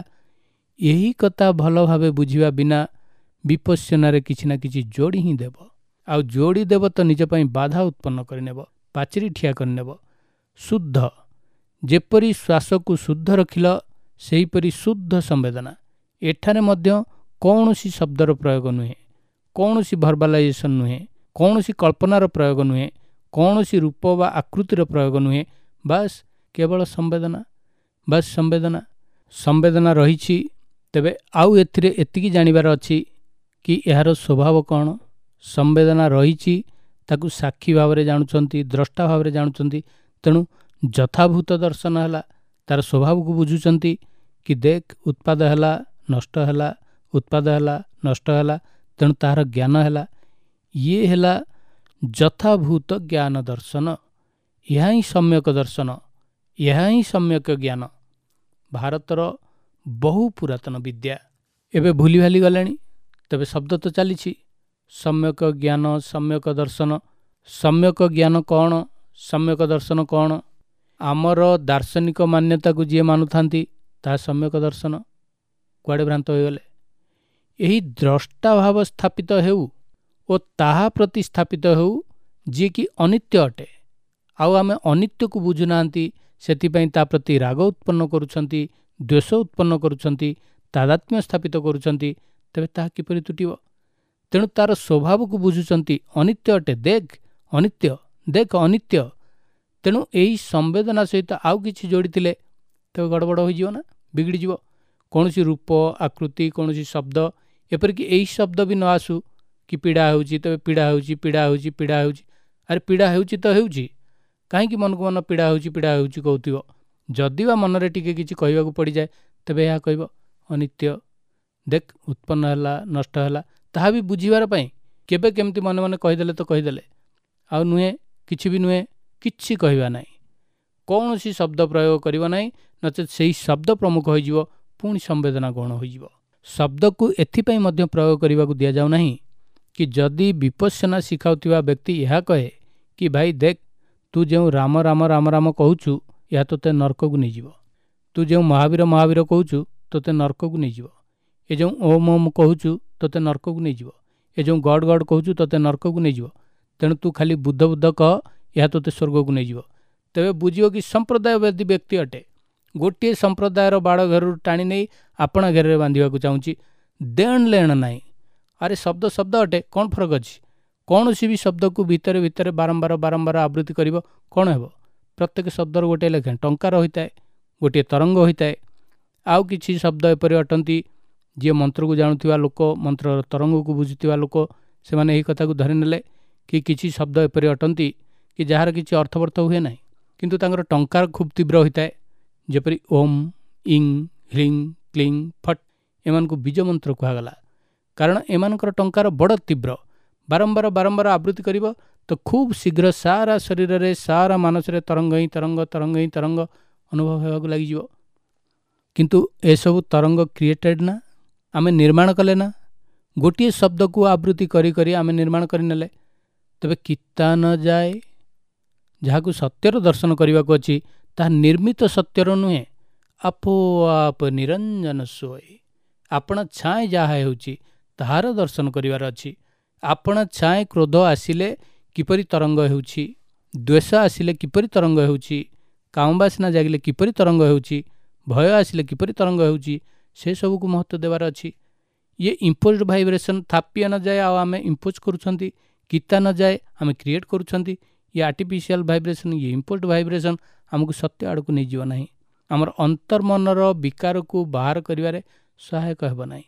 ଏହି କଥା ଭଲ ଭାବେ ବୁଝିବା ବିନା ବିପଶ୍ୟନାରେ କିଛି ନା କିଛି ଯୋଡ଼ି ହିଁ ଦେବ, ଆଉ ଯୋଡ଼ି ଦେବ ତ ନିଜ ପାଇଁ ବାଧା ଉତ୍ପନ୍ନ କରିନେବ, ପାଚେରୀ ଠିଆ କରିନେବ। ଶୁଦ୍ଧ, ଯେପରି ଶ୍ୱାସକୁ ଶୁଦ୍ଧ ରଖିଲ ସେହିପରି ଶୁଦ୍ଧ ସମ୍ବେଦନା। ଏଠାରେ ମଧ୍ୟ କୌଣସି ଶବ୍ଦର ପ୍ରୟୋଗ ନୁହେଁ, କୌଣସି ଭର୍ବାଲାଇଜେସନ୍ ନୁହେଁ, କୌଣସି କଳ୍ପନାର ପ୍ରୟୋଗ ନୁହେଁ, କୌଣସି ରୂପ ବା ଆକୃତିର ପ୍ରୟୋଗ ନୁହେଁ, ବାସ୍ କେବଳ ସମ୍ବେଦନା, ବାସ୍ ସମ୍ବେଦନା। ସମ୍ବେଦନା ରହିଛି। ତେବେ ଆଉ ଏଥିରେ ଏତିକି ଜାଣିବାର ଅଛି କି ଏହାର ସ୍ୱଭାବ କ'ଣ। ସମ୍ବେଦନା ରହିଛି, ତାକୁ ସାକ୍ଷୀ ଭାବରେ ଜାଣୁଛନ୍ତି, ଦ୍ରଷ୍ଟା ଭାବରେ ଜାଣୁଛନ୍ତି, ତେଣୁ ଯଥାଭୂତ ଦର୍ଶନ ହେଲା, ତାର ସ୍ୱଭାବକୁ ବୁଝୁଛନ୍ତି କି ଦେଖ ଉତ୍ପାଦ ହେଲା, ନଷ୍ଟ ହେଲା, ଉତ୍ପାଦ ହେଲା, ନଷ୍ଟ ହେଲା, ତେଣୁ ତାହାର ଜ୍ଞାନ ହେଲା। ଇଏ ହେଲା ଯଥାଭୂତ ଜ୍ଞାନ ଦର୍ଶନ। ଏହା ହିଁ ସମ୍ୟକ ଦର୍ଶନ, ଏହା ହିଁ ସମ୍ୟକ ଜ୍ଞାନ, ଭାରତର ବହୁ ପୁରାତନ ବିଦ୍ୟା। ଏବେ ଭୁଲି ଭାଲି ଗଲେଣି, ତେବେ ଶବ୍ଦ ତ ଚାଲିଛି। ସମ୍ୟକ ଜ୍ଞାନ, ସମ୍ୟକ ଦର୍ଶନ। ସମ୍ୟକ ଜ୍ଞାନ କ'ଣ, ସମ୍ୟକ ଦର୍ଶନ କ'ଣ? ଆମର ଦାର୍ଶନିକ ମାନ୍ୟତାକୁ ଯିଏ ମାନୁଥାନ୍ତି ତାହା ସମ୍ୟକ ଦର୍ଶନ। କୁଆଡ଼େ ଭ୍ରାନ୍ତ ହୋଇଗଲେ। ଏହି ଦ୍ରଷ୍ଟା ଭାବ ସ୍ଥାପିତ ହେଉ ଓ ତାହା ପ୍ରତି ସ୍ଥାପିତ ହେଉ ଯିଏକି ଅନିତ୍ୟ ଅଟେ। ଆଉ ଆମେ ଅନିତ୍ୟକୁ ବୁଝୁନାହାନ୍ତି, ସେଥିପାଇଁ ତା ପ୍ରତି ରାଗ ଉତ୍ପନ୍ନ କରୁଛନ୍ତି, ଦ୍ୱେଷ ଉତ୍ପନ୍ନ କରୁଛନ୍ତି, ତାଦାତ୍ମ୍ୟ ସ୍ଥାପିତ କରୁଛନ୍ତି, ତେବେ ତାହା କିପରି ତୁଟିବ? ତେଣୁ ତାର ସ୍ୱଭାବକୁ ବୁଝୁଛନ୍ତି, ଅନିତ୍ୟ ଅଟେ, ଦେଖ ଅନିତ୍ୟ, ଦେଖ ଅନିତ୍ୟ। ତେଣୁ ଏହି ସମ୍ବେଦନା ସହିତ ଆଉ କିଛି ଯୋଡ଼ିଥିଲେ ତେବେ ଗଡ଼ବଡ଼ ହୋଇଯିବ ନା, ବିଗିଡ଼ିଯିବ। କୌଣସି ରୂପ, ଆକୃତି, କୌଣସି ଶବ୍ଦ, ଏପରିକି ଏହି ଶବ୍ଦ ବି ନ ଆସୁ କି ପୀଡ଼ା ହେଉଛି, ତେବେ ପୀଡ଼ା ହେଉଛି, ପୀଡ଼ା ହେଉଛି, ପୀଡ଼ା ହେଉଛି। ଆରେ ପୀଡ଼ା ହେଉଛି ତ ହେଉଛି, କାହିଁକି ମନକୁ ମନ ପୀଡ଼ା ହେଉଛି, ପୀଡ଼ା ହେଉଛି କହୁଥିବ? ଯଦି ବା ମନରେ ଟିକେ କିଛି କହିବାକୁ ପଡ଼ିଯାଏ ତେବେ ଏହା କହିବ ଅନିତ୍ୟ, ଦେଖ ଉତ୍ପନ୍ନ ହେଲା, ନଷ୍ଟ ହେଲା। ତାହା ବି ବୁଝିବାର ପାଇଁ କେବେ କେମିତି ମନେ ମନେ କହିଦେଲେ ତ କହିଦେଲେ, ଆଉ ନୁହେଁ, କିଛି ବି ନୁହେଁ, କିଛି କହିବା ନାହିଁ, କୌଣସି ଶବ୍ଦ ପ୍ରୟୋଗ କରିବ ନାହିଁ, ନଚେତ୍ ସେହି ଶବ୍ଦ ପ୍ରମୁଖ ହୋଇଯିବ, ପୁଣି ସମ୍ବେଦନା ଗୌଣ ହୋଇଯିବ। ଶବ୍ଦକୁ ଏଥିପାଇଁ ମଧ୍ୟ ପ୍ରୟୋଗ କରିବାକୁ ଦିଆଯାଉ ନାହିଁ କି ଯଦି ବିପଶ୍ୟନା ଶିଖାଉଥିବା ବ୍ୟକ୍ତି ଏହା କହେ କି ଭାଇ ଦେଖ, ତୁ ଯେଉଁ ରାମ ରାମ ରାମ ରାମ କହୁଛୁ, ଏହା ତୋତେ ନର୍କକୁ ନେଇଯିବ। ତୁ ଯେଉଁ ମହାବୀର ମହାବୀର କହୁଛୁ, ତୋତେ ନର୍କକୁ ନେଇଯିବ। ଏ ଯେଉଁ ଓମ୍ ଓମ୍ କହୁଛୁ, ତୋତେ ନର୍କକୁ ନେଇଯିବ। ଏ ଯେଉଁ ଗଡ଼ ଗଡ଼ କହୁଛୁ, ତୋତେ ନର୍କକୁ ନେଇଯିବ। ତେଣୁ ତୁ ଖାଲି ବୁଦ୍ଧ ବୁଦ୍ଧ କହ, ଏହା ତୋତେ ସ୍ୱର୍ଗକୁ ନେଇଯିବ। ତେବେ ବୁଝିବ କି ସମ୍ପ୍ରଦାୟବାଦୀ ବ୍ୟକ୍ତି ଅଟେ। ଗୋଟିଏ ସମ୍ପ୍ରଦାୟର ବାଡ଼ ଘେରରୁ ଟାଣି ନେଇ ଆପଣା ଘେରରେ ବାନ୍ଧିବାକୁ ଚାହୁଁଛି। ଦେଣ ଲେଣ ନାହିଁ। ଆରେ ଶବ୍ଦ ଶବ୍ଦ ଅଟେ, କ'ଣ ଫରକ ଅଛି? କୌଣସି ବି ଶବ୍ଦକୁ ଭିତରେ ଭିତରେ ବାରମ୍ବାର ବାରମ୍ବାର ଆବୃତ୍ତି କରିବ, କ'ଣ ହେବ? ପ୍ରତ୍ୟେକ ଶବ୍ଦର ଗୋଟିଏ ଲେଖାଏଁ ଟଙ୍କାର ହୋଇଥାଏ, ଗୋଟିଏ ତରଙ୍ଗ ହୋଇଥାଏ। ଆଉ କିଛି ଶବ୍ଦ ଏପରି ଅଟନ୍ତି, ଯିଏ ମନ୍ତ୍ରକୁ ଜାଣୁଥିବା ଲୋକ, ମନ୍ତ୍ରର ତରଙ୍ଗକୁ ବୁଝୁଥିବା ଲୋକ, ସେମାନେ ଏହି କଥାକୁ ଧରିନେଲେ କି କିଛି ଶବ୍ଦ ଏପରି ଅଟନ୍ତି କି ଯାହାର କିଛି ଅର୍ଥବର୍ଥ ହୁଏ ନାହିଁ, କିନ୍ତୁ ତାଙ୍କର ଟଙ୍କାର ଖୁବ୍ ତୀବ୍ର ହୋଇଥାଏ। ଯେପରି ଓମ୍, ଇଂ, ହ୍ରିଂ, କ୍ଲିଂ, ଫଟ୍, ଏମାନଙ୍କୁ ବୀଜ ମନ୍ତ୍ର କୁହାଗଲା, କାରଣ ଏମାନଙ୍କର ଟଙ୍କାର ବଡ଼ ତୀବ୍ର। ବାରମ୍ବାର ବାରମ୍ବାର ଆବୃତ୍ତି କରିବ ତ ଖୁବ୍ ଶୀଘ୍ର ସାରା ଶରୀରରେ, ସାରା ମାନସରେ ତରଙ୍ଗ ହିଁ ତରଙ୍ଗ, ତରଙ୍ଗ ହିଁ ତରଙ୍ଗ ଅନୁଭବ ହେବାକୁ ଲାଗିଯିବ। କିନ୍ତୁ ଏସବୁ ତରଙ୍ଗ କ୍ରିଏଟେଡ୍ ନା, ଆମେ ନିର୍ମାଣ କଲେ ନା? ଗୋଟିଏ ଶବ୍ଦକୁ ଆବୃତ୍ତି କରି କରି ଆମେ ନିର୍ମାଣ କରିନେଲେ। ତେବେ କିତା ନ ଯାଏ, ଯାହାକୁ ସତ୍ୟର ଦର୍ଶନ କରିବାକୁ ଅଛି, ତାହା ନିର୍ମିତ ସତ୍ୟର ନୁହେଁ। ଆପୋଆପ ନିରଞ୍ଜନ ସୋଏ, ଆପଣା ଛାଏଁ ଯାହା ହେଉଛି ତାହାର ଦର୍ଶନ କରିବାର ଅଛି। ଆପଣା ଛାଏଁ କ୍ରୋଧ ଆସିଲେ କିପରି ତରଙ୍ଗ ହେଉଛି, ଦ୍ୱେଷ ଆସିଲେ କିପରି ତରଙ୍ଗ ହେଉଛି, କାମବାସନା ଜାଗିଲେ କିପରି ତରଙ୍ଗ ହେଉଛି, ଭୟ ଆସିଲେ କିପରି ତରଙ୍ଗ ହେଉଛି, ସେସବୁକୁ ମହତ୍ତ୍ୱ ଦେବାର ଅଛି। ଇଏ ଇମ୍ପୋଜ୍ଡ ଭାଇବ୍ରେସନ୍ ଥାପିଆ ନଯାଏ ଆଉ ଆମେ ଇମ୍ପୋଜ୍ କରୁଛନ୍ତି, କିତା ନଯାଏ ଆମେ କ୍ରିଏଟ୍ କରୁଛନ୍ତି। ଇଏ ଆର୍ଟିଫିସିଆଲ୍ ଭାଇବ୍ରେସନ୍, ଇଏ ଇମ୍ପୋଜ୍ଡ ଭାଇବ୍ରେସନ୍ ଆମକୁ ସତ୍ୟ ଆଡ଼କୁ ନେଇଯିବ ନାହିଁ। ଆମର ଅନ୍ତର୍ମନର ବିକାରକୁ ବାହାର କରିବାରେ ସହାୟକ ହେବ ନାହିଁ।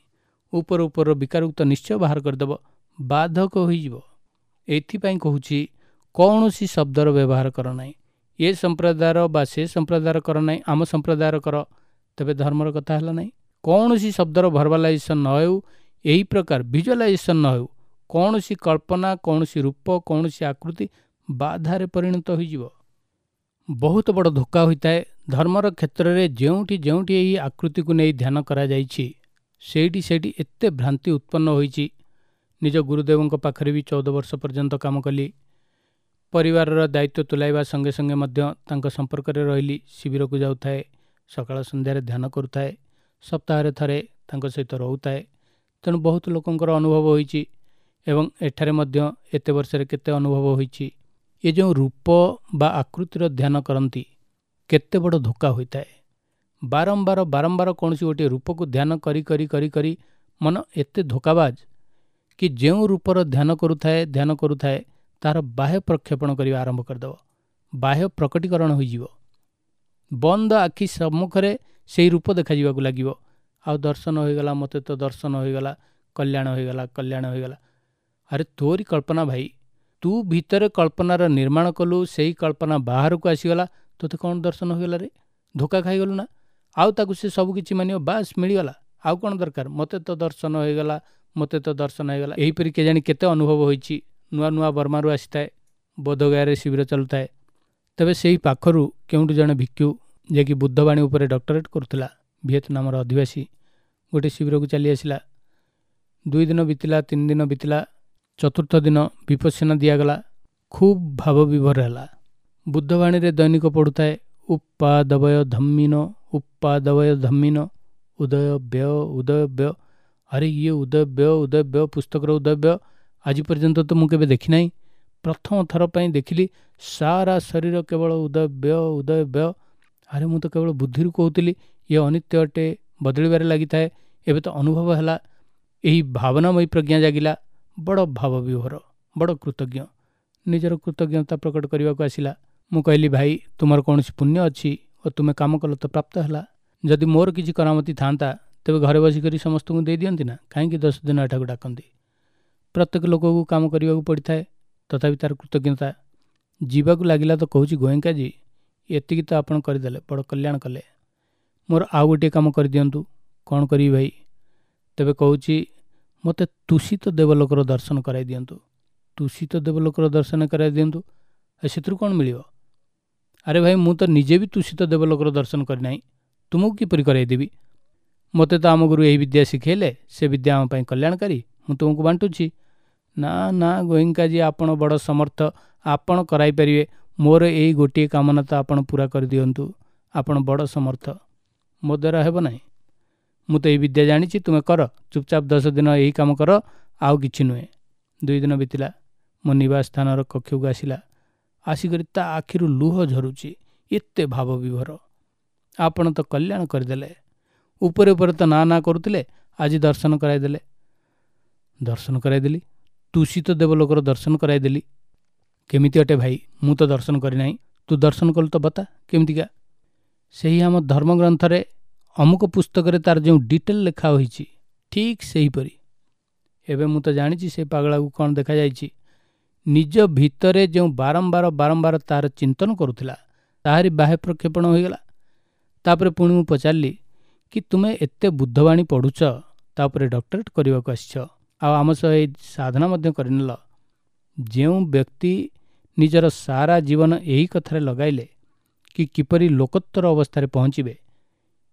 ଉପର ଉପରର ବିକାରକୁ ତ ନିଶ୍ଚୟ ବାହାର କରିଦେବ, ବାଧକ ହୋଇଯିବ। ଏଥିପାଇଁ କହୁଛି, କୌଣସି ଶବ୍ଦର ବ୍ୟବହାର କର ନାହିଁ। ଏ ସମ୍ପ୍ରଦାୟର ବା ସେ ସମ୍ପ୍ରଦାୟର କର ନାହିଁ, ଆମ ସମ୍ପ୍ରଦାୟର କର, ତେବେ ଧର୍ମର କଥା ହେଲା ନାହିଁ। କୌଣସି ଶବ୍ଦର ଭର୍ବାଲାଇଜେସନ୍ ନ ହେଉ, ଏହି ପ୍ରକାର ଭିଜୁଆଲାଇଜେସନ୍ ନ ହେଉ। କୌଣସି କଳ୍ପନା, କୌଣସି ରୂପ, କୌଣସି ଆକୃତି ବାଧାରେ ପରିଣତ ହୋଇଯିବ। ବହୁତ ବଡ଼ ଧୋକା ହୋଇଥାଏ। ଧର୍ମର କ୍ଷେତ୍ରରେ ଯେଉଁଠି ଯେଉଁଠି ଏହି ଆକୃତିକୁ ନେଇ ଧ୍ୟାନ କରାଯାଇଛି, ସେଇଠି ସେଇଠି ଏତେ ଭ୍ରାନ୍ତି ଉତ୍ପନ୍ନ ହୋଇଛି। ନିଜ ଗୁରୁଦେବଙ୍କ ପାଖରେ ବି 14 ବର୍ଷ ପର୍ଯ୍ୟନ୍ତ କାମ କଲି। ପରିବାରର ଦାୟିତ୍ୱ ତୁଲାଇବା ସଙ୍ଗେ ସଙ୍ଗେ ମଧ୍ୟ ତାଙ୍କ ସମ୍ପର୍କରେ ରହିଲି। ଶିବିରକୁ ଯାଉଥାଏ, ସକାଳ ସନ୍ଧ୍ୟାରେ ଧ୍ୟାନ କରୁଥାଏ, ସପ୍ତାହରେ ଥରେ ତାଙ୍କ ସହିତ ରହୁଥାଏ। ତେଣୁ ବହୁତ ଲୋକଙ୍କର ଅନୁଭବ ହୋଇଛି ଏବଂ ଏଠାରେ ମଧ୍ୟ ଏତେ ବର୍ଷରେ କେତେ ଅନୁଭବ ହୋଇଛି। ଏ ଯେଉଁ ରୂପ ବା ଆକୃତିର ଧ୍ୟାନ କରନ୍ତି, କେତେ ବଡ଼ ଧୋକା ହୋଇଥାଏ। ବାରମ୍ବାର ବାରମ୍ବାର କୌଣସି ଗୋଟିଏ ରୂପକୁ ଧ୍ୟାନ କରି କରି କରି କରି ମନ ଏତେ ଧୋକାବାଜ କି ଯେଉଁ ରୂପର ଧ୍ୟାନ କରୁଥାଏ ଧ୍ୟାନ କରୁଥାଏ, ତାହାର ବାହ୍ୟ ପ୍ରକ୍ଷେପଣ କରିବା ଆରମ୍ଭ କରିଦେବ, ବାହ୍ୟ ପ୍ରକଟୀକରଣ ହୋଇଯିବ। ବନ୍ଦ ଆଖି ସମ୍ମୁଖରେ ସେଇ ରୂପ ଦେଖାଯିବାକୁ ଲାଗିବ। ଆଉ ଦର୍ଶନ ହୋଇଗଲା, ମୋତେ ତ ଦର୍ଶନ ହୋଇଗଲା, କଲ୍ୟାଣ ହୋଇଗଲା, କଲ୍ୟାଣ ହୋଇଗଲା। ଆରେ ତୋରି କଳ୍ପନା ଭାଇ, ତୁ ଭିତରେ କଳ୍ପନାର ନିର୍ମାଣ କଲୁ, ସେଇ କଳ୍ପନା ବାହାରକୁ ଆସିଗଲା, ତୋତେ କ'ଣ ଦର୍ଶନ ହୋଇଗଲା ରେ? ଧୋକା ଖାଇଗଲୁ ନା? ଆଉ ତାକୁ ସେ ସବୁ କିଛି ମାନିବ, ବାସ୍ ମିଳିଗଲା, ଆଉ କ'ଣ ଦରକାର, ମୋତେ ତ ଦର୍ଶନ ହୋଇଗଲା, ମୋତେ ତ ଦର୍ଶନ ହୋଇଗଲା। ଏହିପରି କେଜାଣି କେତେ ଅନୁଭବ ହୋଇଛି। ନୂଆ ନୂଆ ବର୍ମାରୁ ଆସିଥାଏ, ବୋଧଗୟାରେ ଶିବିର ଚାଲୁଥାଏ। ତେବେ ସେହି ପାଖରୁ କେଉଁଠୁ ଜଣେ ଭିକ୍ଷୁ, ଯିଏକି ବୁଦ୍ଧବାଣୀ ଉପରେ ଡକ୍ଟରେଟ୍ କରୁଥିଲା, ଭିଏତନାମର ଅଧିବାସୀ, ଗୋଟିଏ ଶିବିରକୁ ଚାଲି ଆସିଲା। 2 ଦିନ ବିତିଲା, 3 ଦିନ ବିତିଲା, ଚତୁର୍ଥ ଦିନ ବିପස්සନା ଦିଆଗଲା। ଖୁବ୍ ଭାବବିଭୋର ହେଲା। ବୁଦ୍ଧବାଣୀରେ ଦୈନିକ ପଢ଼ୁଥାଏ, ଉପାଦବୟ ଧମ୍ମିନ, ଉପାଦବୟ ଧମ୍ମିନ, ଉଦୟ ବ୍ୟୟ, ଉଦୟ ବ୍ୟୟ। ଆରେ ଇଏ ଉଦୟ ବ୍ୟୟ, ଉଦୟ ବ୍ୟୟ, ପୁସ୍ତକର ଉଦୟ ବ୍ୟୟ ଆଜି ପର୍ଯ୍ୟନ୍ତ ତ ମୁଁ କେବେ ଦେଖିନାହିଁ। ପ୍ରଥମ ଥର ପାଇଁ ଦେଖିଲି, ସାରା ଶରୀର କେବଳ ଉଦୟ ବ୍ୟୟ, ଉଦୟ ବ୍ୟୟ। ଆରେ ମୁଁ ତ କେବଳ ବୁଦ୍ଧିରୁ କହୁଥିଲି ଇଏ ଅନିତ୍ୟ ଅଟେ, ବଦଳିବାରେ ଲାଗିଥାଏ, ଏବେ ତ ଅନୁଭବ ହେଲା। ଏହି ଭାବନାମୟୀ ପ୍ରଜ୍ଞା ଜାଗିଲା। ବଡ଼ ଭାବବିଭୋର, ବଡ଼ କୃତଜ୍ଞ, ନିଜର କୃତଜ୍ଞତା ପ୍ରକଟ କରିବାକୁ ଆସିଲା। ମୁଁ କହିଲି, ଭାଇ ତୁମର କୌଣସି ପୁଣ୍ୟ ଅଛି ଓ ତୁମେ କାମ କଲ ତ ପ୍ରାପ୍ତ ହେଲା। ଯଦି ମୋର କିଛି କରାମତି ଥାନ୍ତା ତେବେ ଘରେ ବସିକରି ସମସ୍ତଙ୍କୁ ଦେଇଦିଅନ୍ତି ନା, କାହିଁକି 10 ଦିନ ଏଠାକୁ ଡାକନ୍ତି? ପ୍ରତ୍ୟେକ ଲୋକକୁ କାମ କରିବାକୁ ପଡ଼ିଥାଏ, ତଥାପି ତାର କୃତଜ୍ଞତା। ଯିବାକୁ ଲାଗିଲା ତ କହୁଛି, ଗୋଏଙ୍କାଜୀ ଏତିକି ତ ଆପଣ କରିଦେଲେ, ବଡ଼ କଲ୍ୟାଣ କଲେ, ମୋର ଆଉ ଗୋଟିଏ କାମ କରିଦିଅନ୍ତୁ। କ'ଣ କରିବି ଭାଇ? ତେବେ କହୁଛି, ମୋତେ ତୁଷିତ ଦେବଲୋକର ଦର୍ଶନ କରାଇ ଦିଅନ୍ତୁ। ତୁଷିତ ଦେବଲୋକର ଦର୍ଶନ କରାଇ ଦିଅନ୍ତୁ, ଆଉ ସେଥିରୁ କ'ଣ ମିଳିବ? ଆରେ ଭାଇ ମୁଁ ତ ନିଜେ ବି ତୁଷିତ ଦେବଲୋକର ଦର୍ଶନ କରିନାହିଁ, ତୁମକୁ କିପରି କରାଇଦେବି? ମୋତେ ତ ଆମ ଗୁରୁ ଏହି ବିଦ୍ୟା ଶିଖେଇଲେ, ସେ ବିଦ୍ୟା ଆମ ପାଇଁ କଲ୍ୟାଣକାରୀ, ମୁଁ ତୁମକୁ ବାଣ୍ଟୁଛି। ନା ନା ଗୋଏଙ୍କାଜୀ ଆପଣ ବଡ଼ ସମର୍ଥ, ଆପଣ କରାଇପାରିବେ, ମୋର ଏଇ ଗୋଟିଏ କାମନା ତ ଆପଣ ପୂରା କରିଦିଅନ୍ତୁ, ଆପଣ ବଡ଼ ସମର୍ଥ। ମୋ ଦ୍ୱାରା ହେବ ନାହିଁ, ମୁଁ ତ ଏଇ ବିଦ୍ୟା ଜାଣିଛି, ତୁମେ କର, ଚୁପଚାପ 10 ଦିନ ଏହି କାମ କର, ଆଉ କିଛି ନୁହେଁ। 2 ଦିନ ବିତିଲା। ମୋ ନିବାସ ସ୍ଥାନର କକ୍ଷକୁ ଆସିଲା। ଆସିକରି ତା ଆଖିରୁ ଲୁହ ଝରୁଛି, ଏତେ ଭାବ ବିଭୋର। ଆପଣ ତ କଲ୍ୟାଣ କରିଦେଲେ, ଉପରେ ଉପରେ ତ ନା ନା କରୁଥିଲେ, ଆଜି ଦର୍ଶନ କରାଇଦେଲେ। ଦର୍ଶନ କରାଇଦେଲି, ତୁଷିତ ଦେବଲୋକର ଦର୍ଶନ କରାଇଦେଲି। କେମିତି ଅଟେ ଭାଇ, ମୁଁ ତ ଦର୍ଶନ କରିନାହିଁ, ତୁ ଦର୍ଶନ କଲୁ ତ ବତା କେମିତିକା? ସେହି ଆମ ଧର୍ମଗ୍ରନ୍ଥରେ ଅମୁକ ପୁସ୍ତକରେ ତାର ଯେଉଁ ଡିଟେଲ ଲେଖା ହୋଇଛି ଠିକ୍ ସେହିପରି। ଏବେ ମୁଁ ତ ଜାଣିଛି ସେ ପାଗଳାକୁ କ'ଣ ଦେଖାଯାଇଛି। ନିଜ ଭିତରେ ଯେଉଁ ବାରମ୍ବାର ବାରମ୍ବାର ତାର ଚିନ୍ତନ କରୁଥିଲା, ତାହାରି ବାହ୍ୟ ପ୍ରକ୍ଷେପଣ ହୋଇଗଲା। ତାପରେ ପୁଣି ମୁଁ ପଚାରିଲି କି ତୁମେ ଏତେ ବୁଦ୍ଧବାଣୀ ପଢ଼ୁଛ, ତା ଉପରେ ଡକ୍ଟରେଟ୍ କରିବାକୁ ଆସିଛ, ଆଉ ଆମ ସହ ଏଇ ସାଧନା ମଧ୍ୟ କରିନେଲ। ଯେଉଁ ବ୍ୟକ୍ତି ନିଜର ସାରା ଜୀବନ ଏହି କଥାରେ ଲଗାଇଲେ କି କିପରି ଲୋକୋତ୍ତର ଅବସ୍ଥାରେ ପହଞ୍ଚିବେ,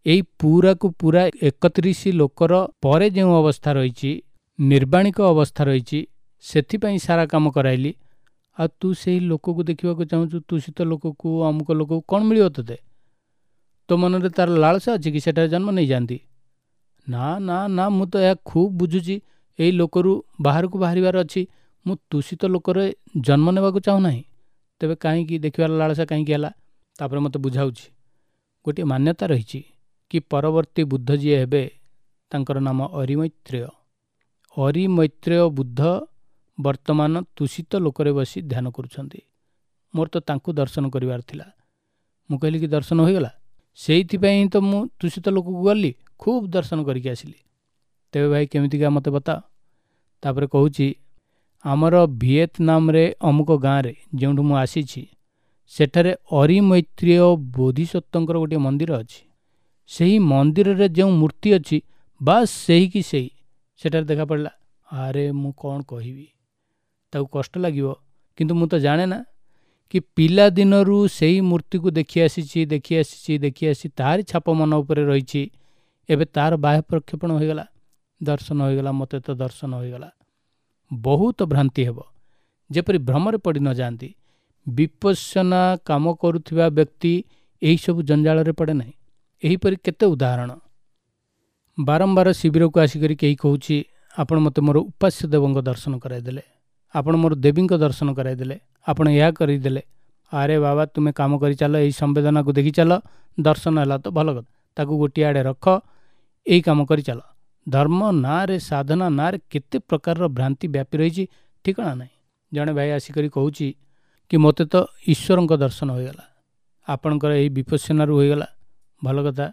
ଏଇ ପୁରାକୁ ପୁରା 31 ଲୋକର ପରେ ଯେଉଁ ଅବସ୍ଥା ରହିଛି, ନିର୍ବାଣିକ ଅବସ୍ଥା ରହିଛି, ସେଥିପାଇଁ ସାରା କାମ କରାଇଲି। ଆଉ ତୁ ସେଇ ଲୋକକୁ ଦେଖିବାକୁ ଚାହୁଁଛୁ, ତୁଷିତ ଲୋକକୁ, ଅମୁକ ଲୋକକୁ, କ'ଣ ମିଳିବ ତୋତେ? ତୋ ମନରେ ତାର ଲାଳସା ଅଛି କି ସେଠାରେ ଜନ୍ମ ନେଇଯାଆନ୍ତି? ନା ନା ନା, ମୁଁ ତ ଏହା ଖୁବ୍ ବୁଝୁଛି, ଏଇ ଲୋକରୁ ବାହାରକୁ ବାହାରିବାର ଅଛି, ମୁଁ ତୁଷିତ ଲୋକରେ ଜନ୍ମ ନେବାକୁ ଚାହୁଁନାହିଁ। ତେବେ କାହିଁକି ଦେଖିବାର ଲାଳସା କାହିଁକି ହେଲା? ତାପରେ ମୋତେ ବୁଝାଉଛି, ଗୋଟିଏ ମାନ୍ୟତା ରହିଛି କି ପରବର୍ତ୍ତୀ ବୁଦ୍ଧ ଯିଏ ହେବେ ତାଙ୍କର ନାମ ଅରିମୈତ୍ରେୟ। ଅରିମୈତ୍ରେୟ ବୁଦ୍ଧ ବର୍ତ୍ତମାନ ତୁଷିତ ଲୋକରେ ବସି ଧ୍ୟାନ କରୁଛନ୍ତି। ମୋର ତ ତାଙ୍କୁ ଦର୍ଶନ କରିବାର ଥିଲା। ମୁଁ କହିଲି କି ଦର୍ଶନ ହୋଇଗଲା? ସେଇଥିପାଇଁ ତ ମୁଁ ତୁଷିତ ଲୋକକୁ ଗଲି, ଖୁବ୍ ଦର୍ଶନ କରିକି ଆସିଲି। ତେବେ ଭାଇ କେମିତିକା ମୋତେ ବତାଅ। ତାପରେ କହୁଛି, ଆମର ଭିଏତନାମରେ ଅମୁକ ଗାଁରେ ଯେଉଁଠୁ ମୁଁ ଆସିଛି, ସେଠାରେ ଅରିମୈତ୍ରେୟ ବୋଧିସତ୍ତ୍ୱଙ୍କର ଗୋଟିଏ ମନ୍ଦିର ଅଛି। ସେହି ମନ୍ଦିରରେ ଯେଉଁ ମୂର୍ତ୍ତି ଅଛି ବାସ୍ ସେହି କି ସେହି ସେଠାରେ ଦେଖାପଡ଼ିଲା। ଆରେ ମୁଁ କ'ଣ କହିବି, ତାକୁ କଷ୍ଟ ଲାଗିବ, କିନ୍ତୁ ମୁଁ ତ ଜାଣେ ନା କି ପିଲାଦିନରୁ ସେଇ ମୂର୍ତ୍ତିକୁ ଦେଖି ଆସିଛି, ଦେଖି ଆସିଛି, ଦେଖି ଆସିଛି, ତାରି ଛାପ ମନ ଉପରେ ରହିଛି। ଏବେ ତାର ବାହ୍ୟ ପ୍ରକ୍ଷେପଣ ହୋଇଗଲା, ଦର୍ଶନ ହୋଇଗଲା, ମୋତେ ତ ଦର୍ଶନ ହୋଇଗଲା। ବହୁତ ଭ୍ରାନ୍ତି ହେବ, ଯେପରି ଭ୍ରମରେ ପଡ଼ି ନ ଯାଆନ୍ତି। ବିପස්සନା କାମ କରୁଥିବା ବ୍ୟକ୍ତି ଏହିସବୁ ଜଞ୍ଜାଳରେ ପଡ଼େ ନାହିଁ। ଏହିପରି କେତେ ଉଦାହରଣ। ବାରମ୍ବାର ଶିବିରକୁ ଆସିକରି କେହି କହୁଛି, ଆପଣ ମୋତେ ମୋର ଉପାସ୍ୟ ଦେବଙ୍କ ଦର୍ଶନ କରାଇଦେଲେ, ଆପଣ ମୋର ଦେବୀଙ୍କ ଦର୍ଶନ କରାଇଦେଲେ, ଆପଣ ଏହା କରିଦେଲେ। ଆରେ ବାବା, ତୁମେ କାମ କରି ଚାଲ, ଏହି ସମ୍ବେଦନାକୁ ଦେଖି ଚାଲ, ଦର୍ଶନ ହେଲା ତ ଭଲ କଥା, ତାକୁ ଗୋଟିଏ ଆଡ଼େ ରଖ, ଏଇ କାମ କରି ଚାଲ। ଧର୍ମ ନାଁରେ, ସାଧନା ନାଁରେ କେତେ ପ୍ରକାରର ଭ୍ରାନ୍ତି ବ୍ୟାପି ରହିଛି ଠିକଣା ନାହିଁ। ଜଣେ ଭାଇ ଆସିକରି କହୁଛି କି ମୋତେ ତ ଈଶ୍ୱରଙ୍କ ଦର୍ଶନ ହୋଇଗଲା, ଆପଣଙ୍କର ଏଇ ବିପස්සନାରୁ ହୋଇଗଲା, ଭଲ କଥା,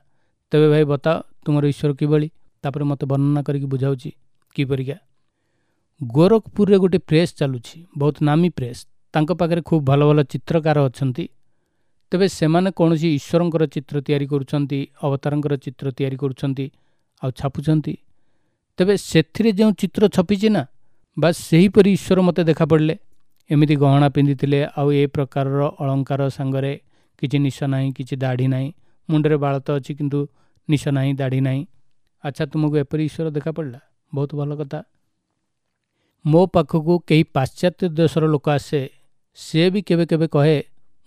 ତେବେ ଭାଇ ବତାଅ ତୁମର ଈଶ୍ୱର କିଭଳି? ତାପରେ ମୋତେ ବର୍ଣ୍ଣନା କରିକି ବୁଝାଉଛି କିପରିକା। ଗୋରଖପୁରରେ ଗୋଟେ ପ୍ରେସ୍ ଚାଲୁଛି, ବହୁତ ନାମୀ ପ୍ରେସ୍, ତାଙ୍କ ପାଖରେ ଖୁବ୍ ଭଲ ଭଲ ଚିତ୍ରକାର ଅଛନ୍ତି। ତେବେ ସେମାନେ କୌଣସି ଈଶ୍ୱରଙ୍କର ଚିତ୍ର ତିଆରି କରୁଛନ୍ତି, ଅବତାରଙ୍କର ଚିତ୍ର ତିଆରି କରୁଛନ୍ତି ଆଉ ଛାପୁଛନ୍ତି। ତେବେ ସେଥିରେ ଯେଉଁ ଚିତ୍ର ଛପିଛି ନା, ବାସ୍ ସେହିପରି ଈଶ୍ୱର ମୋତେ ଦେଖାପଡ଼ିଲେ। ଏମିତି ଗହଣା ପିନ୍ଧିଥିଲେ, ଆଉ ଏ ପ୍ରକାରର ଅଳଙ୍କାର ସାଙ୍ଗରେ କିଛି ନିଶ ନାହିଁ, କିଛି ଦାଢ଼ି ନାହିଁ, ମୁଣ୍ଡରେ ବାଳ ତ ଅଛି କିନ୍ତୁ ନିଶ ନାହିଁ, ଦାଢ଼ି ନାହିଁ। ଆଚ୍ଛା, ତୁମକୁ ଏପରି ଈଶ୍ୱର ଦେଖାପଡ଼ିଲା, ବହୁତ ଭଲ କଥା। ମୋ ପାଖକୁ କେହି ପାଶ୍ଚାତ୍ୟ ଦେଶର ଲୋକ ଆସେ, ସେ ବି କେବେ କେବେ କହେ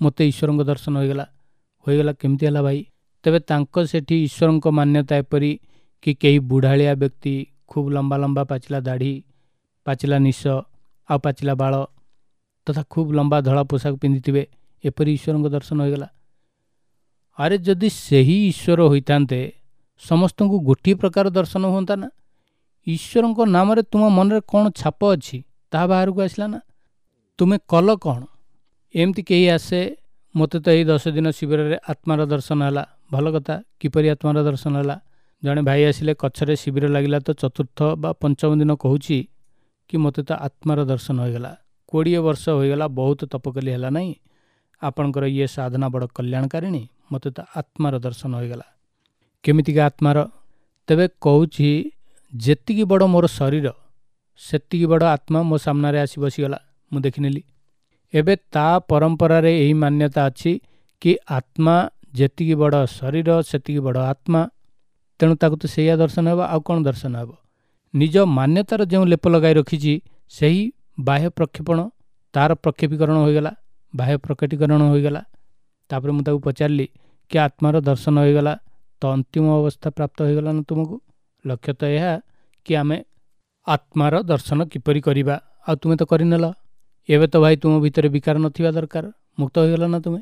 ମୋତେ ଈଶ୍ୱରଙ୍କ ଦର୍ଶନ ହୋଇଗଲା। ହୋଇଗଲା କେମିତି ହେଲା ଭାଇ? ତେବେ ତାଙ୍କ ସେଠି ଈଶ୍ୱରଙ୍କ ମାନ୍ୟତା ଏପରି କି କେହି ବୁଢ଼ାଳିଆ ବ୍ୟକ୍ତି, ଖୁବ୍ ଲମ୍ବା ଲମ୍ବା ପାଚିଲା ଦାଢ଼ି, ପାଚିଲା ନିଶ ଆଉ ପାଚିଲା ବାଳ ତଥା ଖୁବ୍ ଲମ୍ବା ଧଳା ପୋଷାକ ପିନ୍ଧିଥିବେ, ଏପରି ଈଶ୍ୱରଙ୍କ ଦର୍ଶନ ହୋଇଗଲା। ଆରେ ଯଦି ସେହି ଈଶ୍ୱର ହୋଇଥାନ୍ତେ ସମସ୍ତଙ୍କୁ ଗୋଟିଏ ପ୍ରକାର ଦର୍ଶନ ହୁଅନ୍ତା ନା? ଈଶ୍ୱରଙ୍କ ନାମରେ ତୁମ ମନରେ କ'ଣ ଛାପ ଅଛି ତାହା ବାହାରକୁ ଆସିଲା ନା? ତୁମେ କଲ କ'ଣ? ଏମିତି କେହି ଆସେ, ମୋତେ ତ ଏଇ 10 ଦିନ ଶିବିରରେ ଆତ୍ମାର ଦର୍ଶନ ହେଲା, ଭଲ କଥା, କିପରି ଆତ୍ମାର ଦର୍ଶନ ହେଲା? ଜଣେ ଭାଇ ଆସିଲେ, କଚ୍ଛରେ ଶିବିର ଲାଗିଲା ତ ଚତୁର୍ଥ ବା ପଞ୍ଚମ ଦିନ କହୁଛି କି ମୋତେ ତ ଆତ୍ମାର ଦର୍ଶନ ହୋଇଗଲା, 20 ବର୍ଷ ହୋଇଗଲା, ବହୁତ ତପ କଲି ହେଲା ନାହିଁ, ଆପଣଙ୍କର ଇଏ ସାଧନା ବଡ଼ କଲ୍ୟାଣକାରିଣୀ, ମୋତେ ତ ଆତ୍ମାର ଦର୍ଶନ ହୋଇଗଲା। କେମିତିକା ଆତ୍ମାର? ତେବେ କହୁଛି ଯେତିକି ବଡ଼ ମୋର ଶରୀର ସେତିକି ବଡ଼ ଆତ୍ମା ମୋ ସାମ୍ନାରେ ଆସି ବସିଗଲା, ମୁଁ ଦେଖିନେଲି। ଏବେ ତା ପରମ୍ପରାରେ ଏହି ମାନ୍ୟତା ଅଛି କି ଆତ୍ମା ଯେତିକି ବଡ଼ ଶରୀର ସେତିକି ବଡ଼ ଆତ୍ମା, ତେଣୁ ତାକୁ ତ ସେଇଆ ଦର୍ଶନ ହେବ, ଆଉ କ'ଣ ଦର୍ଶନ ହେବ? ନିଜ ମାନ୍ୟତାର ଯେଉଁ ଲେପ ଲଗାଇ ରଖିଛି ସେହି ବାହ୍ୟ ପ୍ରକ୍ଷେପଣ, ତାର ପ୍ରକ୍ଷେପୀକରଣ ହୋଇଗଲା, ବାହ୍ୟ ପ୍ରକଟୀକରଣ ହୋଇଗଲା। ତାପରେ ମୁଁ ତାକୁ ପଚାରିଲି କି ଆତ୍ମାର ଦର୍ଶନ ହୋଇଗଲା ତ ଅନ୍ତିମ ଅବସ୍ଥା ପ୍ରାପ୍ତ ହୋଇଗଲା ନା ତୁମକୁ? ଲକ୍ଷ୍ୟ ତ ଏହା କି ଆମେ ଆତ୍ମାର ଦର୍ଶନ କିପରି କରିବା, ଆଉ ତୁମେ ତ କରିନେଲ। ଏବେ ତ ଭାଇ ତୁମ ଭିତରେ ବିକାର ନଥିବା ଦରକାର, ମୁକ୍ତ ହୋଇଗଲ ନା ତୁମେ?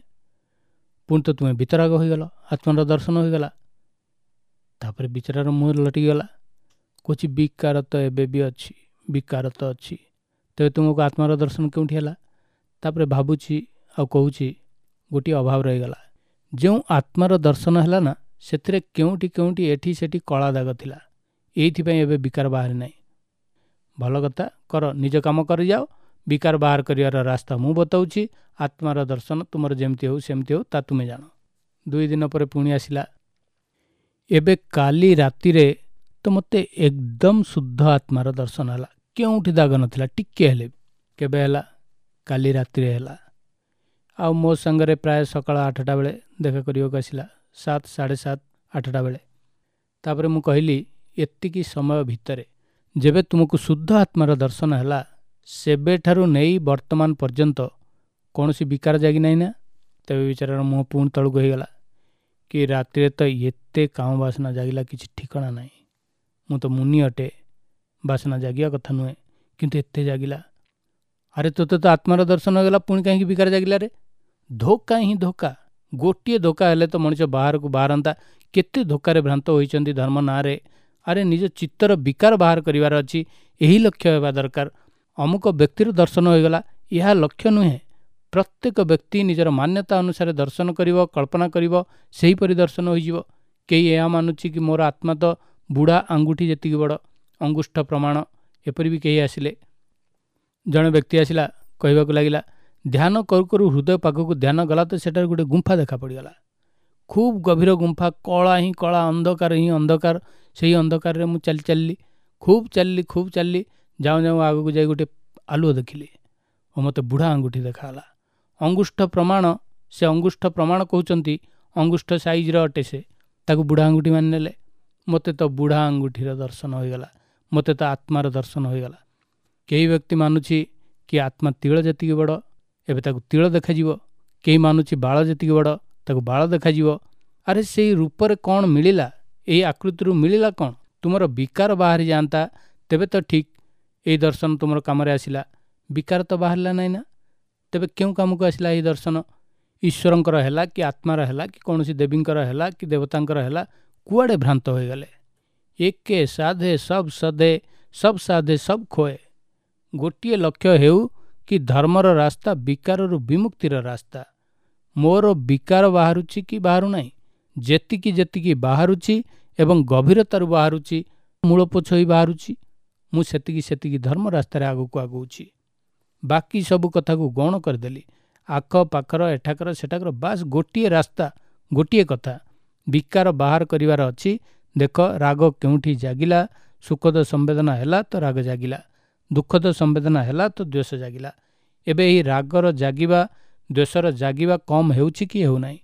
ପୁଣି ତ ତୁମେ ବିତରାଗ ହୋଇଗଲ, ଆତ୍ମାର ଦର୍ଶନ ହୋଇଗଲା। ତାପରେ ବିଚାରାର ମୁହଁ ଲଟିଗଲା, କହୁଛି ବିକାର ତ ଏବେ ବି ଅଛି, ବିକାର ତ ଅଛି, ତେବେ ତୁମକୁ ଆତ୍ମାର ଦର୍ଶନ କେଉଁଠି ହେଲା? ତାପରେ ଭାବୁଛି ଆଉ କହୁଛି ଗୋଟିଏ ଅଭାବ ରହିଗଲା। ଯେଉଁ ଆତ୍ମାର ଦର୍ଶନ ହେଲା ନା, ସେଥିରେ କେଉଁଠି କେଉଁଠି ଏଠି ସେଠି କଳା ଦାଗ ଥିଲା, ଏଇଥିପାଇଁ ଏବେ ବିକାର ବାହାରି ନାହିଁ। ଭଲ କଥା, କର, ନିଜ କାମ କରିଯାଅ, ବିକାର ବାହାର କରିବାର ରାସ୍ତା ମୁଁ ବତାଉଛି, ଆତ୍ମାର ଦର୍ଶନ ତୁମର ଯେମିତି ହେଉ ସେମିତି ହେଉ ତା ତୁମେ ଜାଣ। 2 ଦିନ ପରେ ପୁଣି ଆସିଲା। ଏବେ କାଲି ରାତିରେ ତ ମୋତେ ଏକଦମ ଶୁଦ୍ଧ ଆତ୍ମାର ଦର୍ଶନ ହେଲା, କେଉଁଠି ଦାଗ ନଥିଲା ଟିକେ ହେଲେ ବି। କେବେ ହେଲା? କାଲି ରାତିରେ ହେଲା। ଆଉ ମୋ ସାଙ୍ଗରେ ପ୍ରାୟ ସକାଳ 8ଟା ବେଳେ ଦେଖା କରିବାକୁ ଆସିଲା, 7, 7:30, 8ଟା ବେଳେ। ତାପରେ ମୁଁ କହିଲି ଏତିକି ସମୟ ଭିତରେ ଯେବେ ତୁମକୁ ଶୁଦ୍ଧ ଆତ୍ମାର ଦର୍ଶନ ହେଲା, ସେବେଠାରୁ ନେଇ ବର୍ତ୍ତମାନ ପର୍ଯ୍ୟନ୍ତ କୌଣସି ବିକାର ଜାଗି ନାହିଁ ନା? ତେବେ ବିଚାରାର ମୁହଁ ପୁଣି ତଳକୁ ହେଇଗଲା କି ରାତିରେ ତ ଏତେ କାମ ବାସନା ଜାଗିଲା କିଛି ଠିକଣା ନାହିଁ, ମୁଁ ତ ମୁନି ଅଟେ, ବାସନା ଜାଗିବା କଥା ନୁହେଁ, କିନ୍ତୁ ଏତେ ଜାଗିଲା। ଆରେ ତୋତେ ତ ଆତ୍ମାର ଦର୍ଶନ ହେଇଗଲା, ପୁଣି କାହିଁକି ବିକାର ଜାଗିଲା ରେ? ଧୋକା ହିଁ ଧୋକା, ଗୋଟିଏ ଧୋକା ହେଲେ ତ ମଣିଷ ବାହାରକୁ ବାହାରନ୍ତା। କେତେ ଧୋକାରେ ଭ୍ରାନ୍ତ ହୋଇଛନ୍ତି ଧର୍ମ ନାଁରେ। ଆରେ ନିଜ ଚିତ୍ତର ବିକାର ବାହାର କରିବାର ଅଛି, ଏହି ଲକ୍ଷ୍ୟ ହେବା ଦରକାର। ଅମୁକ ବ୍ୟକ୍ତିର ଦର୍ଶନ ହୋଇଗଲା, ଏହା ଲକ୍ଷ୍ୟ ନୁହେଁ। ପ୍ରତ୍ୟେକ ବ୍ୟକ୍ତି ନିଜର ମାନ୍ୟତା ଅନୁସାରେ ଦର୍ଶନ କରିବ, କଳ୍ପନା କରିବ, ସେହିପରି ଦର୍ଶନ ହୋଇଯିବ। କେହି ଏହା ମାନୁଛି କି ମୋର ଆତ୍ମା ତ ବୁଢ଼ା ଆଙ୍ଗୁଠି ଯେତିକି ବଡ଼, ଅଙ୍ଗୁଷ୍ଠ ପ୍ରମାଣ, ଏପରି ବି କେହି ଆସିଲେ। ଜଣେ ବ୍ୟକ୍ତି ଆସିଲା, କହିବାକୁ ଲାଗିଲା ଧ୍ୟାନ କରୁ କରୁ ହୃଦୟ ପାଖକୁ ଧ୍ୟାନ ଗଲା ତ ସେଠାରେ ଗୋଟେ ଗୁମ୍ଫା ଦେଖା ପଡ଼ିଗଲା, ଖୁବ୍ ଗଭୀର ଗୁମ୍ଫା, କଳା ହିଁ କଳା, ଅନ୍ଧକାର ହିଁ ଅନ୍ଧକାର। ସେଇ ଅନ୍ଧକାରରେ ମୁଁ ଚାଲି ଚାଲିଲି, ଖୁବ୍ ଚାଲିଲି, ଖୁବ୍ ଚାଲିଲି, ଯାଉଁ ଯାଉଁ ଆଗକୁ ଯାଇ ଗୋଟେ ଆଲୁଅ ଦେଖିଲି ଓ ମୋତେ ବୁଢ଼ା ଆଙ୍ଗୁଠି ଦେଖାଗଲା। ଅଙ୍ଗୁଷ୍ଠ ପ୍ରମାଣ, ସେ ଅଙ୍ଗୁଷ୍ଠ ପ୍ରମାଣ କହୁଛନ୍ତି, ଅଙ୍ଗୁଷ୍ଠ ସାଇଜ୍ର ଅଟେ ସେ, ତାକୁ ବୁଢ଼ା ଆଙ୍ଗୁଠି ମାନିନେଲେ। ମୋତେ ତ ବୁଢ଼ା ଆଙ୍ଗୁଠିର ଦର୍ଶନ ହୋଇଗଲା, ମୋତେ ତ ଆତ୍ମାର ଦର୍ଶନ ହୋଇଗଲା। କେହି ବ୍ୟକ୍ତି ମାନୁଛି କି ଆତ୍ମା ତିଳ ଯେତିକି ବଡ଼, ଏବେ ତାକୁ ତିଳ ଦେଖାଯିବ। କେହି ମାନୁଛି ବାଳ ଯେତିକି ବଡ଼, ତାକୁ ବାଳ ଦେଖାଯିବ। ଆରେ ସେଇ ରୂପରେ କ'ଣ ମିଳିଲା? ଏଇ ଆକୃତିରୁ ମିଳିଲା କ'ଣ? ତୁମର ବିକାର ବାହାରି ଯାଆନ୍ତା ତେବେ ତ ଠିକ୍, ଏଇ ଦର୍ଶନ ତୁମର କାମରେ ଆସିଲା। ବିକାର ତ ବାହାରିଲା ନାହିଁ ନା, ତେବେ କେଉଁ କାମକୁ ଆସିଲା ଏହି ଦର୍ଶନ? ଈଶ୍ୱରଙ୍କର ହେଲା କି ଆତ୍ମାର ହେଲା କି କୌଣସି ଦେବୀଙ୍କର ହେଲା କି ଦେବତାଙ୍କର ହେଲା, କୁଆଡ଼େ ଭ୍ରାନ୍ତ ହୋଇଗଲେ। ଏକେ ସାଧେ ସବ୍ ସଧେ, ସବ୍ ସାଧେ ସବ୍ ଖୋଏ। ଗୋଟିଏ ଲକ୍ଷ୍ୟ ହେଉ କି ଧର୍ମର ରାସ୍ତା ବିକାରରୁ ବିମୁକ୍ତିର ରାସ୍ତା। ମୋର ବିକାର ବାହାରୁଛି କି ବାହାରୁନାହିଁ? ଯେତିକି ଯେତିକି ବାହାରୁଛି ଏବଂ ଗଭୀରତାରୁ ବାହାରୁଛି, ମୂଳପୋଛ ହୋଇ ବାହାରୁଛି, ମୁଁ ସେତିକି ସେତିକି ଧର୍ମ ରାସ୍ତାରେ ଆଗକୁ ଆଗଉଛି। ବାକି ସବୁ କଥାକୁ ଗୌଣ କରିଦେଲି, ଆଖ ପାଖର ଏଠାକର ସେଠାକର, ବାସ୍ ଗୋଟିଏ ରାସ୍ତା, ଗୋଟିଏ କଥା, ବିକାର ବାହାର କରିବାର ଅଛି। ଦେଖ ରାଗ କେଉଁଠି ଜାଗିଲା, ସୁଖଦ ସମ୍ବେଦନା ହେଲା ତ ରାଗ ଜାଗିଲା, ଦୁଃଖଦ ସମ୍ବେଦନା ହେଲା ତ ଦ୍ୱେଷ ଜାଗିଲା। ଏବେ ଏହି ରାଗର ଜାଗିବା, ଦ୍ୱେଷର ଜାଗିବା କମ୍ ହେଉଛି କି ହେଉନାହିଁ?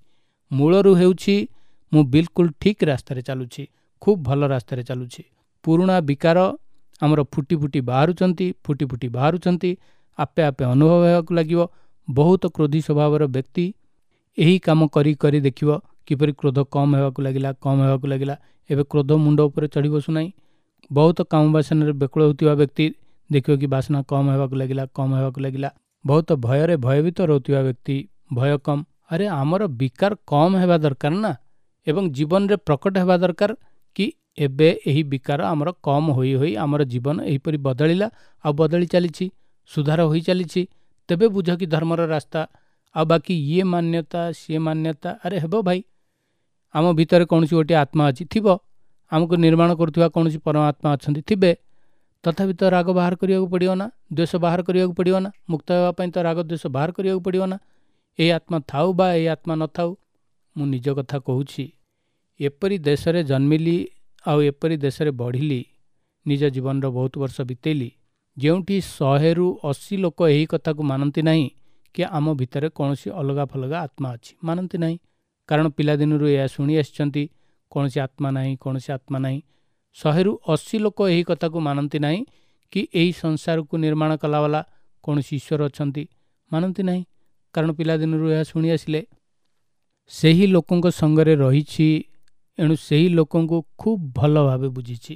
ମୂଳରୁ ହେଉଛି। ମୁଁ ବିଲକୁଲ ଠିକ୍ ରାସ୍ତାରେ ଚାଲୁଛି, ଖୁବ୍ ଭଲ ରାସ୍ତାରେ ଚାଲୁଛି। ପୁରୁଣା ବିକାର ଆମର ଫୁଟି ଫୁଟି ବାହାରୁଛନ୍ତି, ଫୁଟି ଫୁଟି ବାହାରୁଛନ୍ତି, ଆପେ ଆପେ ଅନୁଭବ ହେବାକୁ ଲାଗିବ। ବହୁତ କ୍ରୋଧୀ ସ୍ୱଭାବର ବ୍ୟକ୍ତି ଏହି କାମ କରି କରି ଦେଖିବ କିପରି କ୍ରୋଧ କମ୍ ହେବାକୁ ଲାଗିଲା, କମ୍ ହେବାକୁ ଲାଗିଲା। ଏବେ କ୍ରୋଧ ମୁଣ୍ଡ ଉପରେ ଚଢ଼ି ବସୁନାହିଁ। ବହୁତ କାମ ବାସନାରେ ବ୍ୟାକୁଳ ହେଉଥିବା ବ୍ୟକ୍ତି ଦେଖିବ କି ବାସନା କମ୍ ହେବାକୁ ଲାଗିଲା, କମ୍ ହେବାକୁ ଲାଗିଲା। ବହୁତ ଭୟରେ ଭୟଭୀତ ରହୁଥିବା ବ୍ୟକ୍ତି ଭୟ କମ୍। ଆରେ ଆମର ବିକାର କମ୍ ହେବା ଦରକାର ନା, ଏବଂ ଜୀବନରେ ପ୍ରକଟ ହେବା ଦରକାର କି ଏବେ ଏହି ବିକାର ଆମର କମ୍ ହୋଇ ହୋଇ ଆମର ଜୀବନ ଏହିପରି ବଦଳିଲା ଆଉ ବଦଳି ଚାଲିଛି, ସୁଧାର ହୋଇ ଚାଲିଛି। ତେବେ ବୁଝ କି ଧର୍ମର ରାସ୍ତା। ଆଉ ବାକି ଇଏ ମାନ୍ୟତା ସିଏ ମାନ୍ୟତା, ଆରେ ହେବ ଭାଇ। ଆମ ଭିତରେ କୌଣସି ଗୋଟିଏ ଆତ୍ମା ଅଛି, ଥିବ, ଆମକୁ ନିର୍ମାଣ କରୁଥିବା କୌଣସି ପରମାତ୍ମା ଅଛନ୍ତି, ଥିବେ, ତଥାପି ତ ରାଗ ବାହାର କରିବାକୁ ପଡ଼ିବ ନା, ଦ୍ୱେଷ ବାହାର କରିବାକୁ ପଡ଼ିବ ନା, ମୁକ୍ତ ହେବା ପାଇଁ ତ ରାଗ ଦ୍ୱେଷ ବାହାର କରିବାକୁ ପଡ଼ିବ ନା। ଏଇ ଆତ୍ମା ଥାଉ ବା ଏଇ ଆତ୍ମା ନଥାଉ, ମୁଁ ନିଜ କଥା କହୁଛି। ଏପରି ଦେଶରେ ଜନ୍ମିଲି ଆଉ ଏପରି ଦେଶରେ ବଢ଼ିଲି, ନିଜ ଜୀବନର ବହୁତ ବର୍ଷ ବିତେଇଲି, ଯେଉଁଠି 100ରୁ 80 ଲୋକ ଏହି କଥାକୁ ମାନନ୍ତି ନାହିଁ କି ଆମ ଭିତରେ କୌଣସି ଅଲଗା ଫଲଗା ଆତ୍ମା ଅଛି, ମାନନ୍ତି ନାହିଁ। କାରଣ ପିଲାଦିନରୁ ଏହା ଶୁଣି ଆସିଛନ୍ତି, କୌଣସି ଆତ୍ମା ନାହିଁ, କୌଣସି ଆତ୍ମା ନାହିଁ। 100ରୁ 80 ଲୋକ ଏହି କଥାକୁ ମାନନ୍ତି ନାହିଁ କି ଏହି ସଂସାରକୁ ନିର୍ମାଣ କଲାବାଲା କୌଣସି ଈଶ୍ୱର ଅଛନ୍ତି, ମାନନ୍ତି ନାହିଁ। କାରଣ ପିଲାଦିନରୁ ଏହା ଶୁଣି ଆସିଲେ। ସେହି ଲୋକଙ୍କ ସଙ୍ଗରେ ରହିଛି, ଏଣୁ ସେହି ଲୋକଙ୍କୁ ଖୁବ୍ ଭଲ ଭାବେ ବୁଝିଛି।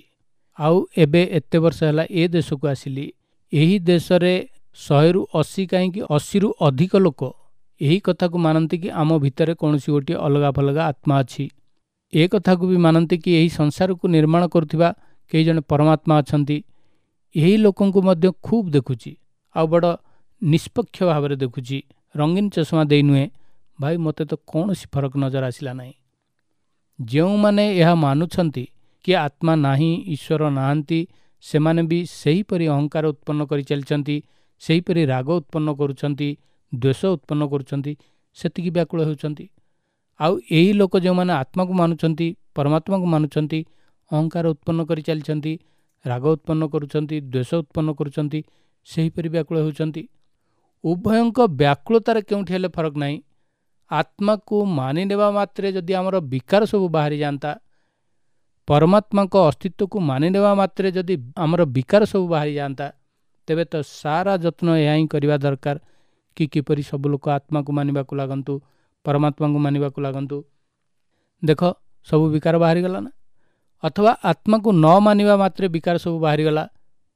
ଆଉ ଏବେ ଏତେ ବର୍ଷ ହେଲା ଏ ଦେଶକୁ ଆସିଲି, ଏହି ଦେଶରେ 100ରୁ 80 କାହିଁକି 80ରୁ ଅଧିକ ଲୋକ ଏହି କଥାକୁ ମାନନ୍ତି କି ଆମ ଭିତରେ କୌଣସି ଗୋଟିଏ ଅଲଗା ଫଲଗା ଆତ୍ମା ଅଛି। ଏ କଥାକୁ ବି ମାନନ୍ତି କି ଏହି ସଂସାରକୁ ନିର୍ମାଣ କରୁଥିବା କେହି ଜଣେ ପରମାତ୍ମା ଅଛନ୍ତି। ଏହି ଲୋକଙ୍କୁ ମଧ୍ୟ ଖୁବ୍ ଦେଖୁଛି, ଆଉ ବଡ଼ ନିଷ୍ପକ୍ଷ ଭାବରେ ଦେଖୁଛି, ରଙ୍ଗୀନ ଚଷମା ଦେଇ ନୁହେଁ। ଭାଇ, ମୋତେ ତ କୌଣସି ଫରକ ନଜର ଆସିଲା ନାହିଁ। ଯେଉଁମାନେ ଏହା ମାନୁଛନ୍ତି କି ଆତ୍ମା ନାହିଁ, ଈଶ୍ୱର ନାହାନ୍ତି, ସେମାନେ ବି ସେହିପରି ଅହଙ୍କାର ଉତ୍ପନ୍ନ କରିଚାଲିଛନ୍ତି, ସେହିପରି ରାଗ ଉତ୍ପନ୍ନ କରୁଛନ୍ତି, ଦ୍ୱେଷ ଉତ୍ପନ୍ନ କରୁଛନ୍ତି, ସେତିକି ବ୍ୟାକୁଳ ହେଉଛନ୍ତି। ଆଉ ଏହି ଲୋକ ଯେଉଁମାନେ ଆତ୍ମାକୁ ମାନୁଛନ୍ତି, ପରମାତ୍ମାକୁ ମାନୁଛନ୍ତି, ଅହଙ୍କାର ଉତ୍ପନ୍ନ କରିଚାଲିଛନ୍ତି, ରାଗ ଉତ୍ପନ୍ନ କରୁଛନ୍ତି, ଦ୍ୱେଷ ଉତ୍ପନ୍ନ କରୁଛନ୍ତି, ସେହିପରି ବ୍ୟାକୁଳ ହେଉଛନ୍ତି। ଉଭୟଙ୍କ ବ୍ୟାକୁଳତାରେ କେଉଁଠି ହେଲେ ଫରକ ନାହିଁ। ଆତ୍ମାକୁ ମାନିନେବା ମାତ୍ରେ ଯଦି ଆମର ବିକାର ସବୁ ବାହାରି ଯାଆନ୍ତା, ପରମାତ୍ମାଙ୍କ ଅସ୍ତିତ୍ୱକୁ ମାନିନେବା ମାତ୍ରେ ଯଦି ଆମର ବିକାର ସବୁ ବାହାରି ଯାଆନ୍ତା, ତେବେ ତ ସାରା ଯତ୍ନ ଏହା ହିଁ କରିବା ଦରକାର କି କିପରି ସବୁ ଲୋକ ଆତ୍ମାକୁ ମାନିବାକୁ ଲାଗନ୍ତୁ, ପରମାତ୍ମାଙ୍କୁ ମାନିବାକୁ ଲାଗନ୍ତୁ। ଦେଖ, ସବୁ ବିକାର ବାହାରିଗଲା ନା? ଅଥବା ଆତ୍ମାକୁ ନ ମାନିବା ମାତ୍ରେ ବିକାର ସବୁ ବାହାରିଗଲା,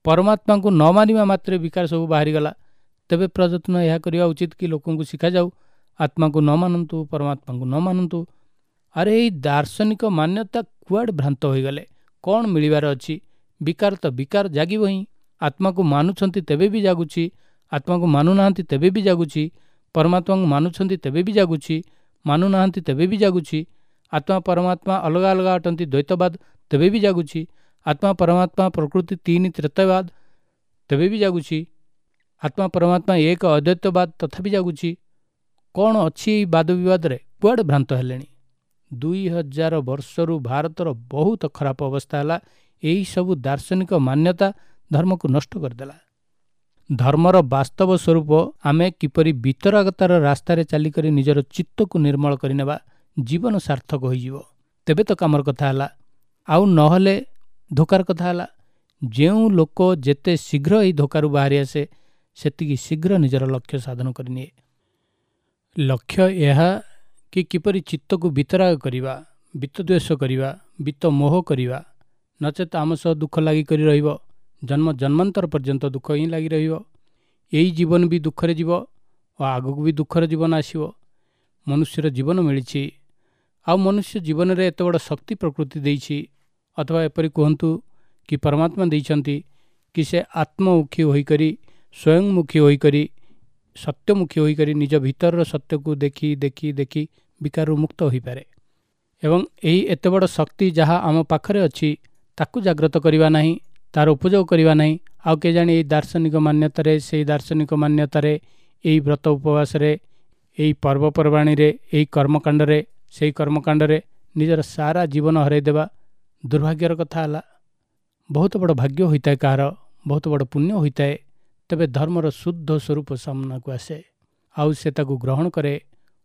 ପରମାତ୍ମାଙ୍କୁ ନ ମାନିବା ମାତ୍ରେ ବିକାର ସବୁ ବାହାରିଗଲା, ତେବେ ପ୍ରଯତ୍ନ ଏହା କରିବା ଉଚିତ କି ଲୋକଙ୍କୁ ଶିଖାଯାଉ ଆତ୍ମାକୁ ନ ମାନନ୍ତୁ, ପରମାତ୍ମାଙ୍କୁ ନ ମାନନ୍ତୁ। ଆରେ, ଏଇ ଦାର୍ଶନିକ ମାନ୍ୟତା କୁଆଡ଼େ ଭ୍ରାନ୍ତ ହୋଇଗଲେ? କ'ଣ ମିଳିବାର ଅଛି? ବିକାର ତ ବିକାର ଜାଗିବ ହିଁ। ଆତ୍ମାକୁ ମାନୁଛନ୍ତି ତେବେ ବି ଜାଗୁଛି, ଆତ୍ମାକୁ ମାନୁନାହାନ୍ତି ତେବେ ବି ଜାଗୁଛି, ପରମାତ୍ମାଙ୍କୁ ମାନୁଛନ୍ତି ତେବେ ବି ଜାଗୁଛି, ମାନୁନାହାନ୍ତି ତେବେ ବି ଜାଗୁଛି। ଆତ୍ମା ପରମାତ୍ମା ଅଲଗା ଅଲଗା ଅଟନ୍ତି, ଦ୍ୱୈତବାଦ, ତେବେ ବି ଜାଗୁଛି। ଆତ୍ମା ପରମାତ୍ମା ପ୍ରକୃତି ତିନି, ତ୍ରେତବାଦ, ତେବେ ବି ଜାଗୁଛି। ଆତ୍ମା ପରମାତ୍ମା ଏକ, ଅଦ୍ୱୈତବାଦ, ତଥାପି ଜାଗୁଛି। କ'ଣ ଅଛି ଏଇ ବାଦ ବିବାଦରେ? କୁଆଡ଼େ ଭ୍ରାନ୍ତ ହେଲେଣି? 2000 ବର୍ଷରୁ ଭାରତର ବହୁତ ଖରାପ ଅବସ୍ଥା ହେଲା। ଏହିସବୁ ଦାର୍ଶନିକ ମାନ୍ୟତା ଧର୍ମକୁ ନଷ୍ଟ କରିଦେଲା। ଧର୍ମର ବାସ୍ତବ ସ୍ୱରୂପ ଆମେ କିପରି ବିତରାଗତାର ରାସ୍ତାରେ ଚାଲିକରି ନିଜର ଚିତ୍ତକୁ ନିର୍ମଳ କରିନେବା, ଜୀବନ ସାର୍ଥକ ହୋଇଯିବ, ତେବେ ତ କାମର କଥା ହେଲା। ଆଉ ନହେଲେ ଧୋକାର କଥା ହେଲା। ଯେଉଁ ଲୋକ ଯେତେ ଶୀଘ୍ର ଏହି ଧୋକାରୁ ବାହାରି ଆସେ, ସେତିକି ଶୀଘ୍ର ନିଜର ଲକ୍ଷ୍ୟ ସାଧନ କରିନିଏ। ଲକ୍ଷ୍ୟ ଏହା କି କିପରି ଚିତ୍ତକୁ ବିତରାଗ କରିବା, ବିତ୍ତଦ୍ୱେଷ କରିବା, ବିତ୍ତ ମୋହ କରିବା, ନଚେତ ଆମ ସହ ଦୁଃଖ ଲାଗିକରି ରହିବ। ଜନ୍ମ ଜନ୍ମାନ୍ତର ପର୍ଯ୍ୟନ୍ତ ଦୁଃଖ ହିଁ ଲାଗି ରହିବ। ଏଇ ଜୀବନ ବି ଦୁଃଖରେ ଯିବ ଓ ଆଗକୁ ବି ଦୁଃଖର ଜୀବନ ଆସିବ। ମନୁଷ୍ୟର ଜୀବନ ମିଳିଛି, ଆଉ ମନୁଷ୍ୟ ଜୀବନରେ ଏତେ ବଡ଼ ଶକ୍ତି ପ୍ରକୃତି ଦେଇଛି, ଅଥବା ଏପରି କୁହନ୍ତୁ କି ପରମାତ୍ମା ଦେଇଛନ୍ତି କି ସେ ଆତ୍ମମୁଖୀ ହୋଇକରି, ସ୍ୱୟଂମୁଖୀ ହୋଇକରି, ସତ୍ୟମୁଖୀ ହୋଇକରି ନିଜ ଭିତରର ସତ୍ୟକୁ ଦେଖି ଦେଖି ଦେଖି ବିକାରରୁ ମୁକ୍ତ ହୋଇପାରେ। ଏବଂ ଏହି ଏତେ ବଡ଼ ଶକ୍ତି ଯାହା ଆମ ପାଖରେ ଅଛି, ତାକୁ ଜାଗ୍ରତ କରିବା ନାହିଁ, ତାର ଉପଯୋଗ କରିବା ନାହିଁ, ଆଉ କେଜାଣି ଏଇ ଦାର୍ଶନିକ ମାନ୍ୟତାରେ, ସେଇ ଦାର୍ଶନିକ ମାନ୍ୟତାରେ, ଏଇ ବ୍ରତ ଉପବାସରେ, ଏଇ ପର୍ବପର୍ବାଣୀରେ, ଏଇ କର୍ମକାଣ୍ଡରେ, ସେଇ କର୍ମକାଣ୍ଡରେ ନିଜର ସାରା ଜୀବନ ହରାଇଦେବା ଦୁର୍ଭାଗ୍ୟର କଥା ହେଲା। ବହୁତ ବଡ଼ ଭାଗ୍ୟ ହୋଇଥାଏ କାହାର, ବହୁତ ବଡ଼ ପୁଣ୍ୟ ହୋଇଥାଏ, ତେବେ ଧର୍ମର ଶୁଦ୍ଧ ସ୍ୱରୂପ ସାମ୍ନାକୁ ଆସେ, ଆଉ ସେ ତାକୁ ଗ୍ରହଣ କରେ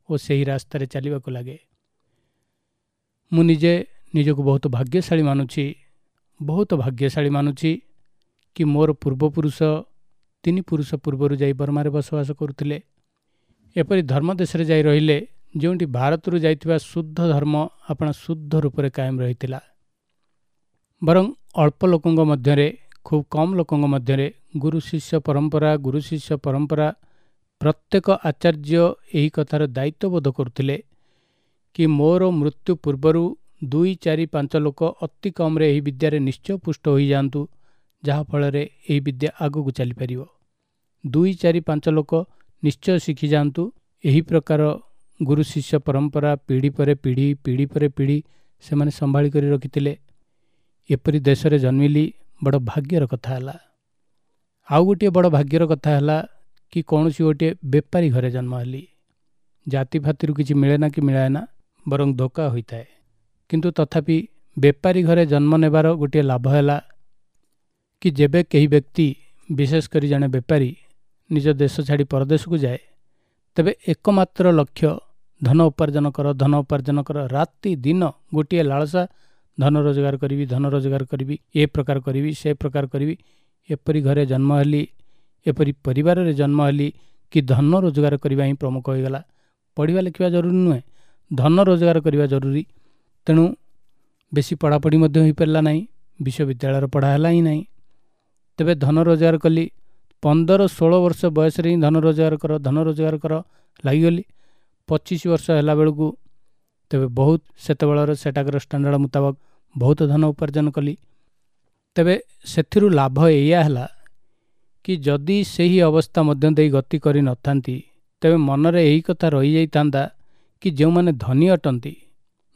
ଓ ସେହି ରାସ୍ତାରେ ଚାଲିବାକୁ ଲାଗେ। ମୁଁ ନିଜେ ନିଜକୁ ବହୁତ ଭାଗ୍ୟଶାଳୀ ମାନୁଛି, ବହୁତ ଭାଗ୍ୟଶାଳୀ ମାନୁଛି କି ମୋର ପୂର୍ବପୁରୁଷ 3 ପୁରୁଷ ପୂର୍ବରୁ ଯାଇ ବର୍ମାରେ ବସବାସ କରୁଥିଲେ। ଏପରି ଧର୍ମ ଦେଶରେ ଯାଇ ରହିଲେ ଯେଉଁଠି ଭାରତରୁ ଯାଇଥିବା ଶୁଦ୍ଧ ଧର୍ମ ଆପଣା ଶୁଦ୍ଧ ରୂପରେ କାୟମ ରହିଥିଲା। ବରଂ ଅଳ୍ପ ଲୋକଙ୍କ ମଧ୍ୟରେ, ଖୁବ୍ କମ୍ ଲୋକଙ୍କ ମଧ୍ୟରେ ଗୁରୁ ଶିଷ୍ୟ ପରମ୍ପରା, ଗୁରୁ ଶିଷ୍ୟ ପରମ୍ପରା, ପ୍ରତ୍ୟେକ ଆଚାର୍ଯ୍ୟ ଏହି କଥାର ଦାୟିତ୍ୱବୋଧ କରୁଥିଲେ କି ମୋର ମୃତ୍ୟୁ ପୂର୍ବରୁ 2, 4, 5 ଲୋକ ଅତି କମ୍ରେ ଏହି ବିଦ୍ୟାରେ ନିଶ୍ଚୟ ପୁଷ୍ଟ ହୋଇଯାଆନ୍ତୁ, ଯାହାଫଳରେ ଏହି ବିଦ୍ୟା ଆଗକୁ ଚାଲିପାରିବ। 2, 4, 5 ଲୋକ ନିଶ୍ଚୟ ଶିଖିଯାଆନ୍ତୁ। ଏହି ପ୍ରକାର ଗୁରୁ ଶିଷ୍ୟ ପରମ୍ପରା ପିଢ଼ି ପରେ ପିଢ଼ି, ପିଢ଼ି ପରେ ପିଢ଼ି ସେମାନେ ସମ୍ଭାଳି କରି ରଖିଥିଲେ। ଏପରି ଦେଶରେ ଜନ୍ମିଲି, ବଡ଼ ଭାଗ୍ୟର କଥା ହେଲା। ଆଉ ଗୋଟିଏ ବଡ଼ ଭାଗ୍ୟର କଥା ହେଲା କି କୌଣସି ଗୋଟିଏ ବେପାରୀ ଘରେ ଜନ୍ମ ହେଲି। ଜାତି ଫାତିରୁ କିଛି ମିଳେ ନା କି ମିଳାଏ ନା, ବରଂ ଧୋକା ହୋଇଥାଏ। କିନ୍ତୁ ତଥାପି ବେପାରୀ ଘରେ ଜନ୍ମ ନେବାର ଗୋଟିଏ ଲାଭ ହେଲା କି ଯେବେ କେହି ବ୍ୟକ୍ତି, ବିଶେଷ କରି ଜଣେ ବେପାରୀ, ନିଜ ଦେଶ ଛାଡ଼ି ପରଦେଶକୁ ଯାଏ, ତେବେ ଏକମାତ୍ର ଲକ୍ଷ୍ୟ ଧନ ଉପାର୍ଜନ କର, ଧନ ଉପାର୍ଜନ କର। ରାତି ଦିନ ଗୋଟିଏ ଲାଳସା, ଧନ ରୋଜଗାର କରିବି, ଧନ ରୋଜଗାର କରିବି, ଏ ପ୍ରକାର କରିବି, ସେ ପ୍ରକାର କରିବି। ଏପରି ଘରେ ଜନ୍ମ ହେଲି, ଏପରି ପରିବାରରେ ଜନ୍ମ ହେଲି କି ଧନ ରୋଜଗାର କରିବା ହିଁ ପ୍ରମୁଖ ହୋଇଗଲା। ପଢ଼ିବା ଲେଖିବା ଜରୁରୀ ନୁହେଁ, ଧନ ରୋଜଗାର କରିବା ଜରୁରୀ। ତେଣୁ ବେଶୀ ପଢ଼ାପଢ଼ି ମଧ୍ୟ ହୋଇପାରିଲା ନାହିଁ, ବିଶ୍ୱବିଦ୍ୟାଳୟର ପଢ଼ା ହେଲା ହିଁ ନାହିଁ। ତେବେ ଧନ ରୋଜଗାର କଲି। 15-16 ବର୍ଷ ବୟସରେ ହିଁ ଧନ ରୋଜଗାର କର, ଧନ ରୋଜଗାର କର ଲାଗିଗଲି। 25 ବର୍ଷ ହେଲା ବେଳକୁ ତେବେ ବହୁତ ସେତେବେଳର ସେଟାକର ଷ୍ଟାଣ୍ଡାର୍ଡ଼ ମୁତାବକ ବହୁତ ଧନ ଉପାର୍ଜନ କଲି। ତେବେ ସେଥିରୁ ଲାଭ ଏଇଆ ହେଲା କି ଯଦି ସେହି ଅବସ୍ଥା ମଧ୍ୟ ଦେଇ ଗତି କରିନଥାନ୍ତି, ତେବେ ମନରେ ଏହି କଥା ରହିଯାଇଥାନ୍ତା କି ଯେଉଁମାନେ ଧନୀ ଅଟନ୍ତି,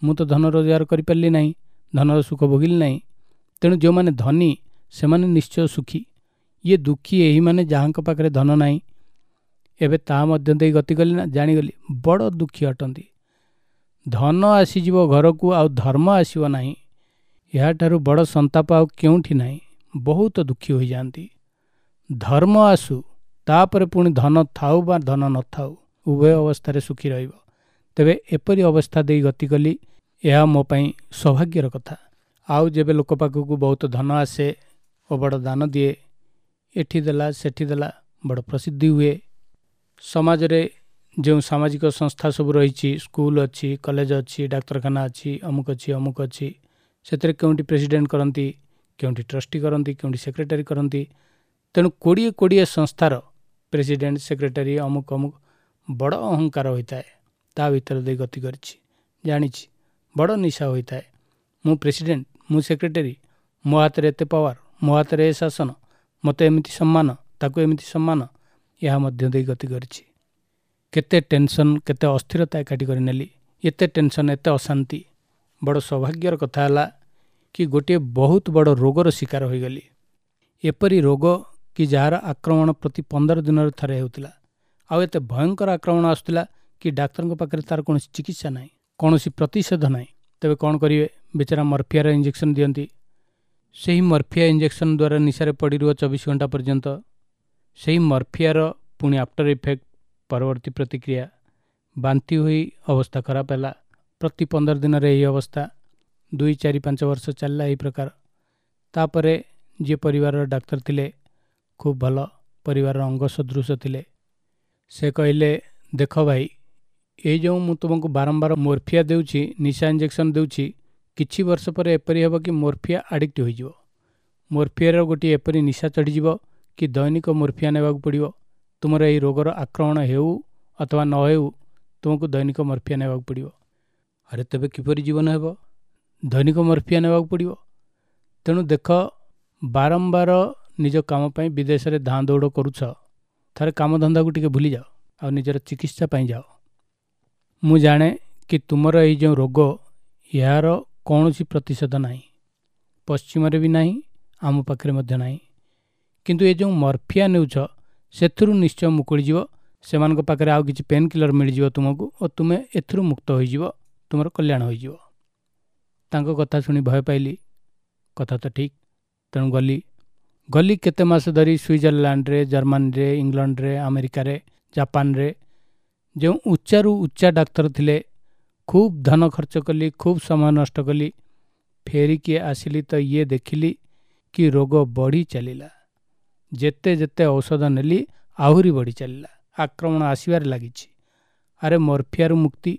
ମୁଁ ତ ଧନ ରୋଜଗାର କରିପାରିଲି ନାହିଁ, ଧନର ସୁଖ ଭୋଗିଲି ନାହିଁ, ତେଣୁ ଯେଉଁମାନେ ଧନୀ ସେମାନେ ନିଶ୍ଚୟ ସୁଖୀ, ଇଏ ଦୁଃଖୀ ଏହିମାନେ ଯାହାଙ୍କ ପାଖରେ ଧନ ନାହିଁ। ଏବେ ତାହା ମଧ୍ୟ ଦେଇ ଗତି କଲି ନା, ଜାଣିଗଲି ବଡ଼ ଦୁଃଖୀ ଅଟନ୍ତି। ଧନ ଆସିଯିବ ଘରକୁ ଆଉ ଧର୍ମ ଆସିବ ନାହିଁ, ଏହାଠାରୁ ବଡ଼ ସନ୍ତାପ ଆଉ କେଉଁଠି ନାହିଁ। ବହୁତ ଦୁଃଖୀ ହୋଇଯାଆନ୍ତି। ଧର୍ମ ଆସୁ, ତାପରେ ପୁଣି ଧନ ଥାଉ ବା ଧନ ନଥାଉ, ଉଭୟ ଅବସ୍ଥାରେ ସୁଖୀ ରହିବ। ତେବେ ଏପରି ଅବସ୍ଥା ଦେଇ ଗତି କଲି, ଏହା ମୋ ପାଇଁ ସୌଭାଗ୍ୟର କଥା। ଆଉ ଯେବେ ଲୋକ ପାଖକୁ ବହୁତ ଧନ ଆସେ ଓ ବଡ଼ ଦାନ ଦିଏ, ଏଠି ଦେଲା ସେଠି ଦେଲା, ବଡ଼ ପ୍ରସିଦ୍ଧି ହୁଏ। ସମାଜରେ ଯେଉଁ ସାମାଜିକ ସଂସ୍ଥା ସବୁ ରହିଛି, ସ୍କୁଲ ଅଛି, କଲେଜ ଅଛି, ଡାକ୍ତରଖାନା ଅଛି, ଅମୁକ ଅଛି ଅମୁକ ଅଛି, ସେଥିରେ କେଉଁଠି ପ୍ରେସିଡେଣ୍ଟ କରନ୍ତି, କେଉଁଠି ଟ୍ରଷ୍ଟି କରନ୍ତି, କେଉଁଠି ସେକ୍ରେଟାରୀ କରନ୍ତି। ତେଣୁ 20-20 ସଂସ୍ଥାର ପ୍ରେସିଡେଣ୍ଟ, ସେକ୍ରେଟାରୀ, ଅମୁକ ଅମୁକ, ବଡ଼ ଅହଙ୍କାର ହୋଇଥାଏ। ତା ଭିତରେ ଦେଇ ଗତି କରିଛି, ଜାଣିଛି, ବଡ଼ ନିଶା ହୋଇଥାଏ। ମୁଁ ପ୍ରେସିଡେଣ୍ଟ, ମୁଁ ସେକ୍ରେଟାରୀ, ମୋ ହାତରେ ଏତେ ପାୱାର, ମୋ ହାତରେ ଏ ଶାସନ, ମୋତେ ଏମିତି ସମ୍ମାନ, ତାକୁ ଏମିତି ସମ୍ମାନ, ଏହା ମଧ୍ୟ ଦେଇ ଗତି କରିଛି। କେତେ ଟେନସନ୍, କେତେ ଅସ୍ଥିରତା ଏକାଠି କରିନେଲି, ଏତେ ଟେନସନ୍, ଏତେ ଅଶାନ୍ତି। ବଡ଼ ସୌଭାଗ୍ୟର କଥା ହେଲା କି ଗୋଟିଏ ବହୁତ ବଡ଼ ରୋଗର ଶିକାର ହୋଇଗଲି। ଏପରି ରୋଗ କି ଯାହାର ଆକ୍ରମଣ ପ୍ରତି 15 ଦିନରେ ଥରେ ହେଉଥିଲା। ଆଉ ଏତେ ଭୟଙ୍କର ଆକ୍ରମଣ ଆସୁଥିଲା କି ଡାକ୍ତରଙ୍କ ପାଖରେ ତା'ର କୌଣସି ଚିକିତ୍ସା ନାହିଁ, କୌଣସି ପ୍ରତିଷେଧ ନାହିଁ। ତେବେ କ'ଣ କରିବେ? ବେଚାରା ମର୍ଫିଆର ଇଞ୍ଜେକ୍ସନ୍ ଦିଅନ୍ତି। ସେହି ମର୍ଫିଆ ଇଞ୍ଜେକ୍ସନ୍ ଦ୍ୱାରା ନିଶାରେ ପଡ଼ି ରୁହ 24 ଘଣ୍ଟା ପର୍ଯ୍ୟନ୍ତ। ସେହି ମର୍ଫିଆର ପୁଣି ଆଫ୍ଟର ଇଫେକ୍ଟ, ପରବର୍ତ୍ତୀ ପ୍ରତିକ୍ରିୟା, ବାନ୍ତି ହୋଇ ଅବସ୍ଥା ଖରାପ ହେଲା। ପ୍ରତି 15 ଦିନରେ ଏହି ଅବସ୍ଥା 2, 4, 5 ବର୍ଷ ଚାଲିଲା ଏହି ପ୍ରକାର। ତାପରେ ଯିଏ ପରିବାରର ଡାକ୍ତର ଥିଲେ, ଖୁବ୍ ଭଲ, ପରିବାରର ଅଙ୍ଗ ସଦୃଶ ଥିଲେ, ସେ କହିଲେ, ଦେଖ ଭାଇ, ଏଇ ଯେଉଁ ମୁଁ ତୁମକୁ ବାରମ୍ବାର ମୋର୍ଫିଆ ଦେଉଛି, ନିଶା ଇଞ୍ଜେକ୍ସନ୍ ଦେଉଛି, କିଛି ବର୍ଷ ପରେ ଏପରି ହେବ କି ମୋର୍ଫିଆ ଆଡ଼ିକ୍ଟ ହୋଇଯିବ। ମୋର୍ଫିଆର ଗୋଟିଏ ଏପରି ନିଶା ଚଢ଼ିଯିବ କି ଦୈନିକ ମୋର୍ଫିଆ ନେବାକୁ ପଡ଼ିବ। ତୁମର ଏହି ରୋଗର ଆକ୍ରମଣ ହେଉ ଅଥବା ନ ହେଉ, ତୁମକୁ ଦୈନିକ ମର୍ଫିଆ ନେବାକୁ ପଡ଼ିବ। ଆରେ ତେବେ କିପରି ଜୀବନ ହେବ? ଦୈନିକ ମର୍ଫିଆ ନେବାକୁ ପଡ଼ିବ। ତେଣୁ ଦେଖ, ବାରମ୍ବାର ନିଜ କାମ ପାଇଁ ବିଦେଶରେ ଧାଁ ଦୌଡ଼ କରୁଛ, ଥରେ କାମଧନ୍ଦାକୁ ଟିକେ ଭୁଲିଯାଅ ଆଉ ନିଜର ଚିକିତ୍ସା ପାଇଁ ଯାଅ। ମୁଁ ଜାଣେ କି ତୁମର ଏଇ ଯେଉଁ ରୋଗ, ଏହାର କୌଣସି ପ୍ରତିଷେଧ ନାହିଁ, ପଶ୍ଚିମରେ ବି ନାହିଁ, ଆମ ପାଖରେ ମଧ୍ୟ ନାହିଁ। କିନ୍ତୁ ଏ ଯେଉଁ ମର୍ଫିଆ ନେଉଛ, ସେଥିରୁ ନିଶ୍ଚୟ ମୁକୁଳିଯିବ। ସେମାନଙ୍କ ପାଖରେ ଆଉ କିଛି ପେନ୍ କିଲର୍ ମିଳିଯିବ ତୁମକୁ ଓ ତୁମେ ଏଥିରୁ ମୁକ୍ତ ହୋଇଯିବ, ତୁମର କଲ୍ୟାଣ ହୋଇଯିବ। ତାଙ୍କ କଥା ଶୁଣି ଭୟ ପାଇଲି। କଥା ତ ଠିକ୍। ତେଣୁ ଗଲି ଗଲି କେତେ ମାସ ଧରି ସୁଇଜରଲ୍ୟାଣ୍ଡରେ, ଜର୍ମାନୀରେ, ଇଂଲଣ୍ଡରେ, ଆମେରିକାରେ, ଜାପାନରେ ଯେଉଁ ଉଚ୍ଚାରୁ ଉଚ୍ଚା ଡାକ୍ତର ଥିଲେ, ଖୁବ୍ ଧନ ଖର୍ଚ୍ଚ କଲି, ଖୁବ୍ ସମୟ ନଷ୍ଟ କଲି। ଫେରିକି ଆସିଲି ତ ଇଏ ଦେଖିଲି କି ରୋଗ ବଢ଼ି ଚାଲିଲା। ଯେତେ ଯେତେ ଔଷଧ ନେଲି ଆହୁରି ବଢ଼ି ଚାଲିଲା, ଆକ୍ରମଣ ଆସିବାରେ ଲାଗିଛି। ଆରେ ମର୍ଫିଆରୁ ମୁକ୍ତି,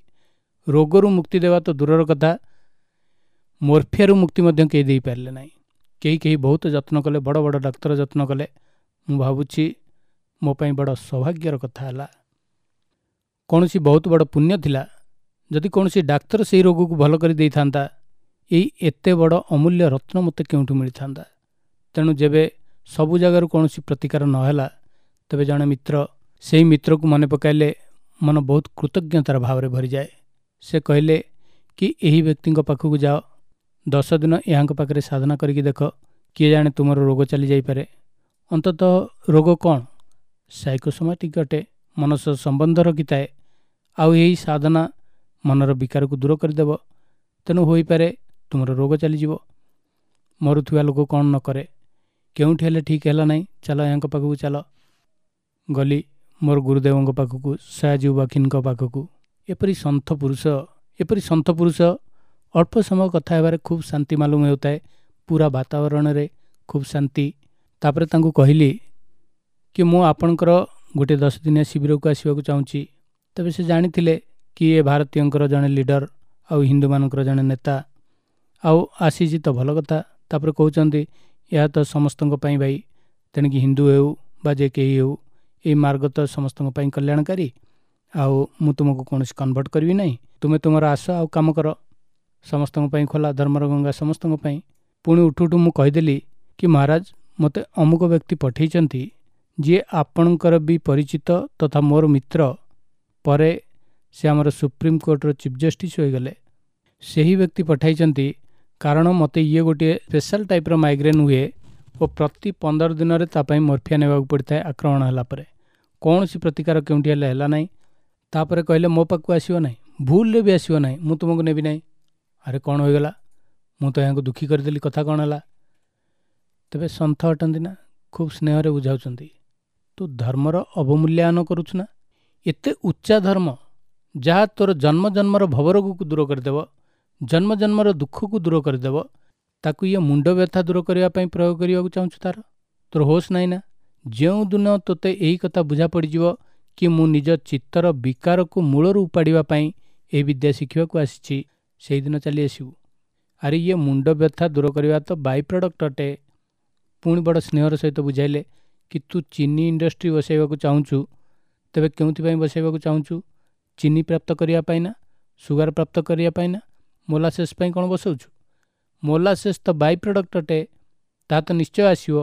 ରୋଗରୁ ମୁକ୍ତି ଦେବା ତ ଦୂରର କଥା, ମର୍ଫିଆରୁ ମୁକ୍ତି ମଧ୍ୟ କେହି ଦେଇପାରିଲେ ନାହିଁ। କେହି କେହି ବହୁତ ଯତ୍ନ କଲେ, ବଡ଼ ବଡ଼ ଡାକ୍ତର ଯତ୍ନ କଲେ। ମୁଁ ଭାବୁଛି ମୋ ପାଇଁ ବଡ଼ ସୌଭାଗ୍ୟର କଥା ହେଲା, କୌଣସି ବହୁତ ବଡ଼ ପୁଣ୍ୟ ଥିଲା। ଯଦି କୌଣସି ଡାକ୍ତର ସେଇ ରୋଗକୁ ଭଲ କରି ଦେଇଥାନ୍ତା, ଏଇ ଏତେ ବଡ଼ ଅମୂଲ୍ୟ ରତ୍ନ ମୋତେ କେଉଁଠୁ ମିଳିଥାନ୍ତା? ତେଣୁ ଯେବେ ସବୁ ଜାଗାରୁ କୌଣସି ପ୍ରତିକାର ନହେଲା, ତେବେ ଜଣେ ମିତ୍ର, ସେଇ ମିତ୍ରକୁ ମନେ ପକାଇଲେ ମନ ବହୁତ କୃତଜ୍ଞତାର ଭାବରେ ଭରିଯାଏ। ସେ କହିଲେ କି ଏହି ବ୍ୟକ୍ତିଙ୍କ ପାଖକୁ ଯାଅ, 10 ଦିନ ଏହାଙ୍କ ପାଖରେ ସାଧନା କରିକି ଦେଖ, କିଏ ଜାଣେ ତୁମର ରୋଗ ଚାଲିଯାଇପାରେ। ଅନ୍ତତଃ ରୋଗ କ'ଣ? ସାଇକୋସୋମାଟିକ୍ ଅଟେ, ମନ ସହ ସମ୍ବନ୍ଧ ରଖିଥାଏ, ଆଉ ଏହି ସାଧନା ମନର ବିକାରକୁ ଦୂର କରିଦେବ। ତେଣୁ ହୋଇପାରେ ତୁମର ରୋଗ ଚାଲିଯିବ। ମରୁଥିବା ଲୋକ କ'ଣ ନ କରେ? କେଉଁଠି ହେଲେ ଠିକ୍ ହେଲା ନାହିଁ, ଚାଲ ଏହାଙ୍କ ପାଖକୁ ଚାଲ। ଗଲି ମୋର ଗୁରୁଦେବଙ୍କ ପାଖକୁ, ସୟାଜୀ ବାଖିନଙ୍କ ପାଖକୁ। ଏପରି ସନ୍ଥ ପୁରୁଷ, ଏପରି ସନ୍ଥ ପୁରୁଷ, ଅଳ୍ପ ସମୟ କଥା ହେବାରେ ଖୁବ୍ ଶାନ୍ତି ମାଲୁମ ହେଉଥାଏ, ପୁରା ବାତାବରଣରେ ଖୁବ୍ ଶାନ୍ତି। ତାପରେ ତାଙ୍କୁ କହିଲି କି ମୁଁ ଆପଣଙ୍କର ଗୋଟିଏ 10 ଦିନିଆ ଶିବିରକୁ ଆସିବାକୁ ଚାହୁଁଛି। ତେବେ ସେ ଜାଣିଥିଲେ କି ଏ ଭାରତୀୟଙ୍କର ଜଣେ ଲିଡର ଆଉ ହିନ୍ଦୁମାନଙ୍କର ଜଣେ ନେତା, ଆଉ ଆସିଛି ତ ଭଲ କଥା। ତାପରେ କହୁଛନ୍ତି ଏହା ତ ସମସ୍ତଙ୍କ ପାଇଁ ଭାଇ, ତେଣିକି ହିନ୍ଦୁ ହେଉ ବା ଯେ କେହି ହେଉ, ଏଇ ମାର୍ଗ ତ ସମସ୍ତଙ୍କ ପାଇଁ କଲ୍ୟାଣକାରୀ। ଆଉ ମୁଁ ତୁମକୁ କୌଣସି କନଭର୍ଟ କରିବି ନାହିଁ, ତୁମେ ତୁମର ଆସ ଆଉ କାମ କର, ସମସ୍ତଙ୍କ ପାଇଁ ଖୋଲା ଧର୍ମର ଗଙ୍ଗା ସମସ୍ତଙ୍କ ପାଇଁ। ପୁଣି ଉଠୁ ଉଠୁ ମୁଁ କହିଦେଲି କି ମହାରାଜ, ମୋତେ ଅମୁକ ବ୍ୟକ୍ତି ପଠେଇଛନ୍ତି, ଯିଏ ଆପଣଙ୍କର ବି ପରିଚିତ ତଥା ମୋର ମିତ୍ର, ପରେ ସେ ଆମର ସୁପ୍ରିମକୋର୍ଟର ଚିଫ୍ ଜଷ୍ଟିସ୍ ହୋଇଗଲେ, ସେହି ବ୍ୟକ୍ତି ପଠାଇଛନ୍ତି, କାରଣ ମୋତେ ଇଏ ଗୋଟିଏ ସ୍ପେଶାଲ ଟାଇପ୍ର ମାଇଗ୍ରେନ୍ ହୁଏ ଓ ପ୍ରତି 15 ଦିନରେ ତା ପାଇଁ ମର୍ଫିଆ ନେବାକୁ ପଡ଼ିଥାଏ ଆକ୍ରମଣ ହେଲା ପରେ। କୌଣସି ପ୍ରତିକାର କେଉଁଠି ହେଲେ ହେଲା ନାହିଁ। ତାପରେ କହିଲେ ମୋ ପାଖକୁ ଆସିବ ନାହିଁ, ଭୁଲରେ ବି ଆସିବ ନାହିଁ, ମୁଁ ତୁମକୁ ନେବି ନାହିଁ। ଆରେ କ'ଣ ହୋଇଗଲା, ମୁଁ ତ ଏହାଙ୍କୁ ଦୁଃଖୀ କରିଦେଲି, କଥା କ'ଣ ହେଲା? ତେବେ ସନ୍ଥ ଅଟନ୍ତି ନା, ଖୁବ୍ ସ୍ନେହରେ ବୁଝାଉଛନ୍ତି, ତୁ ଧର୍ମର ଅବମୂଲ୍ୟାୟନ କରୁଛୁ ନା? ଏତେ ଉଚ୍ଚା ଧର୍ମ ଯାହା ତୋର ଜନ୍ମ ଜନ୍ମର ଭବରୋଗକୁ ଦୂର କରିଦେବ, ଜନ୍ମ ଜନ୍ମର ଦୁଃଖକୁ ଦୂର କରିଦେବ, ତାକୁ ଇଏ ମୁଣ୍ଡ ବ୍ୟଥା ଦୂର କରିବା ପାଇଁ ପ୍ରୟୋଗ କରିବାକୁ ଚାହୁଁଛୁ? ତାର ତୋର ହୋସ୍ ନାହିଁ ନା? ଯେଉଁଦିନ ତୋତେ ଏହି କଥା ବୁଝା ପଡ଼ିଯିବ କି ମୁଁ ନିଜ ଚିତ୍ତର ବିକାରକୁ ମୂଳରୁ ଉପାଡ଼ିବା ପାଇଁ ଏହି ବିଦ୍ୟା ଶିଖିବାକୁ ଆସିଛି, ସେଇଦିନ ଚାଲି ଆସିବୁ। ଆରେ ଇଏ ମୁଣ୍ଡ ବ୍ୟଥା ଦୂର କରିବା ତ ବାଇ ପ୍ରଡ଼କ୍ଟ ଅଟେ। ପୁଣି ବଡ଼ ସ୍ନେହର ସହିତ ବୁଝାଇଲେ କି ତୁ ଚିନି ଇଣ୍ଡଷ୍ଟ୍ରି ବସାଇବାକୁ ଚାହୁଁଛୁ, ତେବେ କେଉଁଥିପାଇଁ ବସାଇବାକୁ ଚାହୁଁଛୁ? ଚିନି ପ୍ରାପ୍ତ କରିବା ପାଇଁ ନା ସୁଗାର ପ୍ରାପ୍ତ କରିବା ପାଇଁ ନା ମୋଲାସେସ୍ ପାଇଁ କ'ଣ ବସାଉଛୁ? ମୋଲାସେସ୍ ତ ବାଇ ପ୍ରଡ଼କ୍ଟ ଅଟେ, ତାହା ତ ନିଶ୍ଚୟ ଆସିବ,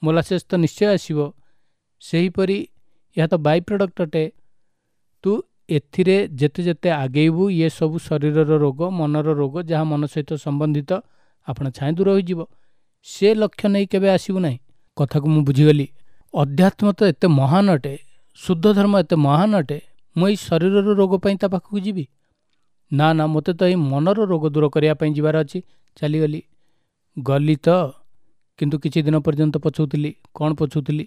ମୋଲାସେସ୍ ତ ନିଶ୍ଚୟ ଆସିବ। ସେହିପରି ଏହା ତ ବାଇ ପ୍ରଡ଼କ୍ଟ ଅଟେ। ତୁ ଏଥିରେ ଯେତେ ଯେତେ ଆଗେଇବୁ, ଇଏ ସବୁ ଶରୀରର ରୋଗ, ମନର ରୋଗ, ଯାହା ମନ ସହିତ ସମ୍ବନ୍ଧିତ, ଆପଣ ଛାଏଁ ଦୂର ହୋଇଯିବ। ସେ ଲକ୍ଷ୍ୟ ନେଇ କେବେ ଆସିବୁ ନାହିଁ। କଥାକୁ ମୁଁ ବୁଝିଗଲି। ଅଧ୍ୟାତ୍ମ ତ ଏତେ ମହାନ ଅଟେ, ଶୁଦ୍ଧ ଧର୍ମ ଏତେ ମହାନ ଅଟେ, ମୁଁ ଏଇ ଶରୀରର ରୋଗ ପାଇଁ ତା ପାଖକୁ ଯିବି? ନା ନା, ମୋତେ ତ ଏଇ ମନର ରୋଗ ଦୂର କରିବା ପାଇଁ ଯିବାର ଅଛି। ଚାଲିଗଲି, ଗଲି ତ, କିନ୍ତୁ କିଛି ଦିନ ପର୍ଯ୍ୟନ୍ତ ପଛଉଥିଲି। କ'ଣ ପଛଉଥିଲି?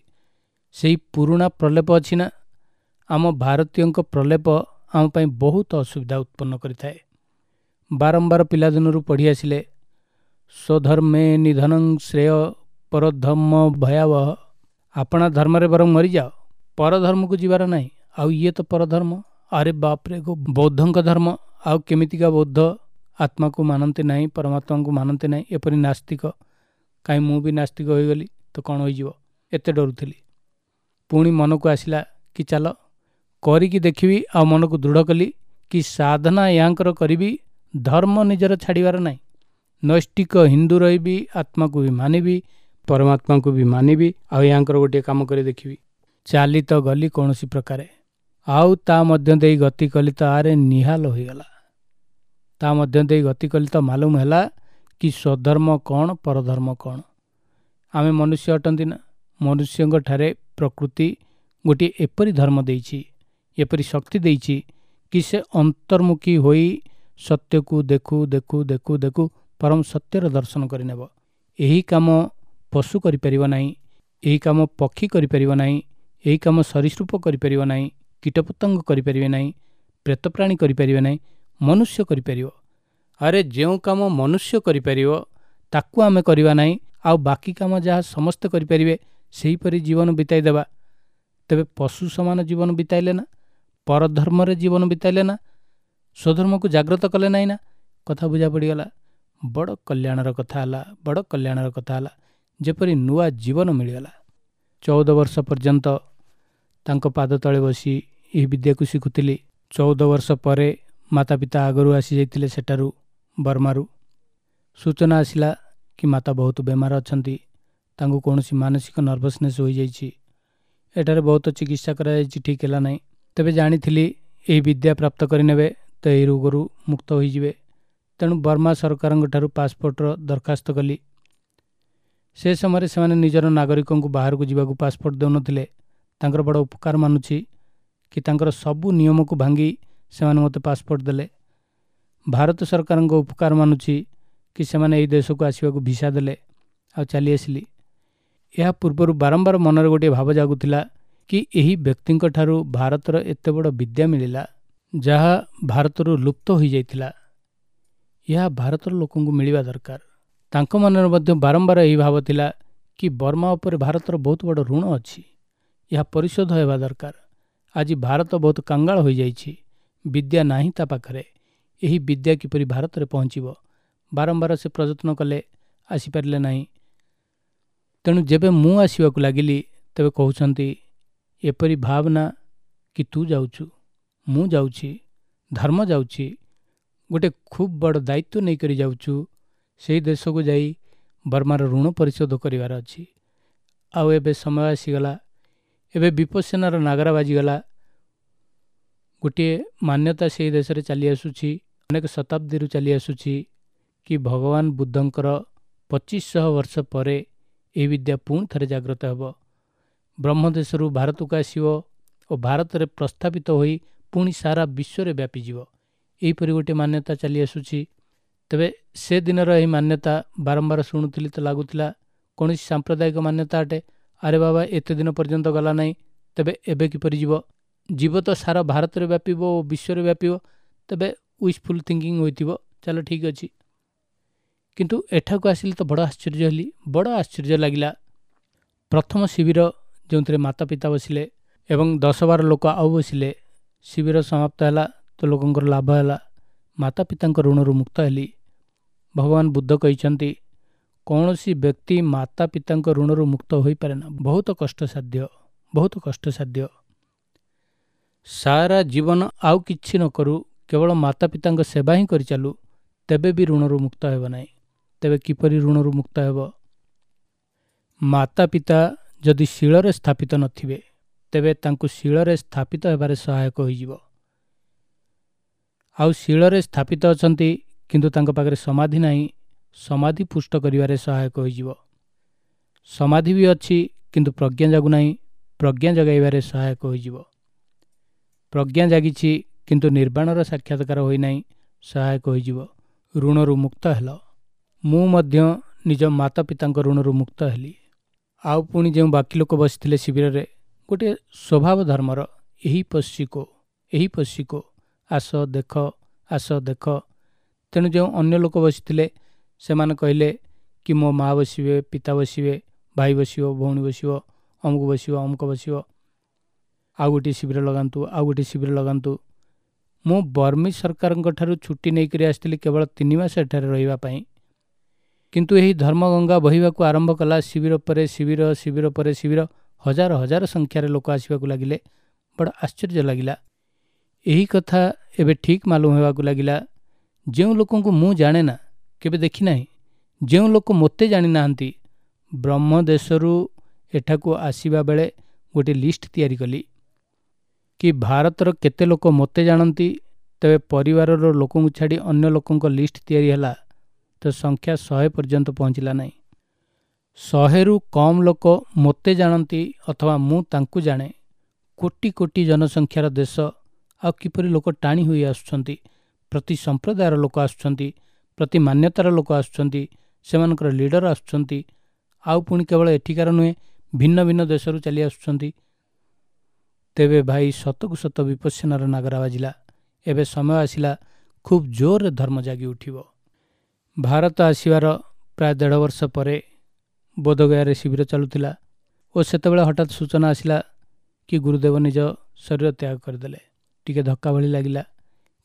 ସେଇ ପୁରୁଣା ପ୍ରଲେପ ଅଛି ନା, ଆମ ଭାରତୀୟଙ୍କ ପ୍ରଲେପ ଆମ ପାଇଁ ବହୁତ ଅସୁବିଧା ଉତ୍ପନ୍ନ କରିଥାଏ। ବାରମ୍ବାର ପିଲାଦିନରୁ ପଢ଼ି ଆସିଲେ, ସ୍ୱଧର୍ମେ ନିଧନଂ ଶ୍ରେୟ ପରଧର୍ମ ଭୟାବହ। ଆପଣା ଧର୍ମରେ ବରଂ ମରିଯାଅ, ପରଧର୍ମକୁ ଯିବାର ନାହିଁ। ଆଉ ଇଏ ତ ପରଧର୍ମ। ଆରେ ବାପରେ, ବୌଦ୍ଧଙ୍କ ଧର୍ମ, ଆଉ କେମିତିକା ବୌଦ୍ଧ? ଆତ୍ମାକୁ ମାନନ୍ତି ନାହିଁ, ପରମାତ୍ମାଙ୍କୁ ମାନନ୍ତି ନାହିଁ, ଏପରି ନାସ୍ତିକ। କାହିଁ ମୁଁ ବି ନାସ୍ତିକ ହୋଇଗଲି ତ କ'ଣ ହୋଇଯିବ? ଏତେ ଡରୁଥିଲି। ପୁଣି ମନକୁ ଆସିଲା କି ଚାଲ କରିକି ଦେଖିବି। ଆଉ ମନକୁ ଦୃଢ଼ କଲି କି ସାଧନା ୟାଙ୍କର କରିବି, ଧର୍ମ ନିଜର ଛାଡ଼ିବାର ନାହିଁ। ନୈଷ୍ଠିକ ହିନ୍ଦୁ ରହିବି, ଆତ୍ମାକୁ ବି ମାନିବି, ପରମାତ୍ମାଙ୍କୁ ବି ମାନିବି, ଆଉ ୟାଙ୍କର ଗୋଟିଏ କାମ କରି ଦେଖିବି। ଚାଲି ତ ଗଲି କୌଣସି ପ୍ରକାରେ, ଆଉ ତା ମଧ୍ୟ ଦେଇ ଗତି କଲି ତ ଆରେ ନିହାଲ ହୋଇଗଲା। ତା ମଧ୍ୟ ଦେଇ ଗତି କଲି ତ ମାଲୁମ ହେଲା କି ସ୍ୱଧର୍ମ କ'ଣ, ପରଧର୍ମ କ'ଣ। ଆମେ ମନୁଷ୍ୟ ଅଟନ୍ତି ନା, ମନୁଷ୍ୟଙ୍କ ଠାରେ ପ୍ରକୃତି ଗୋଟିଏ ଏପରି ଧର୍ମ ଦେଇଛି, ଏପରି ଶକ୍ତି ଦେଇଛି କି ସେ ଅନ୍ତର୍ମୁଖୀ ହୋଇ ସତ୍ୟକୁ ଦେଖୁ ଦେଖୁ ଦେଖୁ ଦେଖୁ ପରମ ସତ୍ୟର ଦର୍ଶନ କରିନେବ। ଏହି କାମ ପଶୁ କରିପାରିବ ନାହିଁ, ଏହି କାମ ପକ୍ଷୀ କରିପାରିବ ନାହିଁ, ଏହି କାମ ସରୀସୃପ କରିପାରିବ ନାହିଁ, କୀଟପତଙ୍ଗ କରିପାରିବେ ନାହିଁ, ପ୍ରେତପ୍ରାଣୀ କରିପାରିବେ ନାହିଁ, ମନୁଷ୍ୟ କରିପାରିବ। ଆରେ ଯେଉଁ କାମ ମନୁଷ୍ୟ କରିପାରିବ ତାକୁ ଆମେ କରିବା ନାହିଁ, ଆଉ ବାକି କାମ ଯାହା ସମସ୍ତେ କରିପାରିବେ ସେହିପରି ଜୀବନ ବିତାଇ ଦେବା। ତେବେ ପଶୁ ସମାନ ଜୀବନ ବିତାଇଲେ ନା, ପରଧର୍ମରେ ଜୀବନ ବିତାଇଲେ ନା, ସ୍ୱଧର୍ମକୁ ଜାଗ୍ରତ କଲେ ନାହିଁ ନା। କଥା ବୁଝା ପଡ଼ିଗଲା। ବଡ଼ କଲ୍ୟାଣର କଥା ହେଲା, ବଡ଼ କଲ୍ୟାଣର କଥା ହେଲା, ଯେପରି ନୂଆ ଜୀବନ ମିଳିଗଲା। 14 ବର୍ଷ ପର୍ଯ୍ୟନ୍ତ ତାଙ୍କ ପାଦ ତଳେ ବସି ଏହି ବିଦ୍ୟାକୁ ଶିଖୁଥିଲି। 14 ବର୍ଷ ପରେ ମାତା ପିତା ଆଗରୁ ଆସିଯାଇଥିଲେ ସେଠାରୁ, ବର୍ମାରୁ। ସୂଚନା ଆସିଲା କି ମାତା ବହୁତ ବେମାର ଅଛନ୍ତି, ତାଙ୍କୁ କୌଣସି ମାନସିକ ନର୍ଭସନେସ୍ ହୋଇଯାଇଛି। ଏଠାରେ ବହୁତ ଚିକିତ୍ସା କରାଯାଇଛି, ଠିକ୍ ହେଲା ନାହିଁ। ତେବେ ଜାଣିଥିଲି ଏହି ବିଦ୍ୟା ପ୍ରାପ୍ତ କରିନେବେ ତ ଏହି ରୋଗରୁ ମୁକ୍ତ ହୋଇଯିବେ। ତେଣୁ ବର୍ମା ସରକାରଙ୍କ ଠାରୁ ପାସପୋର୍ଟର ଦରଖାସ୍ତ କଲି। ସେ ସମୟରେ ସେମାନେ ନିଜର ନାଗରିକଙ୍କୁ ବାହାରକୁ ଯିବାକୁ ପାସପୋର୍ଟ ଦେଉନଥିଲେ। ତାଙ୍କର ବଡ଼ ଉପକାର ମାନୁଛି କି ତାଙ୍କର ସବୁ ନିୟମକୁ ଭାଙ୍ଗି ସେମାନେ ମୋତେ ପାସପୋର୍ଟ ଦେଲେ। ଭାରତ ସରକାରଙ୍କ ଉପକାର ମାନୁଛି କି ସେମାନେ ଏହି ଦେଶକୁ ଆସିବାକୁ ଭିସା ଦେଲେ, ଆଉ ଚାଲି ଆସିଲି। ଏହା ପୂର୍ବରୁ ବାରମ୍ବାର ମନରେ ଗୋଟିଏ ଭାବ ଜାଗୁଥିଲା କି ଏହି ବ୍ୟକ୍ତିଙ୍କ ଠାରୁ ଭାରତର ଏତେ ବଡ଼ ବିଦ୍ୟା ମିଳିଲା, ଯାହା ଭାରତରୁ ଲୁପ୍ତ ହୋଇଯାଇଥିଲା, ଏହା ଭାରତର ଲୋକଙ୍କୁ ମିଳିବା ଦରକାର। ତାଙ୍କ ମନରେ ମଧ୍ୟ ବାରମ୍ବାର ଏହି ଭାବ ଥିଲା କି ବର୍ମା ଉପରେ ଭାରତର ବହୁତ ବଡ଼ ଋଣ ଅଛି, ଏହା ପରିଶୋଧ ହେବା ଦରକାର। ଆଜି ଭାରତ ବହୁତ କାଙ୍ଗାଳ ହୋଇଯାଇଛି, ବିଦ୍ୟା ନାହିଁ ତା ପାଖରେ। ଏହି ବିଦ୍ୟା କିପରି ଭାରତରେ ପହଞ୍ଚିବ? ବାରମ୍ବାର ସେ ପ୍ରଯତ୍ନ କଲେ, ଆସିପାରିଲେ ନାହିଁ। ତେଣୁ ଯେବେ ମୁଁ ଆସିବାକୁ ଲାଗିଲି, ତେବେ କହୁଛନ୍ତି ଏପରି ଭାବନା କି ତୁ ଯାଉଛୁ, ମୁଁ ଯାଉଛି, ଧର୍ମ ଯାଉଛି, ଗୋଟେ ଖୁବ୍ ବଡ଼ ଦାୟିତ୍ୱ ନେଇକରି ଯାଉଛୁ। ସେଇ ଦେଶକୁ ଯାଇ ବର୍ମାର ଋଣ ପରିଶୋଧ କରିବାର ଅଛି। ଆଉ ଏବେ ସମୟ ଆସିଗଲା, ଏବେ ବିପස්සନାର ନାଗରା ବାଜିଗଲା। ଗୋଟିଏ ମାନ୍ୟତା ସେଇ ଦେଶରେ ଚାଲି ଆସୁଛି, ଅନେକ ଶତାବ୍ଦୀରୁ ଚାଲି ଆସୁଛି କି ଭଗବାନ ବୁଦ୍ଧଙ୍କର 2500 ବର୍ଷ ପରେ ଏହି ବିଦ୍ୟା ପୁଣି ଥରେ ଜାଗ୍ରତ ହେବ, ବ୍ରହ୍ମଦେଶରୁ ଭାରତକୁ ଆସିବ ଓ ଭାରତରେ ପ୍ରସ୍ଥାପିତ ହୋଇ ପୁଣି ସାରା ବିଶ୍ୱରେ ବ୍ୟାପିଯିବ। ଏହିପରି ଗୋଟିଏ ମାନ୍ୟତା ଚାଲି ଆସୁଛି। ତେବେ ସେ ଦିନର ଏହି ମାନ୍ୟତା ବାରମ୍ବାର ଶୁଣୁଥିଲି ତ ଲାଗୁଥିଲା କୌଣସି ସାମ୍ପ୍ରଦାୟିକ ମାନ୍ୟତା ଅଟେ। ଆରେ ବାବା, ଏତେ ଦିନ ପର୍ଯ୍ୟନ୍ତ ଗଲା ନାହିଁ, ତେବେ ଏବେ କିପରି ଯିବ? ଯିବ ତ ସାରା ଭାରତରେ ବ୍ୟାପିବ ଓ ବିଶ୍ୱରେ ବ୍ୟାପିବ। ତେବେ ୱିଶଫୁଲ୍ ଥିଙ୍କିଂ ହୋଇଥିବ, ଚାଲ ଠିକ୍ ଅଛି। କିନ୍ତୁ ଏଠାକୁ ଆସିଲି ତ ବଡ଼ ଆଶ୍ଚର୍ଯ୍ୟ ହେଲି, ବଡ଼ ଆଶ୍ଚର୍ଯ୍ୟ ଲାଗିଲା। ପ୍ରଥମ ଶିବିର ଯେଉଁଥିରେ ମାତା ପିତା ବସିଲେ ଏବଂ 10-12 ଲୋକ ଆଉ ବସିଲେ, ଶିବିର ସମାପ୍ତ ହେଲା ତ ଲୋକଙ୍କର ଲାଭ ହେଲା, ମାତା ପିତାଙ୍କ ଋଣରୁ ମୁକ୍ତ ହେଲି। ଭଗବାନ ବୁଦ୍ଧ କହିଛନ୍ତି କୌଣସି ବ୍ୟକ୍ତି ମାତା ପିତାଙ୍କ ଋଣରୁ ମୁକ୍ତ ହୋଇପାରେ ନା, ବହୁତ କଷ୍ଟସାଧ୍ୟ, ବହୁତ କଷ୍ଟସାଧ୍ୟ। ସାରା ଜୀବନ ଆଉ କିଛି ନ କରୁ, କେବଳ ମାତା ପିତାଙ୍କ ସେବା ହିଁ କରିଚାଲୁ, ତେବେ ବି ଋଣରୁ ମୁକ୍ତ ହେବ ନାହିଁ। ତେବେ କିପରି ଋଣରୁ ମୁକ୍ତ ହେବ? ମାତା ପିତା ଯଦି ଶୀଳରେ ସ୍ଥାପିତ ନଥିବେ, ତେବେ ତାଙ୍କୁ ଶୀଳରେ ସ୍ଥାପିତ ହେବାରେ ସହାୟକ ହୋଇଯିବ। ଆଉ ଶୀଳରେ ସ୍ଥାପିତ ଅଛନ୍ତି କିନ୍ତୁ ତାଙ୍କ ପାଖରେ ସମାଧି ନାହିଁ, ସମାଧି ପୁଷ୍ଟ କରିବାରେ ସହାୟକ ହୋଇଯିବ। ସମାଧି ବି ଅଛି କିନ୍ତୁ ପ୍ରଜ୍ଞା ଜାଗୁନାହିଁ, ପ୍ରଜ୍ଞା ଜଗାଇବାରେ ସହାୟକ ହୋଇଯିବ। ପ୍ରଜ୍ଞା ଜାଗିଛି କିନ୍ତୁ ନିର୍ବାଣର ସାକ୍ଷାତକାର ହୋଇନାହିଁ, ସହାୟକ ହୋଇଯିବ। ଋଣରୁ ମୁକ୍ତ ହେଲ। ମୁଁ ମଧ୍ୟ ନିଜ ମାତା ପିତାଙ୍କ ଋଣରୁ ମୁକ୍ତ ହେଲି। ଆଉ ପୁଣି ଯେଉଁ ବାକି ଲୋକ ବସିଥିଲେ ଶିବିରରେ, ଗୋଟିଏ ସ୍ୱଭାବ ଧର୍ମର, ଏହି ପଶିକୋ, ଏହି ପଶିକୋ, ଆସ ଦେଖ, ଆସ ଦେଖ। ତେଣୁ ଯେଉଁ ଅନ୍ୟ ଲୋକ ବସିଥିଲେ ସେମାନେ କହିଲେ କି ମୋ ମା ବସିବେ, ପିତା ବସିବେ, ଭାଇ ବସିବ, ଭଉଣୀ ବସିବ, ଅମୁକ ବସିବ, ଅମୁକ ବସିବ, ଆଉ ଗୋଟିଏ ଶିବିର ଲଗାନ୍ତୁ, ଆଉ ଗୋଟିଏ ଶିବିର ଲଗାନ୍ତୁ। ମୁଁ ବର୍ମୀ ସରକାରଙ୍କ ଠାରୁ ଛୁଟି ନେଇକରି ଆସିଥିଲି କେବଳ 3 ମାସ ଏଠାରେ ରହିବା ପାଇଁ। କିନ୍ତୁ ଏହି ଧର୍ମଗଙ୍ଗା ବହିବାକୁ ଆରମ୍ଭ କଲା। ଶିବିର ପରେ ଶିବିର, ଶିବିର ପରେ ଶିବିର, ହଜାର ହଜାର ସଂଖ୍ୟାରେ ଲୋକ ଆସିବାକୁ ଲାଗିଲେ। ବଡ଼ ଆଶ୍ଚର୍ଯ୍ୟ ଲାଗିଲା। ଏହି କଥା ଏବେ ଠିକ୍ ମାଲୁମ ହେବାକୁ ଲାଗିଲା। ଯେଉଁ ଲୋକଙ୍କୁ ମୁଁ ଜାଣେ ନା, କେବେ ଦେଖିନାହିଁ, ଯେଉଁ ଲୋକ ମୋତେ ଜାଣିନାହାନ୍ତି, ବ୍ରହ୍ମଦେଶରୁ ଏଠାକୁ ଆସିବା ବେଳେ ଗୋଟିଏ ଲିଷ୍ଟ ତିଆରି କଲି କି ଭାରତର କେତେ ଲୋକ ମୋତେ ଜାଣନ୍ତି। ତେବେ ପରିବାରର ଲୋକଙ୍କୁ ଛାଡ଼ି ଅନ୍ୟ ଲୋକଙ୍କ ଲିଷ୍ଟ ତିଆରି ହେଲା ତ ସଂଖ୍ୟା 100 ପର୍ଯ୍ୟନ୍ତ ପହଞ୍ଚିଲା ନାହିଁ। 100ରୁ କମ୍ ଲୋକ ମୋତେ ଜାଣନ୍ତି ଅଥବା ମୁଁ ତାଙ୍କୁ ଜାଣେ। କୋଟି କୋଟି ଜନସଂଖ୍ୟାର ଦେଶ, ଆଉ କିପରି ଲୋକ ଟାଣି ହୋଇ ଆସୁଛନ୍ତି। ପ୍ରତି ସମ୍ପ୍ରଦାୟର ଲୋକ ଆସୁଛନ୍ତି, ପ୍ରତି ମାନ୍ୟତାର ଲୋକ ଆସୁଛନ୍ତି, ସେମାନଙ୍କର ଲିଡର ଆସୁଛନ୍ତି। ଆଉ ପୁଣି କେବଳ ଏଠିକାର ନୁହେଁ, ଭିନ୍ନ ଭିନ୍ନ ଦେଶରୁ ଚାଲି ଆସୁଛନ୍ତି। ତେବେ ଭାଇ ସତକୁ ସତ ବିପස්සନାର ନାଗରା ବାଜିଲା। ଏବେ ସମୟ ଆସିଲା, ଖୁବ୍ ଜୋରରେ ଧର୍ମ ଜାଗି ଉଠିବ। ଭାରତ ଆସିବାର ପ୍ରାୟ 1.5 ବର୍ଷ ପରେ ବୋଧଗୟାରେ ଶିବିର ଚାଲୁଥିଲା ଓ ସେତେବେଳେ ହଠାତ୍ ସୂଚନା ଆସିଲା କି ଗୁରୁଦେବ ନିଜ ଶରୀର ତ୍ୟାଗ କରିଦେଲେ। ଟିକେ ଧକ୍କା ଭଳି ଲାଗିଲା,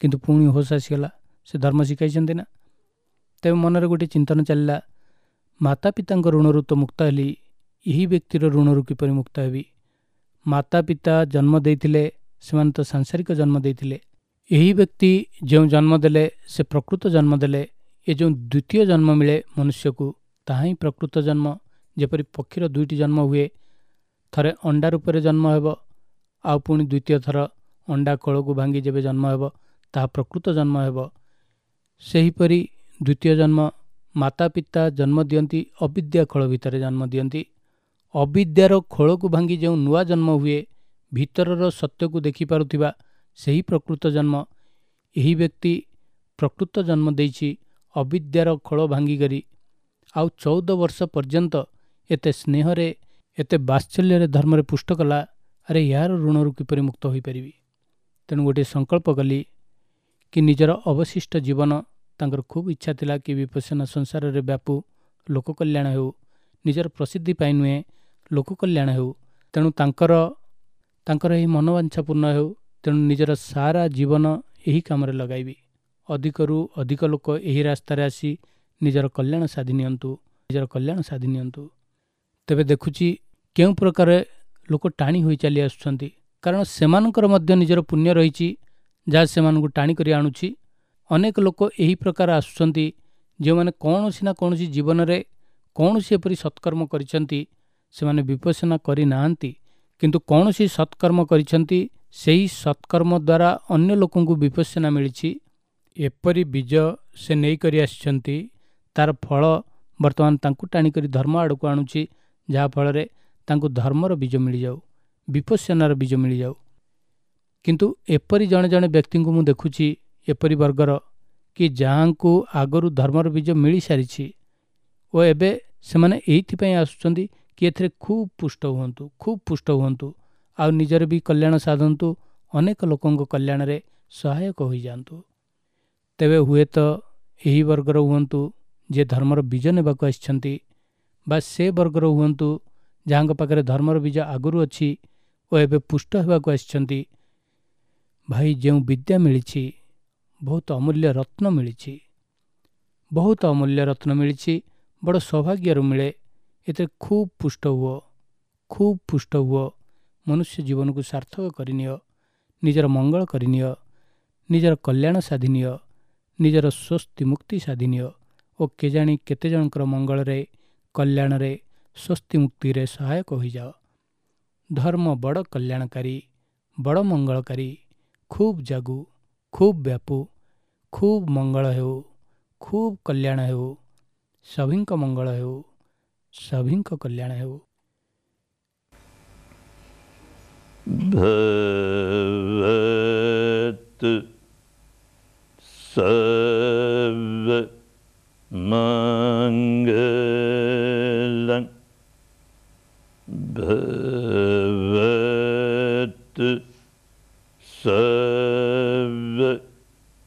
କିନ୍ତୁ ପୁଣି ହୋସ ଆସିଗଲା, ସେ ଧର୍ମ ଶିଖାଇଛନ୍ତି ନା। ତେବେ ମନରେ ଗୋଟିଏ ଚିନ୍ତନ ଚାଲିଲା, ମାତା ପିତାଙ୍କ ଋଣରୁ ତ ମୁକ୍ତ ହେଲି, ଏହି ବ୍ୟକ୍ତିର ଋଣରୁ କିପରି ମୁକ୍ତ ହେବି? ମାତା ପିତା ଜନ୍ମ ଦେଇଥିଲେ, ସେମାନେ ତ ସାଂସାରିକ ଜନ୍ମ ଦେଇଥିଲେ। ଏହି ବ୍ୟକ୍ତି ଯେଉଁ ଜନ୍ମ ଦେଲେ ସେ ପ୍ରକୃତ ଜନ୍ମ ଦେଲେ। ଏ ଯେଉଁ ଦ୍ୱିତୀୟ ଜନ୍ମ ମିଳେ ମନୁଷ୍ୟକୁ, ତାହା ହିଁ ପ୍ରକୃତ ଜନ୍ମ। ଯେପରି ପକ୍ଷୀର 2ଟି ଜନ୍ମ ହୁଏ, ଥରେ ଅଣ୍ଡା ରୂପରେ ଜନ୍ମ ହେବ, ଆଉ ପୁଣି ଦ୍ୱିତୀୟ ଥର ଅଣ୍ଡା ଖୋଳକୁ ଭାଙ୍ଗି ଯେବେ ଜନ୍ମ ହେବ ତାହା ପ୍ରକୃତ ଜନ୍ମ ହେବ। ସେହିପରି ଦ୍ୱିତୀୟ ଜନ୍ମ ମାତା ପିତା ଜନ୍ମ ଦିଅନ୍ତି, ଅବିଦ୍ୟା ଖୋଳ ଭିତରେ ଜନ୍ମ ଦିଅନ୍ତି। ଅବିଦ୍ୟାର ଖୋଳକୁ ଭାଙ୍ଗି ଯେଉଁ ନୂଆ ଜନ୍ମ ହୁଏ, ଭିତରର ସତ୍ୟକୁ ଦେଖିପାରୁଥିବା ସେହି ପ୍ରକୃତ ଜନ୍ମ। ଏହି ବ୍ୟକ୍ତି ପ୍ରକୃତ ଜନ୍ମ ଦେଇଛି ଅବିଦ୍ୟାର ଖୋଳ ଭାଙ୍ଗିକରି। ଆଉ 14 ବର୍ଷ ପର୍ଯ୍ୟନ୍ତ ଏତେ ସ୍ନେହରେ, ଏତେ ବାତ୍ସଲ୍ୟରେ ଧର୍ମରେ ପୁଷ୍ଟ କଲା। ଆରେ ଏହାର ଋଣରୁ କିପରି ମୁକ୍ତ ହୋଇପାରିବି? ତେଣୁ ଗୋଟିଏ ସଂକଳ୍ପ କଲି କି ନିଜର ଅବଶିଷ୍ଟ ଜୀବନ, ତାଙ୍କର ଖୁବ୍ ଇଚ୍ଛା ଥିଲା କି ବିପස්සନା ସଂସାରରେ ବ୍ୟାପୁ, ଲୋକ କଲ୍ୟାଣ ହେଉ, ନିଜର ପ୍ରସିଦ୍ଧି ପାଇଁ ନୁହେଁ, ଲୋକ କଲ୍ୟାଣ ହେଉ। ତେଣୁ ତାଙ୍କର ତାଙ୍କର ଏହି ମନୋବାଞ୍ଛା ପୂର୍ଣ୍ଣ ହେଉ। ତେଣୁ ନିଜର ସାରା ଜୀବନ ଏହି କାମରେ ଲଗାଇବି। ଅଧିକରୁ ଅଧିକ ଲୋକ ଏହି ରାସ୍ତାରେ ଆସି ନିଜର କଲ୍ୟାଣ ସାଧି ନିଅନ୍ତୁ, ନିଜର କଲ୍ୟାଣ ସାଧି ନିଅନ୍ତୁ। ତେବେ ଦେଖୁଛି କେଉଁ ପ୍ରକାର ଲୋକ ଟାଣି ହୋଇ ଚାଲି ଆସୁଛନ୍ତି, କାରଣ ସେମାନଙ୍କର ମଧ୍ୟ ନିଜର ପୁଣ୍ୟ ରହିଛି ଯାହା ସେମାନଙ୍କୁ ଟାଣିକରି ଆଣୁଛି। ଅନେକ ଲୋକ ଏହି ପ୍ରକାର ଆସୁଛନ୍ତି ଯେଉଁମାନେ କୌଣସି ନା କୌଣସି ଜୀବନରେ କୌଣସି ଏପରି ସତ୍କର୍ମ କରିଛନ୍ତି। ସେମାନେ ବିପස්සନା କରିନାହାନ୍ତି, କିନ୍ତୁ କୌଣସି ସତ୍କର୍ମ କରିଛନ୍ତି। ସେହି ସତ୍କର୍ମ ଦ୍ୱାରା ଅନ୍ୟ ଲୋକଙ୍କୁ ବିପස්සନା ମିଳିଛି। ଏପରି ବୀଜ ସେ ନେଇକରି ଆସିଛନ୍ତି, ତାର ଫଳ ବର୍ତ୍ତମାନ ତାଙ୍କୁ ଟାଣିକରି ଧର୍ମ ଆଡ଼କୁ ଆଣୁଛି, ଯାହାଫଳରେ ତାଙ୍କୁ ଧର୍ମର ବୀଜ ମିଳିଯାଉ, ବିପස්සନାର ବୀଜ ମିଳିଯାଉ। କିନ୍ତୁ ଏପରି ଜଣେ ଜଣେ ବ୍ୟକ୍ତିଙ୍କୁ ମୁଁ ଦେଖୁଛି, ଏପରି ବର୍ଗର କି ଯାହାଙ୍କୁ ଆଗରୁ ଧର୍ମର ବୀଜ ମିଳିସାରିଛି ଓ ଏବେ ସେମାନେ ଏଇଥିପାଇଁ ଆସୁଛନ୍ତି କି ଏଥିରେ ଖୁବ୍ ପୁଷ୍ଟ ହୁଅନ୍ତୁ, ଖୁବ୍ ପୁଷ୍ଟ ହୁଅନ୍ତୁ, ଆଉ ନିଜର ବି କଲ୍ୟାଣ ସାଧନ୍ତୁ, ଅନେକ ଲୋକଙ୍କ କଲ୍ୟାଣରେ ସହାୟକ ହୋଇଯାଆନ୍ତୁ। ତେବେ ହୁଏତ ଏହି ବର୍ଗର ହୁଅନ୍ତୁ ଯିଏ ଧର୍ମର ବୀଜ ନେବାକୁ ଆସିଛନ୍ତି, ବା ସେ ବର୍ଗର ହୁଅନ୍ତୁ ଯାହାଙ୍କ ପାଖରେ ଧର୍ମର ବୀଜ ଆଗରୁ ଅଛି ଓ ଏବେ ପୁଷ୍ଟ ହେବାକୁ ଆସିଛନ୍ତି। ଭାଇ, ଯେଉଁ ବିଦ୍ୟା ମିଳିଛି ବହୁତ ଅମୂଲ୍ୟ ରତ୍ନ ମିଳିଛି, ବହୁତ ଅମୂଲ୍ୟ ରତ୍ନ ମିଳିଛି, ବଡ଼ ସୌଭାଗ୍ୟରୁ ମିଳେ। ଏଥିରେ ଖୁବ୍ ପୁଷ୍ଟ ହୁଅ, ଖୁବ୍ ପୁଷ୍ଟ ହୁଅ, ମନୁଷ୍ୟ ଜୀବନକୁ ସାର୍ଥକ କରିନିଅ, ନିଜର ମଙ୍ଗଳ କରିନିଅ, ନିଜର କଲ୍ୟାଣ ସାଧିନିଅ, ନିଜର ସ୍ୱସ୍ତି ମୁକ୍ତି ସାଧିନିଅ ଓ କେଜାଣି କେତେ ଜଣଙ୍କର ମଙ୍ଗଳରେ, କଲ୍ୟାଣରେ, ସ୍ୱସ୍ତି ମୁକ୍ତିରେ ସହାୟକ ହୋଇଯାଅ। ଧର୍ମ ବଡ଼ କଲ୍ୟାଣକାରୀ, ବଡ଼ ମଙ୍ଗଳକାରୀ। ଖୁବ୍ ଜାଗୁ, ଖୁବ୍ ବ୍ୟାପୁ, ଖୁବ୍ ମଙ୍ଗଳ ହେଉ, ଖୁବ୍ କଲ୍ୟାଣ ହେଉ, ସଭିଙ୍କ ମଙ୍ଗଳ ହେଉ, ସଭିଙ୍କ କଲ୍ୟାଣ ହେଉ। ଭବତୁ ସବ୍ବ ମଙ୍ଗଳଂ, ଭବତୁ ସବ୍ବ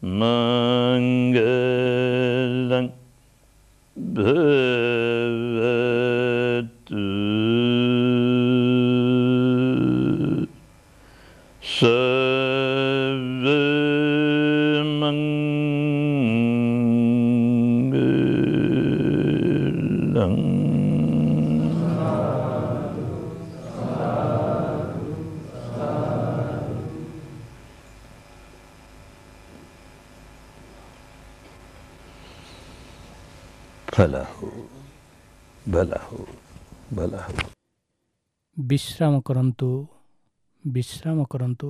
ମଙ୍ଗଳଂ, ଭବତୁ ସବ୍ବ ମଙ୍ଗଳଂ। ଭଲା ହଉ, ଭଲା ହଉ, ଭଲା ହଉ। ବିଶ୍ରାମ କରନ୍ତୁ, ବିଶ୍ରାମ କରନ୍ତୁ।